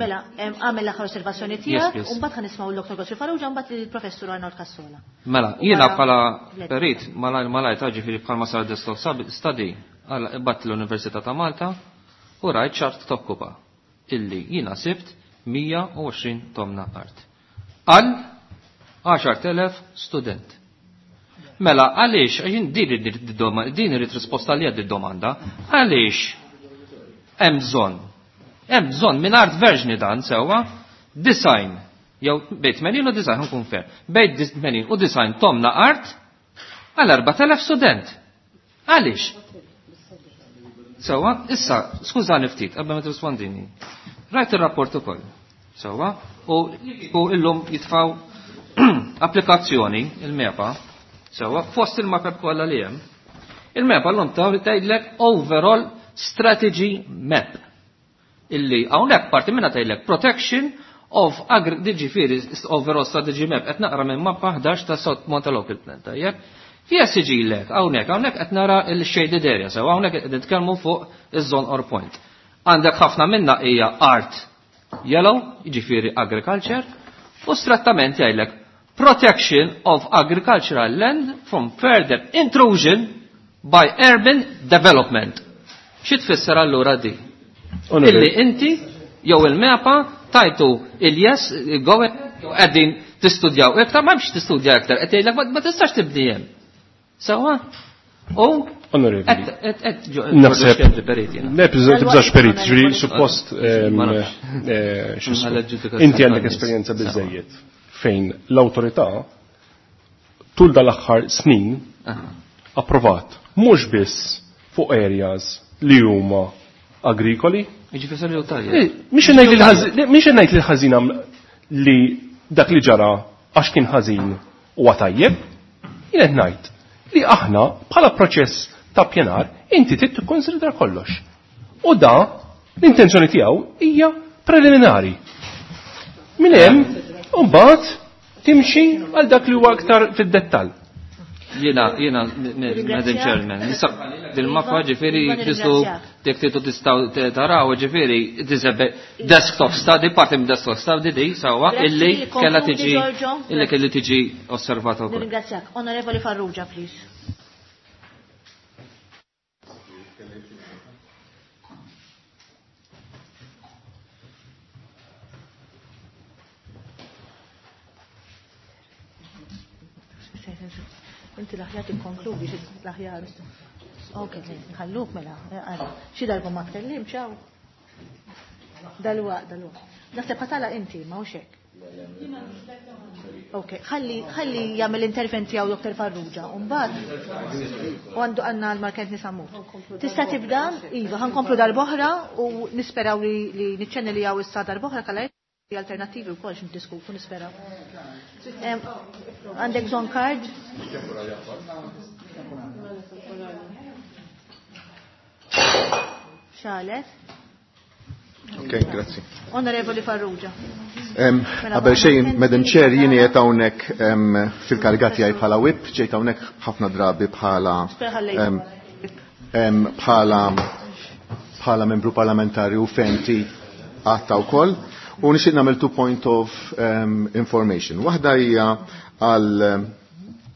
Mela, għamel l-aħħar osservazzjoni tiegħek u mbagħad ħanismgħu l-Dr. Godfrey Farrugia mbagħad il-Professur Arnold Cassola. Mela, jiena bħala perit malajr ta' ġifieri bħalma sar desktop study bat l-Università ta' Malta u rajt ċart tokkupa illi jiena sibt 120 tomna art. Għal 10,000 student. Mela, għaliex, għaxin din irrid risposta li għad domanda, għaliex hemm bżonn, hemm bżonn minn art verġni dan sewwa, design, jew bejn 80 u design nkun fair, bejn 80 u design tomna art għal 4000 student. Għaliex? Sewwa, issa, skużani ftit, qabel ma tirrispondini. Rajt ir-rapport ukoll. Sewwa, u illum jitfaw applikazzjoni, il-MEPA, sewwa, fost il-mapep kollha li hemm. Il-MEPA llum taw li tgħidlek overall strategy map. Illi hawnhekk parti minnha tgħidlek protection of agri ġifieri overall strategy map qed naqra minn mappa 11 ta' South Monta Local Plan, tajjeb. Fija siġilek, hawnhekk, hawnhekk qed nara l-shaded area, sew hawnhekk qed nitkellmu fuq iż-zone or point. Għandek ħafna minna hija art yellow, jiġifieri agriculture, u strattament jgħidlek protection of agricultural land from further intrusion by urban development. Xi tfisser allura di? Illi inti jew il-MEPA tajtu il-yes, go qegħdin tistudjaw iktar, ma hemmx tistudja iktar, qed jgħidlek ma tistax tibni hemm. Sewwa? U Onorevoli. Naħseb. Le, tibżax perit, ġifieri suppost inti għandek esperjenza biżejjed fejn l-awtorità tul dal-aħħar snin approvat mhux biss fuq areas li huma agrikoli. Mhix ngħid li ħażin li dak li ġara għax kien ħażin huwa tajjeb, jien qed ngħid li aħna bħala proċess ta' pjanar inti trid tikkonsidra kollox. U da l-intenzjoni tiegħu hija preliminari. Minn hemm u mbagħad timxi għal dak li huwa aktar fid-dettall. Jiena, jiena, Madam Chairman, nisab dil-mappa ġifieri tistu jekk titu tistgħu taraw ġifieri desktop study, parti minn desktop study di sewwa illi kellha tiġi illi kelli tiġi osservata wkoll. Nirringrazzjak. Onorevoli Farrugia, please. Inti l-aħjar tikkonkludi xi l-aħjar. Ok, nħalluk mela, ara. Xi darba ma tkellim, ċaw. Dalwa, dalwa. Naħseb ħatala inti, ma hux hekk. Ok, ħalli ħalli jagħmel intervent tiegħu Dr. Farrugia, u mbagħad u għandu għandna l-Markent Nisamut. Tista' tibda? Iva, ħankomplu darb'oħra u nisperaw li niċċenni li hawn issa darb'oħra kalla alternativi wkoll x'niddiskutu nisperaw. Għandek bżonn card? Xalet? Ok, grazzi. Onorevoli Farrugia. Qabel xejn, Madam Chair, jien qiegħed hawnhekk fil-kariga tiegħi bħala whip, ġejt hawnhekk ħafna drabi bħala bħala bħala membru parlamentari u fenti għatta wkoll. U nixtieq nagħmel two point of information. Waħda hija għal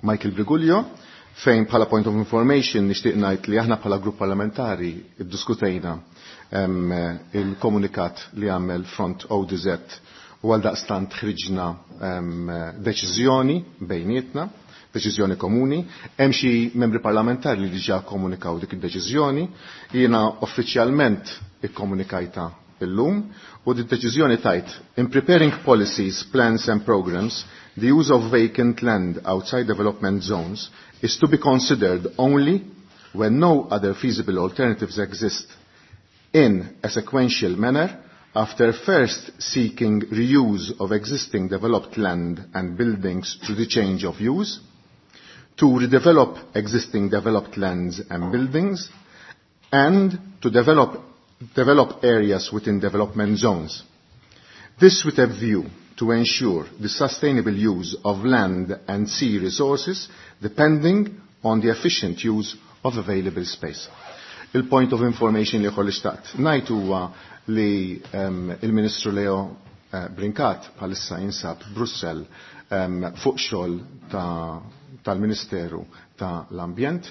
Michael Briguglio, fejn bħala point of information nixtieq ngħid li aħna bħala grupp parlamentari iddiskutejna il-komunikat li għamel Front ODZ u għal daqstant ħriġna deċiżjoni bejnietna, deċiżjoni komuni. Hemm xi membri parlamentari li diġà komunikaw dik id-deċiżjoni. Jiena uffiċjalment ikkomunikajta illum u di deċiżjoni tajt in preparing policies, plans and programs, the use of vacant land outside development zones is to be considered only when no other feasible alternatives exist in a sequential manner after first seeking reuse of existing developed land and buildings through the change of use, to redevelop existing developed lands and buildings, and to develop, develop areas within development zones. This with a view to ensure the sustainable use of land and sea resources depending on the efficient use of available space. Il-point of information li kolli xtaqt. Najt huwa li um, il-Ministru Leo eh, Brincat bħalissa jinsab Brussell um, fuq xogħol tal-Ministeru ta tal-Ambjent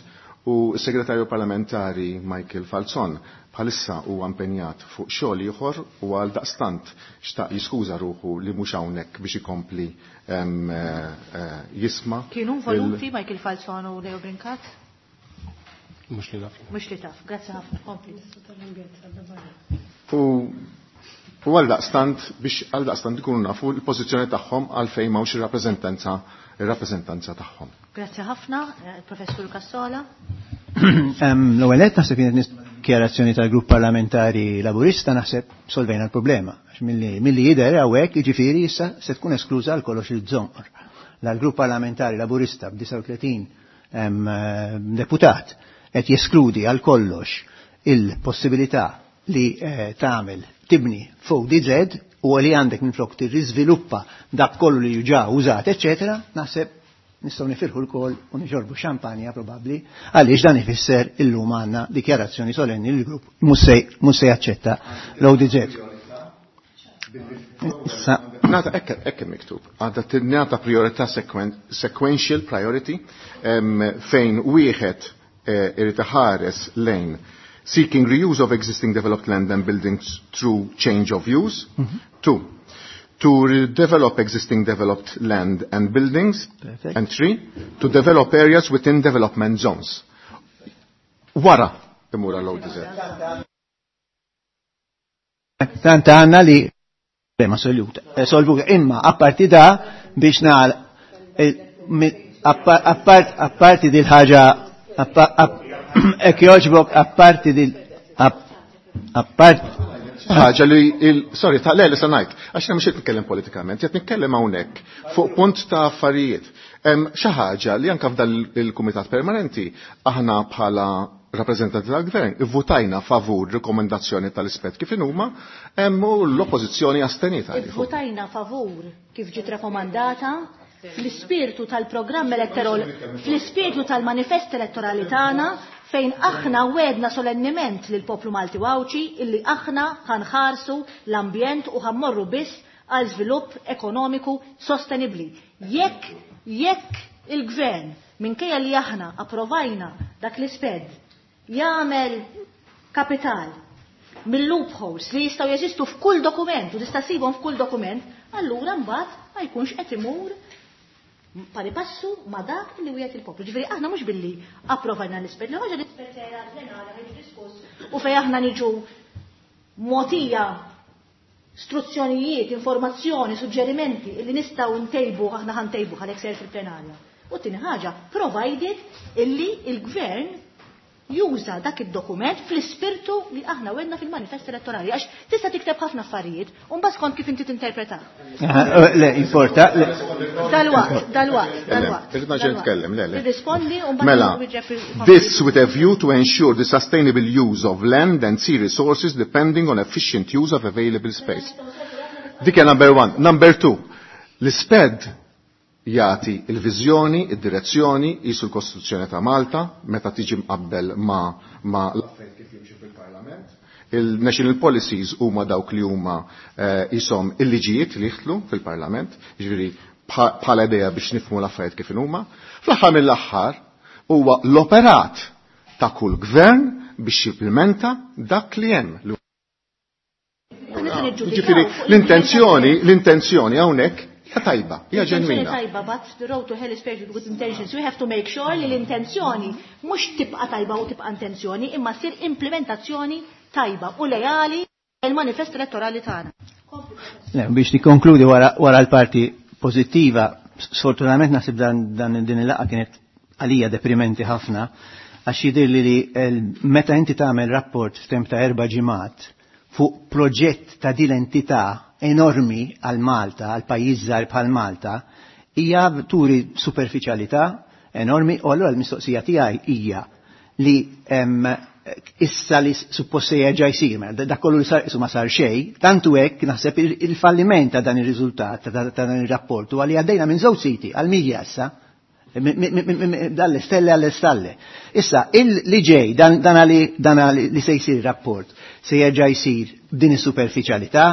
u s-Segretarju Parlamentari Michael Falzon bħalissa huwa impenjat fuq xogħol ieħor u għal daqstant xtaq jiskuża ruħu li mhux hawnhekk biex ikompli eh, jisma. Kienu voluti Michael Falzon u Leo Brincat? Mhux li naf. Mhux li taf, grazzi ħafna, kompli. U u għal daqstant biex għal daqstant ikunu nafu l-pożizzjoni tagħhom għalfejn m'hawnx ir-rappreżentanza ir-rappreżentanza tagħhom. Grazzi ħafna, eh, Professur Cassola. L-ewwel qed naħseb kienet dikjarazzjoni tal-grupp parlamentari laburista naħseb solvejna l-problema. Għax milli jidher hawnhekk jiġifieri issa se tkun eskluża għal kollox il-żonqor. L-grupp parlamentari laburista b'39 deputat qed jeskludi għal kollox il-possibilità li eh, tagħmel tibni fuq DZ u li għandek minflok tirriżviluppa dak kollu li ġa użat, eċetera, naħseb nistgħu nifirħu l-kol u nixorbu xampanja probabbli għaliex dan ifisser illum għandna dikjarazzjoni solenni li l-grupp mhux se jaċċetta l-ODZ. Issa Nata ekk miktub. Għadha tinnata priorità sequential priority fejn wieħed eh, irid iħares lejn seeking reuse of existing developed land and buildings through change of use. Mm -hmm. Two, to redevelop existing developed land and buildings. Perfect. And three, to develop areas within development zones. Wara imur għall-ODZ. Tant għanna li problema soluta, eh, solvuta imma apparti da biex nagħal eh, apparti dil ħaġa ek joġbok apparti dil apparti ħaġa li il sorry ta' le li se ngħid għax mhux qed nitkellem politikament, qed nitkellem hawnhekk fuq punt ta' affarijiet. Xi ħaġa li anke f'dan il-Kumitat Permanenti aħna bħala rappreżentanti tal-Gvern ivvutajna favur rikomendazzjoni tal-ispett kif inhuma hemm u l-oppożizzjoni astenita. Ivvutajna favur kif ġiet rekomandata fl-ispirtu tal-programm elettorali, fl-ispirtu tal-manifest elettorali tagħna fejn aħna wedna solenniment lil poplu Malti Għawdxi illi aħna ħanħarsu l-ambjent u ħammorru biss għal żvilupp ekonomiku sostenibbli. Jekk jekk il-gvern minkejja li aħna approvajna dak l-isped jagħmel kapital mill-loopholes li jistgħu jeżistu f'kull dokument u tista' ssibhom f'kull dokument, allura mbagħad ma jkunx qed imur pari passu ma dak li wieħed il-poplu. Ġifieri aħna mhux billi approvajna l-ispert, li ħaġa l-ispert sejra plenarja ħiġi diskuss u fejn aħna niġu mogħtija struzzjonijiet, informazzjoni, suġġerimenti li nistgħu ntejbu aħna ħantejbu għalhekk sejr fil-plenarja. U tieni ħaġa, provided illi il-gvern juża dak id-dokument fl-ispirtu li aħna wedna fil-manifest elettorali għax tista' tikteb ħafna affarijiet u mbagħad skont kif inti tinterpreta. Le, importa. Dalwaqt, dalwaqt, dalwaqt. Irrid naġel nitkellem, le, le. Irrispondi u mbagħad Mela, this with a view to ensure the sustainable use of land and sea resources depending on efficient use of available space. Dik hija number one. Number two, l-isped jagħti il-viżjoni, id-direzzjoni, jisu l-Kostituzzjoni ta' Malta, meta tiġi mqabbel ma, ma l-affarijiet kif jimxu fil-Parlament. Il-national policies huma dawk li huma jisom il-liġijiet li jidħlu fil-Parlament, jiġifieri bħala idea biex nifhmu l-affarijiet kif huma. Fl-aħħar mill-aħħar huwa l-operat ta' kull gvern biex jimplementa dak li hemm. Jiġifieri l-intenzjoni, l-intenzjoni hawnhekk hija tajba, hija ġenwina. tajba, but the road to hell is paved with good intentions. We have to make sure li l-intenzjoni mhux tibqa' tajba u tibqa' intenzjoni, imma ssir implementazzjoni tajba u lejali Il-manifest elettorali tagħna. Le, biex nikkonkludi wara l-parti pożittiva, sfortunatament naħseb dan din il-laqgħa kienet għalija deprimenti ħafna, għax jidhirli li meta inti tagħmel rapport f'temp ta' 4 ġimgħat fuq proġett ta' din l-entità enormi għal Malta, għal pajjiż żgħar bħal Malta, hija turi superfiċjalità enormi, u allura l-mistoqsija tiegħi hija li issa li suppost se jerġa' jsir, mela dak kollu li sar isu ma sar xejn, tantu hekk naħseb il-falliment ta' dan ir-riżultat ta' dan ir-rapport huwa li għaddejna minn żewġ siti għal milja issa, dalle stelle għalle stalle. Issa, li ġej, dan li se jsir rapport, se jerġa' jsir b'din is-superfiċjalità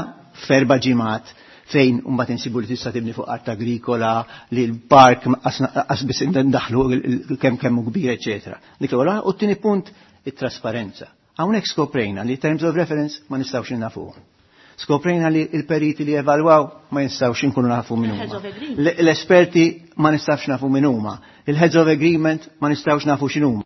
f'erba' ġimgħat fejn mbagħad insibu li tista' tibni fuq art agrikola, li l-park qas biss ndaħlu kemm kemm hu kbir, eċetera. Dik l-ewwel, u t-tieni punt, it-trasparenza. Hawnhekk skoprejna li terms of reference ma nistgħux nafuhom. Skoprejna li l-periti li evalwaw ma nistgħux inkunu nafu min huma. Il-heads of agreement. L-esperti ma nistgħux nafu min huma. Il-heads of agreement ma nistgħux nafu x'inhuma.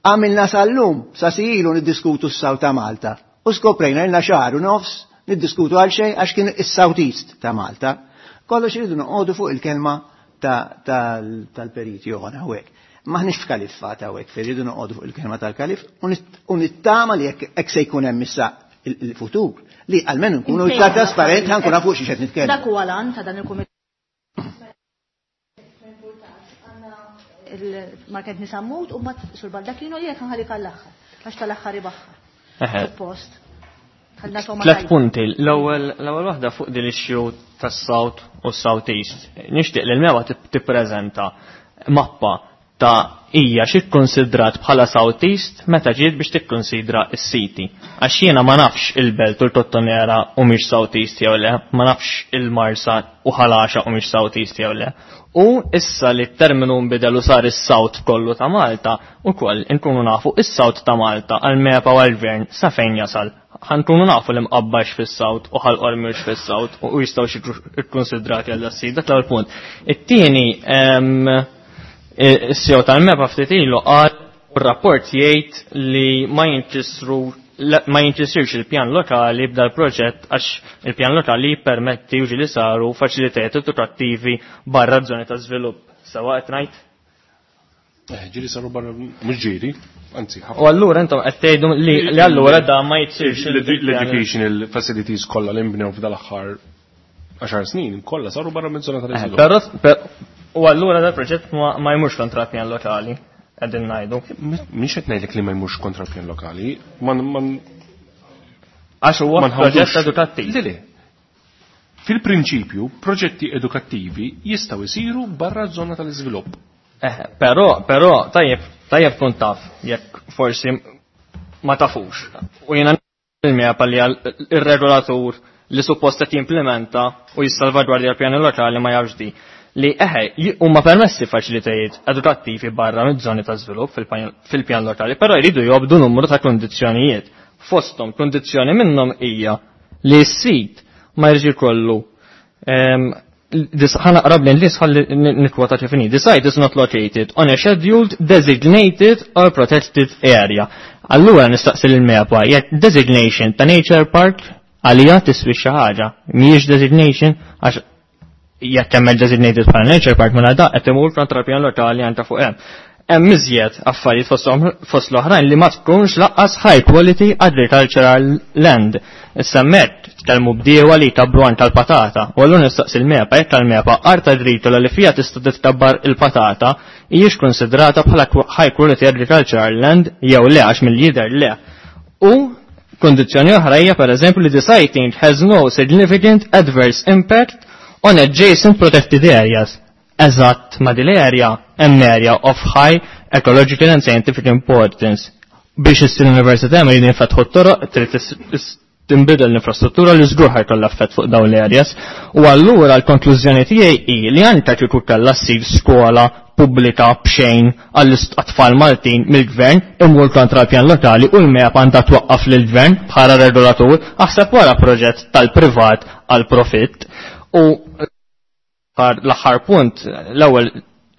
Għamilna sal-lum, sa sijilu niddiskutu s-South ta' Malta. U skoprejna ilna xahar u nofs niddiskutu għal xejn għax kien is-South East ta' Malta. Kollox iridu noqogħdu fuq il-kelma tal-periti oħra hawnhekk. Maħniex f'kaliffat hawnhekk, fejn irridu noqogħdu fuq il-kelma tal-kalif u nittama li hekk se jkun hemm issa il-futur li almenu nkunu iktar trasparenti ħankun nafu xi qed nitkellmu. Dak huwa l-għan ta' dan il-kumitat. Il-Market Nisammut u mbagħad Sur Baldacchino li jekk nħallik għall-aħħar, għax tal-aħħar ibaħħar. Suppost. Ħalna toma Tlet tajba. punti. L-ewwel waħda fuq din issue tas-South u s-South East. Nixtieq li l-MEPA tippreżenta mappa ta' hija xi kkonsidrat bħala South East meta ġiet biex tikkonsidra s-siti. Għax jiena ma nafx il-Belt u l-Kottonera u mhix South East jew le, ma nafx il-Marsa u Ħal Għaxaq u mhix South East jew le. U issa li t-terminu nbidel u sar is-South kollu ta' Malta, ukoll inkunu nafu is-South ta' Malta għal-MEPA u għal-Gvern sa fejn jasal. Ħankunu nafu li mqabbax fis-South u Ħal Qormi fis-South u jistgħu xi ikkonsidrati għal das-sit. Dak l-ewwel punt. It-tieni, is-CEO tal-MEPA ftit ilu qal u r-rapport jgħid li ma jinkisirx il-pjan lokali b'dal proġett għax il-pjan lokali jippermetti u ġieli saru faċilitajiet edukattivi barra żoni ta' żvilupp. Sewa qed ngħid? Ġieli saru barra, mhux ġieli, anzi, ħafna. U allura intom qed tgħidu li allura da ma jitsirx il-pjan. L-educational facilities kollha li nbnew f'dal-aħħar 10 snin kollha saru barra minn żona tal-iżvilupp. U allura dal proġett ma jmurx kontra pjan lokali, qegħdin ngħidu. Mhix qed ngħidlek li ma jmurx kontra pjan lokali, Għax huwa ma nħawdux. proġett edukattiv. Le, le. Fil-prinċipju, proġetti edukattivi jistgħu jsiru barra żona tal-iżvilupp. Però tajjeb tkun taf, jekk forsi ma tafux. U jiena il-MEPA li għal ir-regolatur li suppost qed jimplementa u jissalvagwardja l-pjani lokali ma jafx di. Li huma permessi faċilitajiet edukattivi barra miż-żoni ta' żvilupp fil-pjan lokali, però jridu jobdu numru ta' kondizzjonijiet. Fosthom kondizzjoni minnhom hija li s-sit ma jridx ikollu, ħa naqra bl-Ingliż ħalli nikkwota kif inhi. The site is not located on a scheduled, designated or protected area. Allura nistaqsi lil MEPA jekk designation ta' nature park għalija tiswi xi ħaġa. Mhijiex designation għax jekk hemm designated bħala nature park mela da qed imur kontra pjan lokali għandha fuq hemm. Hemm iżjed affarijiet fost l-oħrajn li ma tkunx laqqas high quality agricultural land. Issa hemmhekk tkellmu bdiewa li jkabru għand tal-patata. U allura nistaqsi l-MEPA jekk tal-MEPA art agrikola li fiha tista' titkabbar il-patata hijiex konsidrata bħala high quality agricultural land jew le għax mill-jidher le. U kondizzjoni oħra hija pereżempju li the siting has no significant adverse impact on adjacent protected areas. Eżatt ma' din l-area hemm area of high ecological and scientific importance. Biex issir l-università ma jridu jinfetħu t-toroq, trid tinbidel l-infrastruttura li żgur ħajkollha effett fuq dawn l-areas. U allura l-konklużjoni tiegħi hi li anke kieku kellha ssir skola pubblika b'xejn għall-tfal Maltin mill-gvern imur kontra l-pjan lokali u l-MEPA għandha twaqqaf lill-gvern bħala regolatur aħseb wara proġett tal-privat għal profitt. U l-aħħar punt, l-ewwel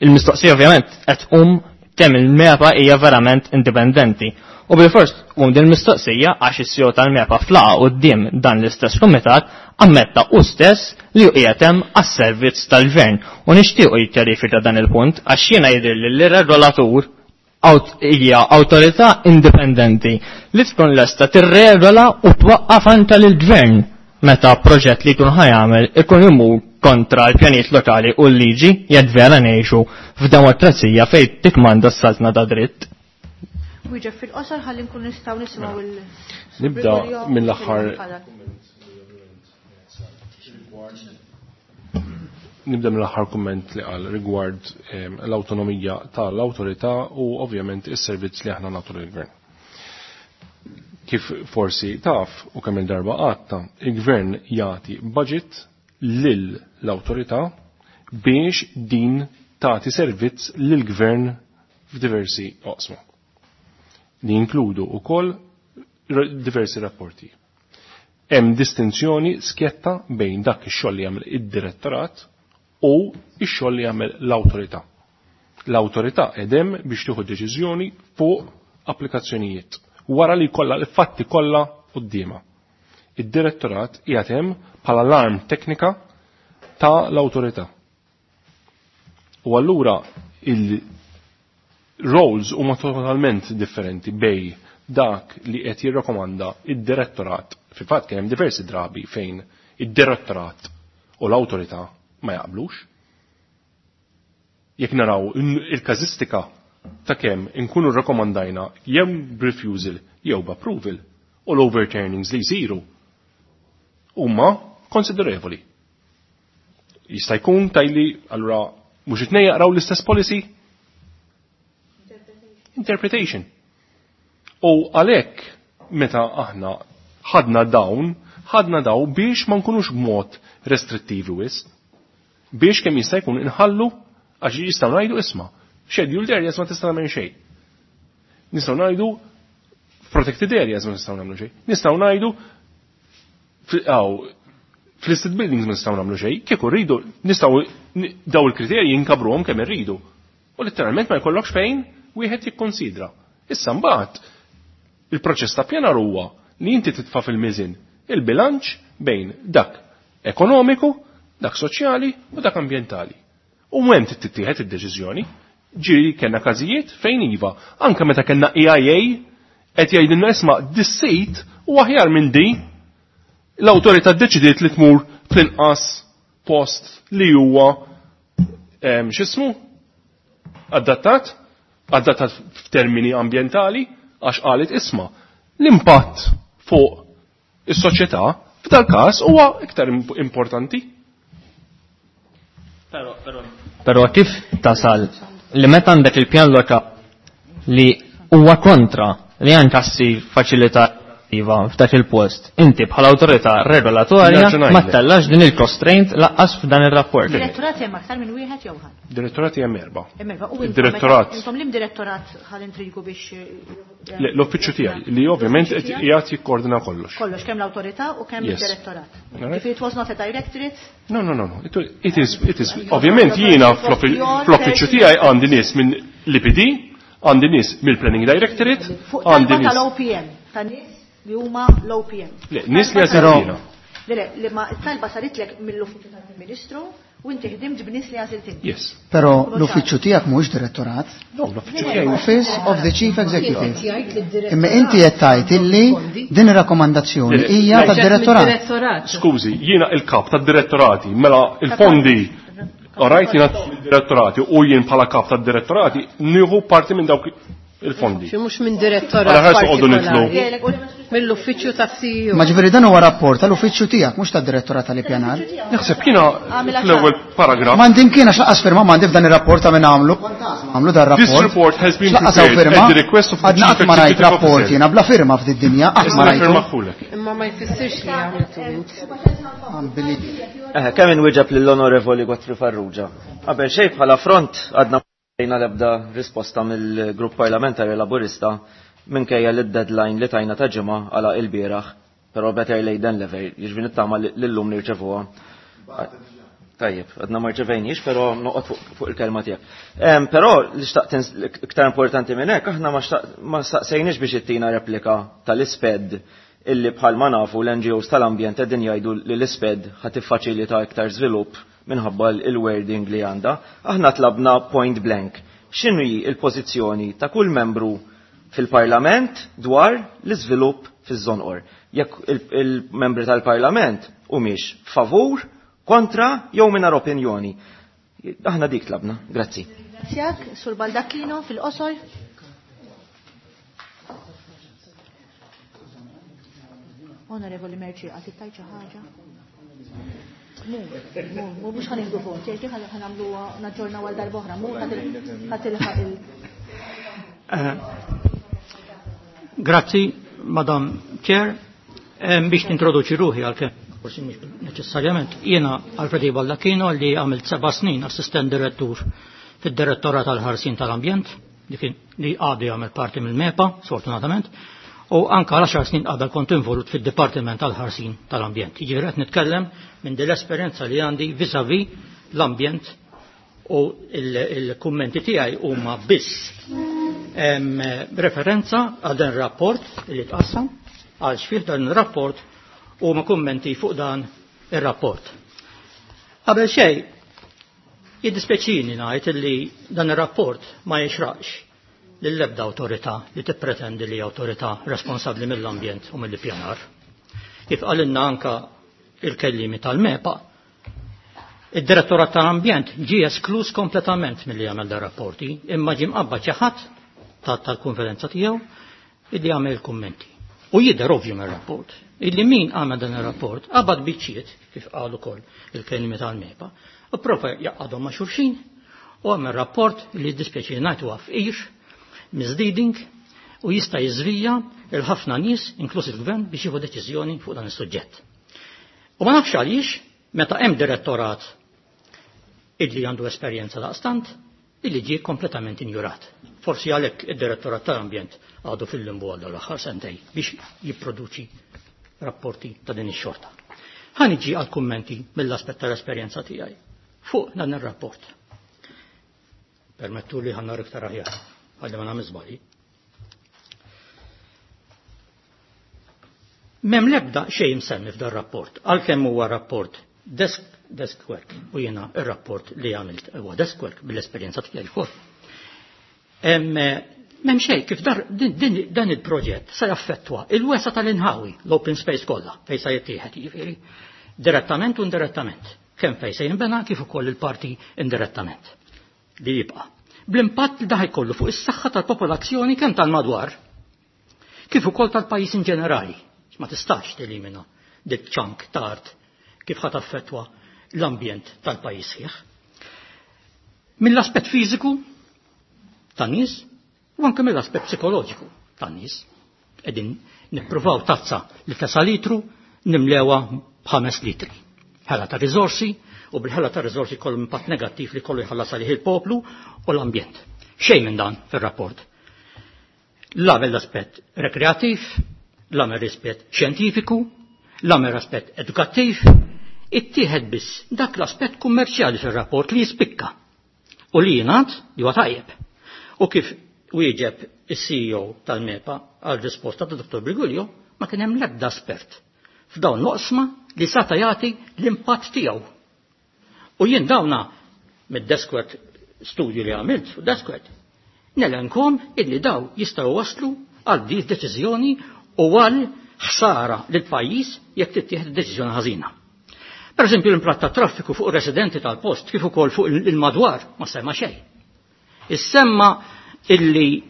il-mistoqsija ovvjament qed tqum kemm il-MEPA hija verament indipendenti. U bil-fors tqum din mistoqsija għax is-CEO tal-MEPA flaqa quddiem dan l-istess kumitat ammetta u stess li hu qiegħed hemm għas-servizz tal-gvern u nixtiequ jikkjarifika dan il-punt għax jiena jidhirli li regolatur hija awtorità indipendenti li tkun lesta tirregola u twaqqaf anke lill-gvern meta proġett li jkun ħajamel ikun imur kontra l-pjanijiet lokali u l-liġi jekk vera ngħixu f'demokrazija fejn tikmanda s-saltna ta' dritt. Wieġeb fil-qosor ħalli nkun nistgħu nisimgħu il Nibda mill-aħħar Nibda mill-aħħar kumment li qal rigward l-awtonomija tal-awtorità u ovvjament is-servizz li aħna nagħtu lill-gvern. Kif forsi taf u kemm il-darba għatta, il-gvern jagħti budget lil l-awtorità biex din tagħti servizz lill-gvern f'diversi oqsma. Li jinkludu wkoll diversi rapporti. Hemm distinzjoni skjetta bejn dak ix-xogħol li jagħmel id-direttorat u ix-xogħol li jagħmel l-awtorità. L-awtorità edem biex tieħu deċiżjoni fuq applikazzjonijiet wara li jkollha l-fatti kollha quddiemha. Id-direttorat qiegħed hemm bħala l-arm teknika ta' l-awtorità. U allura il-roles huma totalment differenti bej dak li qed jirrakkomanda id-direttorat. Fil-fatt kien hemm diversi drabi fejn id-direttorat u l-awtorità ma jaqblux. Jekk naraw il-każistika ta' kemm inkunu rrakkomandajna jew b'refusal jew b'approval u l-overturnings li jsiru huma konsiderevoli. Jista' jkun tajli allura mhux it-tnejn jaqraw l-istess policy? Interpretation. U għalhekk meta aħna ħadna dawn, ħadna daw biex ma nkunux b'mod restrittivi wisq, biex kemm jista' jkun inħallu għax jistgħu ngħidu isma' scheduled areas ma tista' nagħmel xejn. Nistgħu ngħidu protected areas ma nistgħu nagħmlu xejn. Nistgħu ngħidu fl-listed buildings ma nistgħu nagħmlu xejn, kieku rridu nistgħu daw il-kriterji jinkabruhom kemm irridu. U letteralment ma jkollokx fejn wieħed jikkonsidra. Issa mbagħad il-proċess ta' pjanar huwa li inti titfa' fil-miżin il-bilanċ bejn dak ekonomiku, dak soċjali u dak ambjentali. U hemm tittieħed id-deċiżjoni. Ġieli kellna każijiet fejn iva, anke meta kellna EIA qed jgħidilna isma' dis-sit u aħjar minn di l-awtorità ddeċidiet li tmur fl-inqas post li huwa x'ismu? Adattat, adattat f'termini ambjentali għax qalet isma' l-impatt fuq is-soċjetà f'dal każ huwa iktar importanti. Però kif tasal li meta għandek il-pjan lokali li huwa kontra li anke ssir faċilità iva f'dak il-post, inti bħala awtorità regolatorja ma tellax din il-constraint laqqas f'dan ir-rapport. Direttorat hemm aktar minn wieħed jew ħadd? Direttorat hemm erba'. Hemm erba'. U Direttorat. Intom lim direttorat ħal intrigu biex Le, l-uffiċċju tiegħi li ovvjament qed qiegħed jikkoordina kollox. Kollox kemm l-awtorità u kemm id-direttorat. If it was not a directorate? No, no, no, no. It is, it is. Ovvjament jiena fl-uffiċċju tiegħi għandi nies minn l-IPD, għandi nies mill-Planning Directorate, għandi nies tal-OPM, ta' nies li huma l-OPM. Le, nies li għażiltina. Le, li ma talba saritlek mill-uffiċċju tal-Ministru u inti ħdimt b'nies li għażilt inti. Yes. Però l-uffiċċju tiegħek mhuwiex direttorat. No, l-uffiċċju tiegħi. Office of the Chief Executive. Imma inti qed tgħid illi din ir-rakkomandazzjoni hija tad-direttorat. Skużi, jiena il-kap tad-direttorati, mela il-fondi Alright, jiena direttorati u jien bħala kap tad-direttorati nieħu parti minn dawk il-fondi. Xi mhux minn direttorat. Għala ħarsu qogħdu nitlu. Mill-uffiċċju tas-CEO. Ma ġifieri dan huwa rapport tal-uffiċċju tiegħek mhux tad-direttorat tal-ippjanar. Naħseb jiena fl-ewwel paragraf. M'għandi imkien għax laqas firma m'għandi f'dan ir-rapport ta' min għamlu. Għamlu dan rapport. This report has been prepared at the request of the Għadna qatt ma rajt rapport jiena bla firma f'did dinja qatt ma rajt. Imma ma jfissirx li għamiltu int. Kemm inwieġeb lill-Onorevoli Godfrey Farrugia. Qabel xejn bħala front għadna Jina l-ebda risposta mill-grupp parlamentari laburista minkejja li d-deadline li tajna ta' ġimgħa għala il-bieraħ, però better late than never, jiġifieri nittama lillum nirċevuha. Tajjeb, għadna ma rċevejniex, però noqgħod fuq il-kelma tiegħek. Però li xtaqt iktar importanti minn hekk, aħna ma staqsejniex biex ittina replika tal-isped illi bħalma nafu l-NGOs tal-ambjent qegħdin jgħidu li l-isped ħa tiffaċilita iktar żvilupp minħabba l-wording li għandha. Aħna tlabna point blank. X'inhu hi l-pożizzjoni ta' kull membru fil-Parlament dwar l-iżvilupp fiż-Żonqor? Jekk il-membri tal-Parlament humiex favur, kontra jew mingħajr opinjoni. Aħna dik tlabna. Grazzi. Ringrazzjak, Sur Baldacchino fil-qosor. Onorevoli Merci, għati tajt xi ħaġa? Mu, mhux ħanieħdu vot, jgħid ħa nagħmluha naġġornaw għal darb'oħra, mu ħa tilħaq il- Grazzi, Madam Chair, biex nintroduċi ruħi għalkemm forsi mhux neċessarjament, jiena Alfredi Baldacchino li għamilt 7 snin assistent direttur fid-Direttorat tal-Ħarsien tal-Ambjent, li għadu jagħmel parti mill-MEPA, sfortunatament, u anka għal 10 snin qabel kont involut fid-Dipartiment tal-Ħarsien tal-Ambjent. Jiġifieri qed nitkellem minn din l-esperjenza li għandi vis-à-vis l-ambjent u il-kummenti tiegħi huma biss referenza għal dan rapport li tqassam, għal xfih dan ir-rapport u ma kummenti fuq dan ir-rapport. Qabel xejn, jiddispjaċini ngħid li dan ir-rapport ma jixraqx lill-ebda awtorità li tippretendi li awtorità responsabbli mill-ambjent u mill-ippjanar. Kif qalilna anka il-kellimi tal-MEPA, id-Direttorat tal-Ambjent ġie esklus kompletament milli jagħmel dan rapporti, imma ġie mqabbad xi ħadd tal-konferenza tiegħu illi jagħmel il-kummenti. U jidher ovvju mir-rapport illi min għamel dan ir-rapport qabad biċċiet, kif qal ukoll il-kelmi tal-MEPA, u prova jaqadhom ma' xulxin u għamel rapport li jiddispjaċini ngħid huwa fqir, misleading, u jista' jiżvija il ħafna nies, inkluż il-gvern, biex jieħu deċiżjoni fuq dan is-suġġett. U ma nafx għaliex meta hemm direttorat illi għandu esperjenza daqstant, illi ġie kompletament injurat. Forsi għalhekk id-Direttorat tal-Ambjent għadu fil-limbu għal l-aħħar sentej biex jipproduċi rapporti ta' din ix-xorta. Ħa niġi għal kummenti mill-aspett tal-esperjenza tiegħi fuq dan ir-rapport. Permettu li ħannar iktar aħjar, ħalli ma nagħmel żbalji. M'hemm l-ebda xejn msemmi f'dan rapport, għalkemm huwa rapport desk work, u jiena ir-rapport li għamilt huwa desk work bil-esperjenza tiegħi wkoll. M'hemm xejn kif dan il-proġett se jaffettwa il-wesa tal-inħawi, l-open space kollha fejn se jittieħed, jiġifieri direttament u indirettament, kemm fejn se jinbena kif ukoll il-parti indirettament li jibqa'. Bl-impatt li daħ jkollu fuq is-saħħa tal-popolazzjoni kemm tal-madwar kif ukoll tal-pajjiż in ġenerali. Ma tistax telimina dik ċank ta' art kif ħa taffettwa l-ambjent tal-pajjiż sħiħ. Mill-aspett fiżiku tan-nies u anke mill-aspett psikoloġiku tan-nies. Qegħdin nippruvaw tazza li tesa' litru nimlewha b'5 litri. Ħela ta' riżorsi u bil-ħela ta' riżorsi kollu impatt negattiv li kollu jħallas għalih il-poplu u l-ambjent. Xejn minn dan fir-rapport. La mill-aspett rekreattiv, la mill-aspett xjentifiku, la mill-aspett edukattiv, ittieħed biss dak l-aspett kummerċjali fir-rapport li jispikka u li jingħad li huwa tajjeb. U kif wieġeb is-CEO tal-MEPA għal risposta ta' Dr. Briguglio, ma kien hemm l-ebda espert f'dawn l-oqsma li sata jagħti l-impatt tiegħu. U jien dawna mid-deskwork studju li għamilt fuq deskwork, nelenkom illi daw jistgħu waslu għal din deċiżjoni u għal ħsara lil pajjiż jekk tittieħed deċiżjoni ħażina. Per eżempju, l-impatt ta' traffiku fuq residenti tal-post kif ukoll fuq il-madwar ma semma xejn. Issemma illi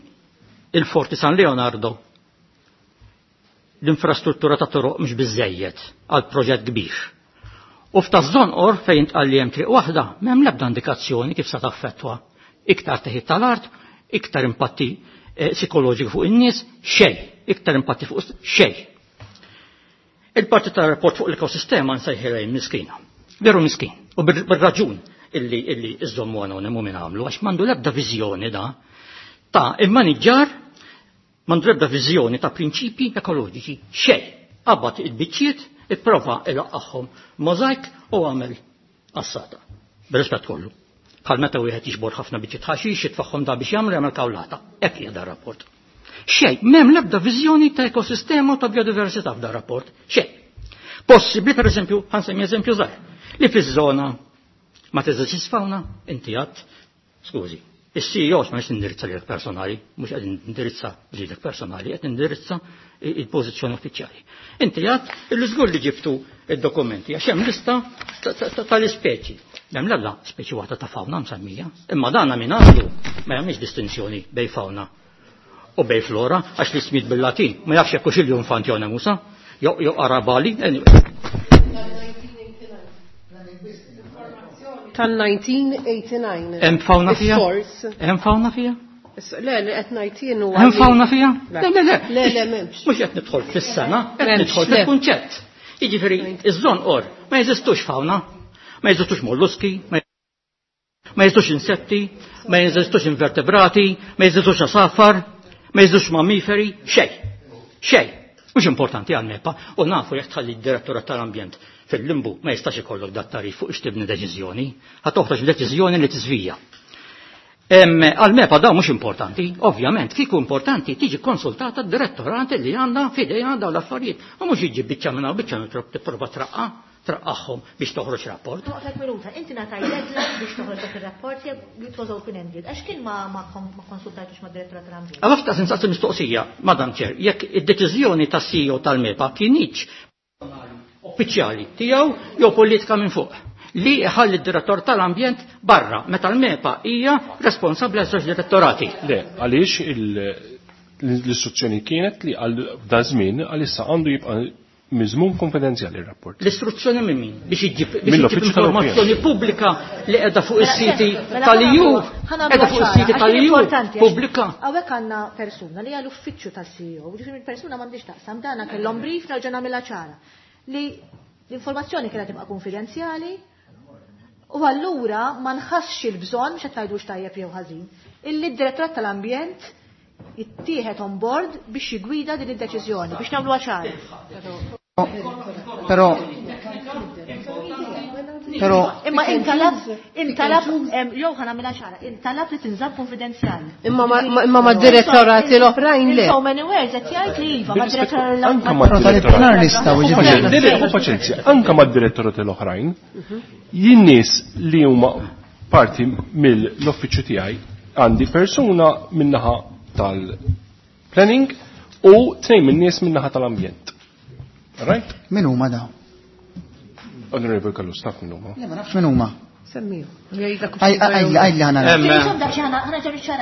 il-Forti San Leonardo l-infrastruttura ta' toroq mhux biżejjed għal proġett kbir. U f'taż-Żonqor fejn tqal li hemm triq waħda m'hemm l-ebda indikazzjoni kif se taffettwa iktar teħid tal-art, iktar impatti psikoloġiku fuq in-nies, xejn, iktar impatti fuq xejn. Il-parti tar-rapport fuq l-ekosistema nsejħilha miskina. Veru miskin, u bir-raġun illi iżommu anonimu minn għamlu, għax m'għandu l-ebda viżjoni da ta' immaniġġar, m'għandu l-ebda viżjoni ta' prinċipji ekoloġiċi, xejn. Qabad il-biċċiet, ipprova ilaqqagħhom mozaik u għamel Qassata. Bir-rispett kollu. Bħal meta wieħed jiġbor ħafna biċċiet ħaxix jitfaħħom da biex jagħmlu jagħmel kawlata. Hekk hija dar rapport. Xejn, m'hemm l-ebda viżjoni ta' ekosistema u ta' biodiversità f'dar rapport. Xejn. Possibbli pereżempju, ħansemmi eżempju żgħir, li fiż-żona ma teżistix fauna, inti għadt, skużi, is-CEO ma nix nindirizza lilek personali, mhux qed nindirizza lilek personali, qed nindirizza il-pożizzjoni uffiċjali. Inti għadt illi żgur li ġibtu id-dokumenti għax hemm lista tal-ispeċi. Hemm l-ebda speċi waħda ta' fauna msemmija, imma dana min għandu ma jagħmilx distinzjoni bej fauna u bej flora għax li smit bil-Latin ma jafx jekk hux il-jum musa, jew arabali, anyway. Tal-1989. Hemm fauna fija? Hemm fauna fija? Le, li qed ngħid jien huwa. Hemm fauna fija? Le, le, le. Le, le, m'hemmx. Mhux qed nidħol fis-sena, qed nidħol fil-kunċett. Jiġifieri iż-żonqor ma jeżistux fauna, ma jeżistux molluski, ma jeżistux insetti, ma jeżistux invertebrati, ma jeżistux asafar, ma jeżistux mammiferi, xejn. Xejn. Mhux importanti għal MEPA u nafu jekk tħalli d-direttorat tal-ambjent fil-limbu ma jistax ikollok dat tarif fuq ix tibni deċiżjoni, ħa toħroġ deċiżjoni li tiżvija. Għal MEPA dawn mhux importanti, ovvjament, kieku importanti tiġi konsultata d-direttorat li għandha f'idejha dawn l-affarijiet u mhux jiġi biċċa minn hawn biċċa minn tipprova traqqa traqqaħħom biex toħroġ rapport. Noqgħod minuta, inti ngħataj deadline biex toħroġ dak ir-rapport jew it was open-ended. Għax kien ma konsultajtux mad-direttorat tal-ambjent. Għalaf ta' sensaqsi mistoqsija, Madam Chair, jekk id-deċiżjoni tas-CEO tal-MEPA kienx uffiċjali tiegħu jew politika minn fuq li ħalli d-direttor tal-ambjent barra meta l-MEPA hija responsabbli għal żewġ direttorati. Le, għaliex l-istruzzjoni kienet li għal da żmien għalissa għandu jibqa' miżmum konfidenzjali r-rapport. L-istruzzjoni minn min? Biex iġib biex iġib Mill-Uffiċċju tal-Opinjoni. informazzjoni pubblika li qiegħda fuq is-siti Mela, tal-EU, ħa nagħmlu qiegħda fuq is-siti ċara, għax tal-EU importanti, għax pubblika. Hawnhekk għandna persuna li hija l-uffiċċju tal-CEO, ġifieri persuna m'għandix taqsam dana kellhom brief nerġa' nagħmilha ċara. Li l-informazzjoni kienet tibqa' konfidenzjali u allura ma nħassx il-bżonn biex qed ngħidux tajjeb jew ħażin, illi d-direttorat tal-ambjent jittieħed on board biex jigwida din id-deċiżjoni biex nagħmluha ċara. Però però Imma intalab, intalab, jew ħa nagħmilha ċara, intalab li tinżamm konfidenzjali. Imma ma direttorati l-oħrajn le. In so many words, qed jgħid li iva, ma direttorat Anka Però tal-ippjanar nistgħu jiġifieri. U paċenzja, anka mad-direttorati l-oħrajn, jien nies li huma parti mill-uffiċċju tiegħi għandi persuna min-naħa tal-planning u tnejn min-nies min-naħa tal-ambjent. Right? Min huma dawn? Honorable Kallus, taf min huma. Le ma nafx min huma. Semmiju. Għajli ħana. Imma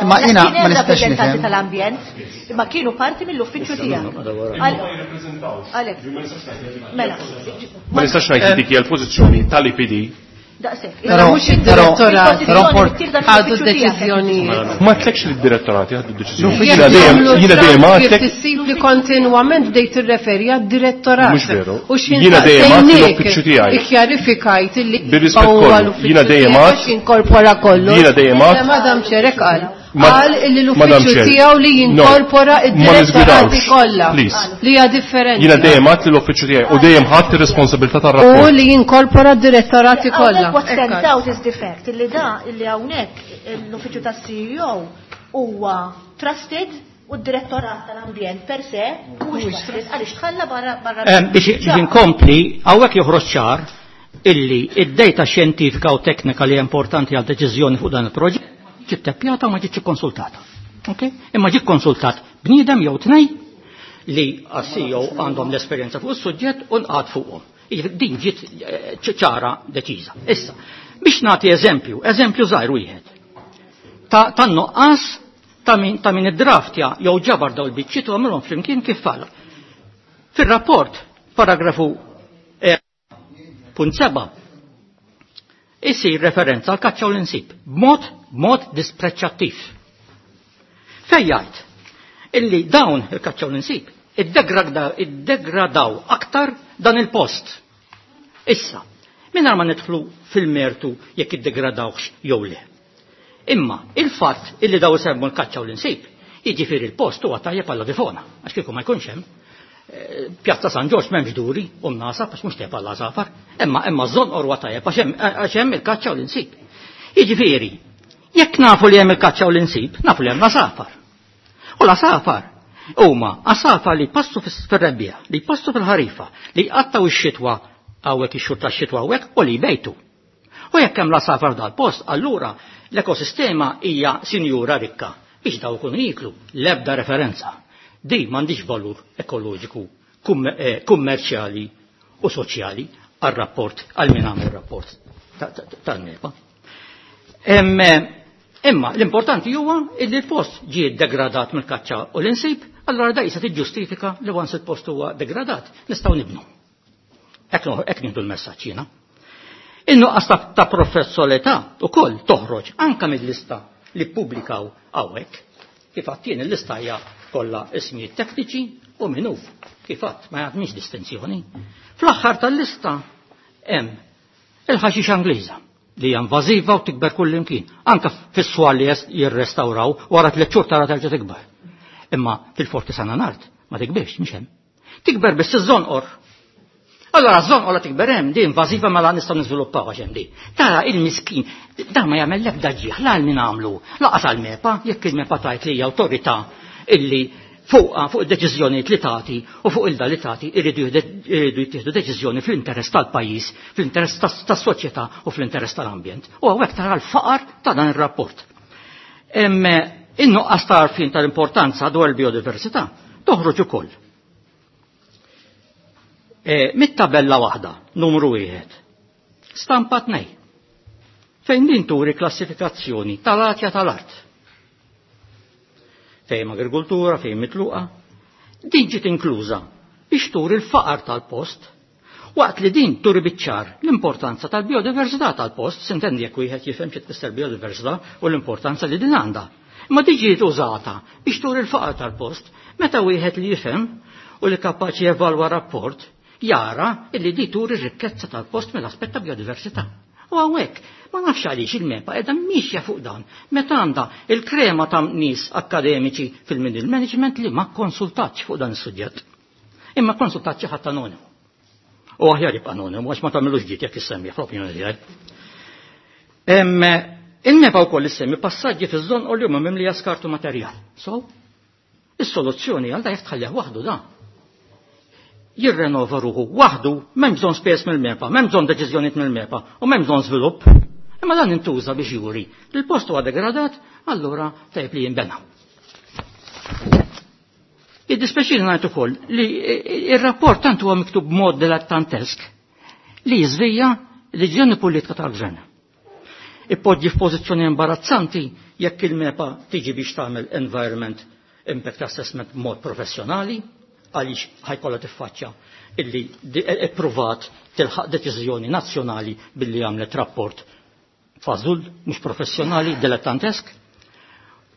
Imma jiena ma nistax nifhem. tal-ambjent, imma kienu parti mill-uffiċċju tiegħek. Għalek. Mela. Ma nistax ngħid li dik hija l-pożizzjoni tal-IPD. Daqshekk. Però mhux id-direttorat però ħadu d-deċiżjonijiet. Ma tlekx li d-direttorati ħadu d-deċiżjoni. Jekk Jiena dejjem jagħmlu jiena dejjem draft għadlek kif tissib li kontinwament bdejt tirreferi għad-direttorat. Mhux veru. U x'in Jiena dejjem għadt saqsejniek, l-uffiċċju tiegħi. Ikkjarifikajt illi Bir-rispett huwa kollu, l-uffiċċju jiena dejjem tiegħek għadt- għax jinkorpora kollox. Jiena dejjem għadt- Madam Chair qal. Qal illi Madam l-uffiċċju Chair, tiegħu li no, jinkorpora ma id-direttorati niżgwidawx, kollha. please. Li hija differenti. Jiena dejjem għadt li l-uffiċċju tiegħi u dejjem ħadd ir-responsabilità U tar-rapport. li jinkorpora d-direttorati kollha. Hawnhekk what stands out is the fact illi da illi hawnhekk l-uffiċċju tas-CEO huwa trusted u d-direttorat tal-ambjent per se mhuwiex trusted għaliex tħalla barra barra. Biex inkompli, hawnhekk joħroġ ċar illi id-data xjentifika u teknika li hija importanti għal deċiżjoni fuq dan il-proġett ġiet teppjata u ma ġietx ikkonsultata. Okay? Imma ġiet konsultat bniedem jew tnej li għas-CEO għandhom l-esperjenza fuq is-suġġett u nqgħad fuqhom. Jiġifieri Din ġiet ċara deċiża. Issa, biex nagħti eżempju, eżempju żgħir wieħed. Ta' nuqqas ta' min ta' min id-draftja jew ġabar daw il-biċċiet u għamilhom flimkien kif falla. Fir-rapport, paragrafu punt 7, isir referenza għal kaċċa u l-insib b'mod b'mod dispreċċattiv. Fejn jgħid illi dawn il-kaċċa u l-insib iddegradaw aktar dan il-post. Issa, mingħajr ma nidħlu fil-mertu jekk iddegradawx jew le. Imma il-fatt illi daw isemmu l-kaċċa u l-insib, jiġifieri il-post huwa tajjeb għall difona, għax kieku ma jkunx hemm. Pjazza San Ġorġ m'hemmx duri u mnasab għax mhux tajjeb għall-għasafar, imma imma ż-żonqor huwa tajjeb għax hemm il-kaċċa u l-insib. Jiġifieri, jekk nafu li hemm il-kaċċa u l-insib, nafu li hemm l-għasafar. U l-għasafar huma għasafar li jpassu fir-rebbiegħa, li jpassu fil-ħarifa, li jqattgħu x-xitwa hawnhekk ix-xhur tax-xitwa hawnhekk u li jbejtu. U jekk hemm l-għasafar dal-post, allura l-ekosistema hija sinjura rikka biex daw ikunu jieklu l-ebda referenza. Di m'għandix valur ekoloġiku, kummerċjali u soċjali għal-rapport, għal min għamel rapport tal-MEPA. Imma l-importanti huwa illi l-post ġie degradat mill-kaċċa u l-insib, allora da jista' tiġġustifika li once il-post huwa degradat, nistgħu nibnu. Hekk nieħdu l-messaġġ jiena. In-nuqqas ta' professolità ukoll toħroġ anke mill-lista li ppubblikaw hawnhekk. Kif għadt jien il-lista hija kollha ismijiet tekniċi u min hu. Kif għadt ma jagħmilx distinzjoni. Fl-aħħar tal-lista hemm il-ħaxixa Ingliża li hija invażiva u tikber kullimkien. Anke fis-swar li jirrestawraw wara 3 xhur tara terġa' tikber. Imma fil-Forti San Anard ma tikbirx, mhix hemm. Tikber biss iż-żonqor. Allora ż-żonqor la tikber hemm di invażiva mela nistgħu niżviluppaw għax hemm di. Tara il-miskin dan ma jagħmel l-ebda ġieħ la għal min għamlu, laqas għal MEPA, jekk il-MEPA tgħid li hija awtorità illi fuqha fuq id-deċiżjonijiet li tagħti u fuq il-da li tagħti irridu jittieħdu deċiżjoni fl-interess tal-pajjiż, fl-interess tas-soċjetà u fl-interess tal-ambjent. U hawnhekk tara l-faqar ta' dan ir-rapport. In-nuqqas ta' għarfien tal-importanza dwar il-biodiversità toħroġ ukoll. Mit-tabella waħda, numru 1, stampa 2, fejn din turi klassifikazzjoni tal-għatja tal-art. Fejn agrikoltura, fejn mitluqa, din ġiet inkluża biex turi l-faqar tal-post, waqt li din turi biċ-ċar l-importanza tal-biodiversità tal-post, sintendi jekk wieħed jifhem xi tfisser biodiversità u l-importanza li din għandha. Imma din ġiet użata biex turi l-faqar tal-post, meta wieħed li jifhem u li kapaċi jevalwa rapport jara illi di turi r-rikkezza tal-post mill-aspett ta' biodiversità. U hawnhekk ma nafx għaliex il-MEPA qiegħda mixja fuq dan meta għandha il-krema ta' nies akademiċi fil-middle management li ma konsultatx fuq dan is-suġġett. Imma konsultat xi ħadd anonimu. U aħjar jibqa' anonimu għax ma tagħmilux ġid jekk issemmi fl-opinjoni tiegħi. Il-MEPA wkoll issemmi passaġġi fiż-żonqor li huma mimlija skartu materjal. So, is-soluzzjoni għal da jekk tħallih waħdu da. Jirrenova ruħu waħdu, m'hemm bżonn spejjeż mill-MEPA, m'hemm bżonn deċiżjonijiet mill-MEPA u m'hemm bżonn żvilupp. Imma dan intuża biex juri li l-post huwa degradat, allura tajjeb li jinbena. Id-dispeċini ngħid ukoll li ir-rapport tant huwa miktub b'mod dilettantesk li jiżvija l-ġenni politika tal-gvern. Ippoġġi f'pożizzjoni imbarazzanti jekk il-MEPA tiġi biex tagħmel environment impact assessment b'mod professjonali, għaliex ħajkollha tiffaċċja illi ippruvat tilħaq deċiżjoni nazzjonali billi għamlet rapport fażul, mhux professjonali, dilettantesk.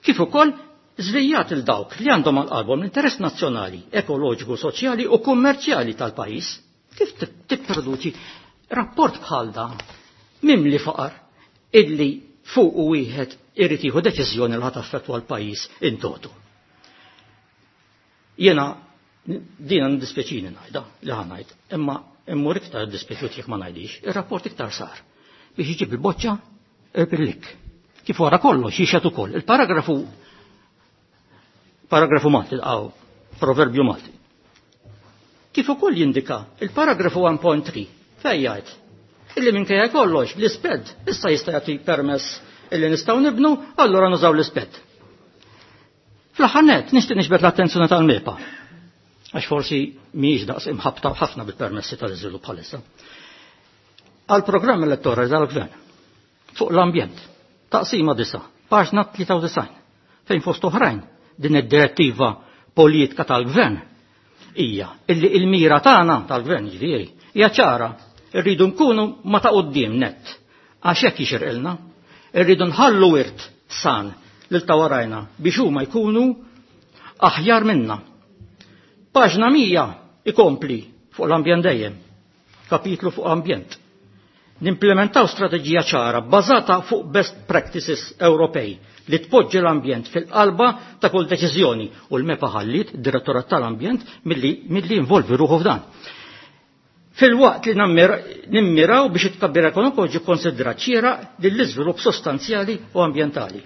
Kif ukoll żvijat il dawk li għandhom għal qalbhom l-interess nazzjonali, ekoloġiku, soċjali u kummerċjali tal-pajjiż. Kif tipproduċi rapport bħal dan mimli faqar illi fuq u wieħed irid jieħu deċiżjoni li ħadd affettwa l-pajjiż in toto. Jiena dina ndispjaċini ngħidha li ħa ngħid, imma immur iktar dispjaċut jekk ma ngħidix, ir-rapport iktar sar biex iġib il-boċċa irpillik. Kif wara kollox jixhed ukoll il-paragrafu paragrafu Malti, għaw, proverbju Malti. Kif ukoll jindika il-paragrafu 1.3 fejn jgħid illi minkejja kollox l-isped issa jista' jagħti permess illi nistgħu nibnu, allura nużaw l-isped. Fl-aħħar nett nixtieq nixbet l-attenzjoni tal-MEPA għax forsi mhijiex daqs imħabta ħafna bil-permessi tal-iżvilupp bħalissa. Għal programm elettorali tal-gvern fuq l-ambjent, taqsima 9, paġna 93, fejn fost oħrajn din id-direttiva politika tal-gvern hija illi il-mira tagħna tal-gvern ġifieri hija ċara, irridu nkunu ma ta' quddiem nett għax hekk jixirqilna, irridu nħallu wirt san lil ta' warajna biex huma jkunu aħjar minna. Paġna 100 ikompli fuq l-ambjent dejjem, kapitlu fuq ambjent. Nimplementaw strateġija ċara bbażata fuq best practices Ewropej li tpoġġi l-ambjent fil-qalba ta' kull deċiżjoni u l-MEPA ħallit direttorat tal-ambjent milli, milli involvi ruħu f'dan. Fil-waqt li nimmiraw biex it-tkabbir ekonomiku ġi konsidrat xieraq lill-iżvilupp sostanzjali u ambjentali.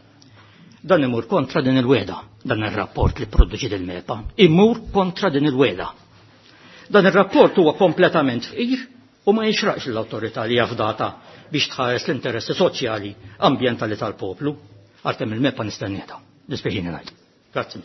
Dan imur kontra din il-weda, dan ir-rapport li produċi il-MEPA, imur kontra din il-weda. Dan ir-rapport huwa kompletament fqir u ma jixraqx l-awtorità li jafdata biex tħares l-interessi soċjali ambjentali tal-poplu. Għalkemm il-MEPA nistennieta. Dispjaċini ngħid. Grazzi.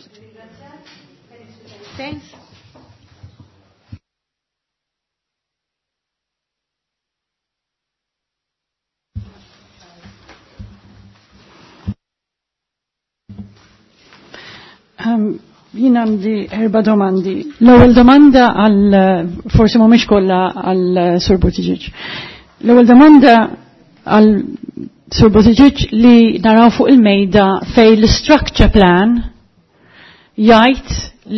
Jien għandi erba domandi. L-ewwel domanda għal forsi mhumiex kollha għal Sur Buttigieg. L-ewwel domanda għal Sur Buttigieg li naraw fuq il-mejda fej l-structure plan jgħid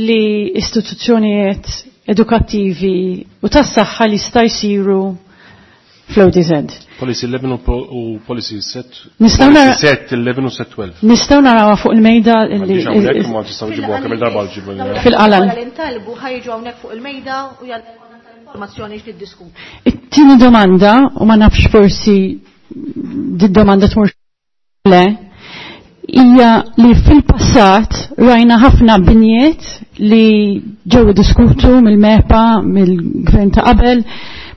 li istituzzjonijiet edukattivi u tas-saħħa li sta jsiru fl-ODZ. Policy 11 u policy set. Nistgħu nara- Policy set 11 u set 12. Nistgħu narawha fuq il-mejda li M'għandix hawnhekk ma tistgħu ġibuha kemm il-darba ġibu. Fil-qalal. Wara li ntalbu ħajġu hawnhekk fuq il-mejda u jgħal informazzjoni x'niddiskutu. It-tieni domanda, u ma nafx forsi di domanda tmur le, hija li fil-passat rajna ħafna binjiet li ġew diskutu mill-MEPA, mill-gvern ta' qabel,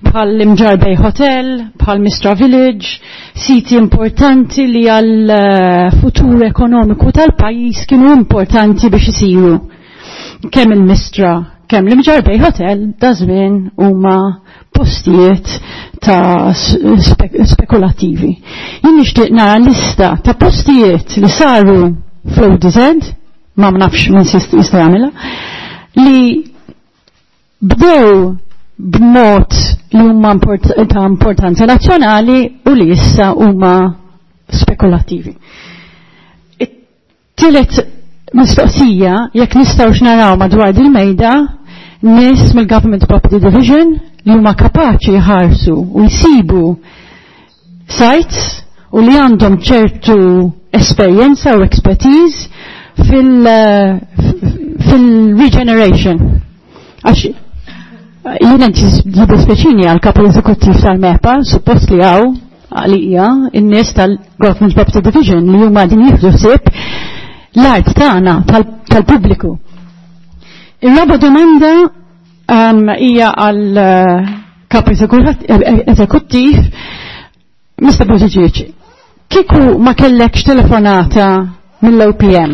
bħal l-Imġar Bay Hotel, bħal Mistra Village, siti importanti li għal futur ekonomiku tal-pajis kienu importanti biex isiru. Kemm il-Mistra, kemm l-Imġar Bay Hotel, da żmien huma postijiet ta' spekulativi. Jien nixtieq nara lista ta' postijiet li saru fl-ODZ, ma nafx min jista' jagħmilha, li bdew b'mod li huma ta' importanza nazzjonali u li issa huma spekulattivi. It-tielet mistoqsija, jekk nistgħux naraw madwar dil-mejda, nies mill-Government Property Division li huma kapaċi jħarsu u jsibu sites u li għandhom ċertu esperjenza u expertise fil-regeneration. Għax jiena jiddispjaċini għal kap eżekuttiv tal-MEPA, suppost li għaw għalija in-nies tal-Government Property Division li huma din jieħdu ħsieb l-art tagħna tal-pubbliku. Ir-raba domanda hija għal kap eżekuttiv Mr. Buttigieg, kieku ma kellekx telefonata mill-OPM,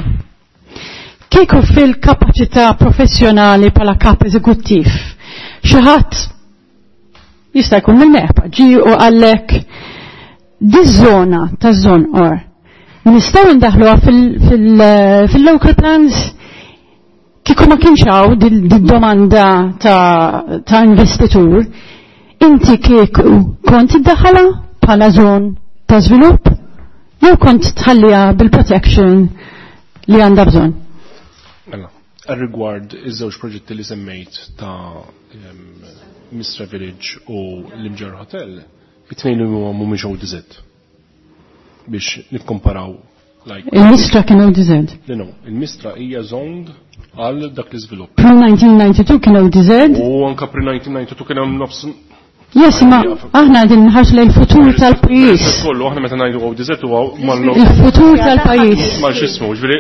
kieku fil-kapaċità professjonali bħala kap eżekuttiv, xi ħadd jista' jkun mill-MEPA ġi u għallek diż-żona taż-Żonqor nistgħu ndaħluha fil-local plans kieku ma kienx hawn did-domanda ta' investitur, inti kieku kont iddaħħalha bħala żon ta' żvilupp jew kont tħalliha bil-protection li għandha bżonn. Mela, rigward iż-żewġ proġetti li semmejt ta' Mistra Village u l-Imġar Hotel, it-tnejn li huma mhumiex ODZ biex nikkomparaw like Il-Mistra kien ODZ. Le no, il-Mistra hija zoned għal dak l-iżvilupp. Pre-1992 kien ODZ. U anka pre-1992 kien hemm nofs Yes, ma aħna qegħdin nħarsu lejn il-futur tal-pajjiż. Kollu aħna meta ngħidu ODZ huwa mal Il-futur tal-pajjiż. Mal x'ismu, ġifieri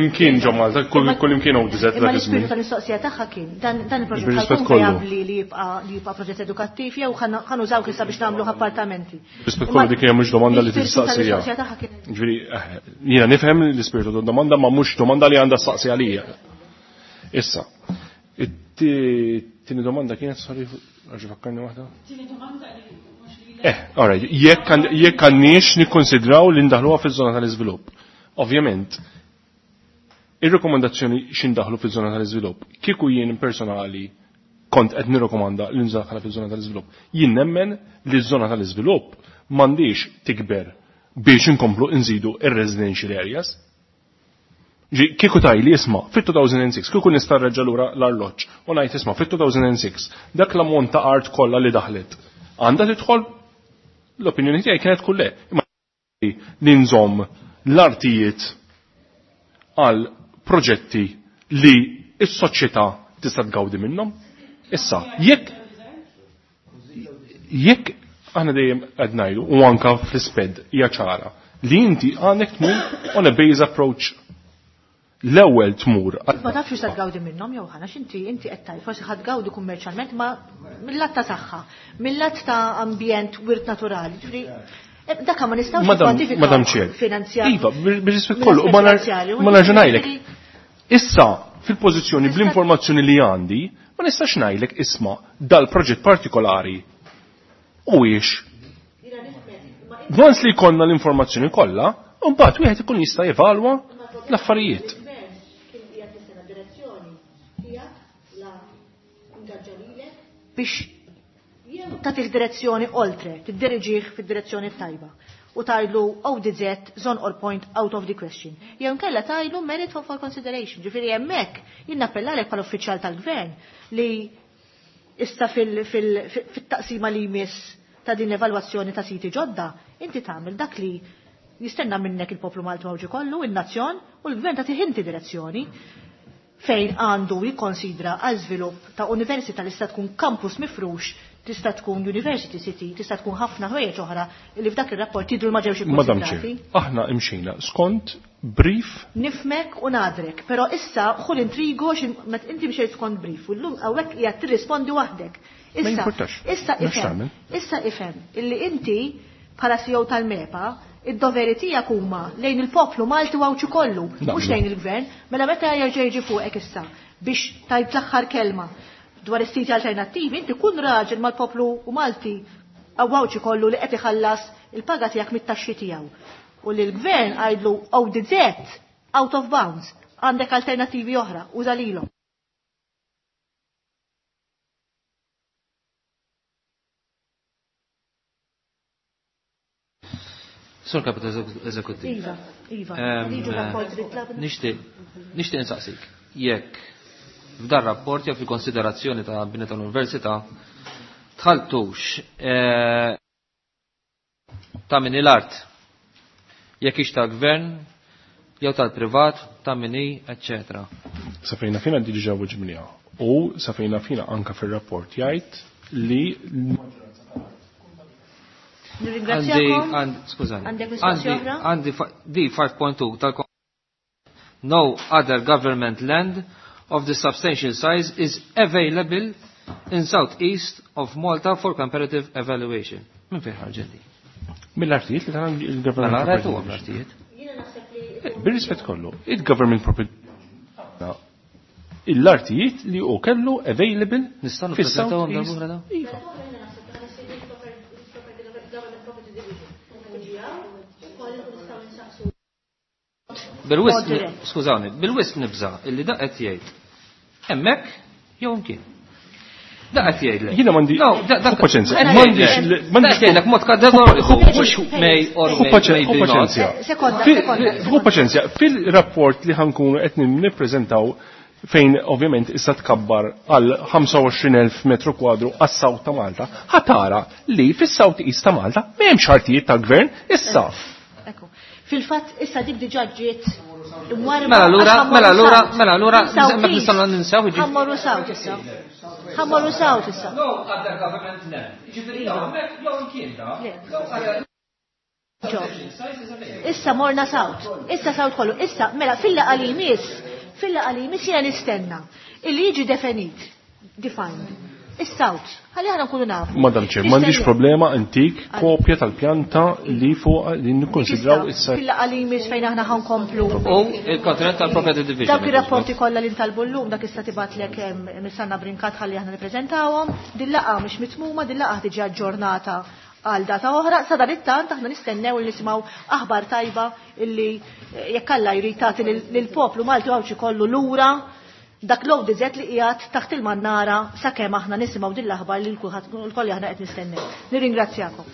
imkien ġo Malta, kull imkien ODZ Imma dak l-ispirtu iż-żmien. tal-mistoqsija tagħha kien dan il-proġett Bir-rispett ħajkun kollu. vijabbli li jibqa' proġett edukattiv jew ħanużaw issa biex nagħmlu appartamenti. Rispett kollu dik hija mhux domanda li L-ispirtu tistaqsija. tal-mistoqsija tagħha kien Ġifieri jiena nifhem l-ispirtu tad-domanda ma mhux domanda li għandha staqsi għalija. Issa, it-tieni domanda kienet sorry, għax fakkarni waħda? All right, jekk għandniex nikkonsidraw li ndaħluha fiż-żona tal-iżvilupp. Ovvjament, ir-rekomandazzjoni x'indaħlu fiż-żona tal-iżvilupp, kieku jien personali kont qed nirrekomanda li ndaħħalha fiż-żona tal-iżvilupp. Jien nemmen li ż-żona tal-iżvilupp m'għandix tikber biex inkomplu nżidu ir-residential areas. Ġi, kieku tajli isma' fit-2006, kieku nista' nreġġa' lura l-arloġġ u ngħid isma' fit-2006 dak l-ammont ta' art kollha li daħlet għandha tidħol L-opinjoni tiegħi kienet kull le. Imma li nżomm l-artijiet għal proġetti li s-soċjetà tista' tgawdi minnhom. Issa, jekk jekk aħna dejjem qed ngħidu u anka fl-isped hija ċara li inti għandek tmur on a base approach l-ewwel tmur. Ma tafx ta' tgawdi minnhom jew ħana x'inti inti qed tgħid forsi ħadd gawdi kummerċjalment ma mill-lat ta' saħħa, mill-lat ta' ambjent wirt naturali. Ġifieri dak ma nistgħux Madam Madam Chair. Iva, bir-rispett kollu, ma nerġa' ngħidlek. Issa fil-pożizzjoni bl-informazzjoni li għandi, ma nistax ngħidlek isma' dal-proġett partikolari u ix. Once li jkollna l-informazzjoni kollha, mbagħad wieħed ikun jista' jevalwa l-affarijiet. Biex tagħtih direzzjoni oltre, tiddiriġih fid-direzzjoni tajba. U tgħidlu ODZ zone or point out of the question. Jew inkella tgħidlu merit for consideration. Ġifieri hemmhekk jien nappellalek bħala uffiċjal tal-gvern li issa fit-taqsima li jmiss ta' din l-evalwazzjoni ta' siti ġodda, inti tagħmel dak li jistenna minnek il-poplu Malti Mawġi kollu, il-nazzjon, u l-gvern tagħtih inti direzzjoni fejn għandu jikkonsidra għal żvilupp ta' università li tista' tkun campus mifrux, tista' tkun university city, tista' tkun ħafna ħwejjeġ oħra li f'dak ir-rapport jidhru ma ġewx Madam Chair, ikkonsidrati. aħna imxejna skont brief Nifmek u nadrek, però issa ħu l-intrigo meta inti mxejt skont brief u llum hawnhekk qiegħed tirrispondi waħdek. Ma Issa, jimpurtax. issa Nafx ifhem, tagħmel. issa ifhem illi inti bħala CEO tal-MEPA id-doveri tiegħek huma lejn il-poplu Malti u Għawdxi kollu, mhux lejn il-gvern, mela meta jerġa' jiġi fuqek issa biex tajt l-aħħar kelma dwar is-siti alternattivi, inti kun raġel mal-poplu u Malti Għawdxi kollu li qed iħallas il-paga tiegħek mit-taxxi tiegħu. U li l-gvern għajdlu ODZ out of bounds, għandek alternattivi oħra, uża lilhom. Sur Kapit Eżekuttiv. Iva, iva. Liġu rapport li tlabna. Nixtieq nixtieq insaqsik jekk f'dan rapport jew fil-konsiderazzjoni ta' bini tal-Università tħaltux ta' min l-art jekk hix tal-gvern jew tal-privat ta' min hi, eċċetera. Safejna fina diġà weġibniha. U safejna fina anka fir-rapport jgħid li Nirringrazzjakom. Skużani. Għandek mistoqsija oħra? Għandi di 5.2 tal No other government land of the substantial size is available in southeast of Malta for comparative evaluation. Min fejn ħarġet di? Mill-artijiet li tal il-government Mela, property rajtu għam division. l-artijiet. Bir-rispett kollu, il-government property l-artijiet li u kellu available Nistgħu fis-South nippreżentawhom East. darb'oħra dawn? Iva. Bil-wisq, Mod dirett. skużawni, bil-wisq nibża' illi da qed jgħid. Hemmhekk jew imkien. Da qed jgħidlek. Jiena m'għandi No, da ħu paċenzja. qed M'għandix jgħidlek. m'għandix Da qed jgħidlek mod kategoriku, mhux may or Ħu may paċenzja, ħu maybe not. paċenzja. Sekonda, sekonda. Ħu paċenzja, fil-rapport li ħankunu qed nippreżentaw fejn ovvjament issa tkabbar għal 25,000 metru kwadru għas-South ta' Malta, ħatara li fis-South East ta' Malta m'hemmx artijiet tal-gvern issa. Ekku. Fil-fatt issa dik diġà ġiet imwarba. Mela allura, għax mela allura, ħammorru mela allura, South hemmhekk East. nistgħu ninsew jiġifieri. Ħammorru South issa. Ħammorru South issa. No other government land. Jiġifieri hemmhekk jew imkien da. Ġo. Issa morna South. Issa South kollu. Issa, mela fil-laqa li jmiss, fil-laqa li jmiss jiena nistenna illi jiġi definit, defined. Is-South. Ħalli aħna nkunu nafu. Madam Chair, m'għandix problema antik kopja tal-pjanta li fuq li nikkonsidraw issa. Fil-laqa li jmiss fejn aħna ħankomplu. U il-kontinent tal-Property Division. Dawk ir-rapporti kollha li ntalbu llum dak issa tibatlek Missanna Brinkat ħalli aħna nippreżentawhom. Din laqgħa mhix mitmuma, din laqgħa tiġi aġġornata għal data oħra. Sa dan it-tant aħna nistennew li nisimgħu aħbar tajba illi jekk Alla jrid tagħti lill-poplu Malti Għawdxi kollu lura dak l-ODZ li qiegħed taħt il-mannara sakemm aħna nisimgħu din l-aħbar li l-kulħadd l-koll aħna qed nistennew. Nirringrazzjakom.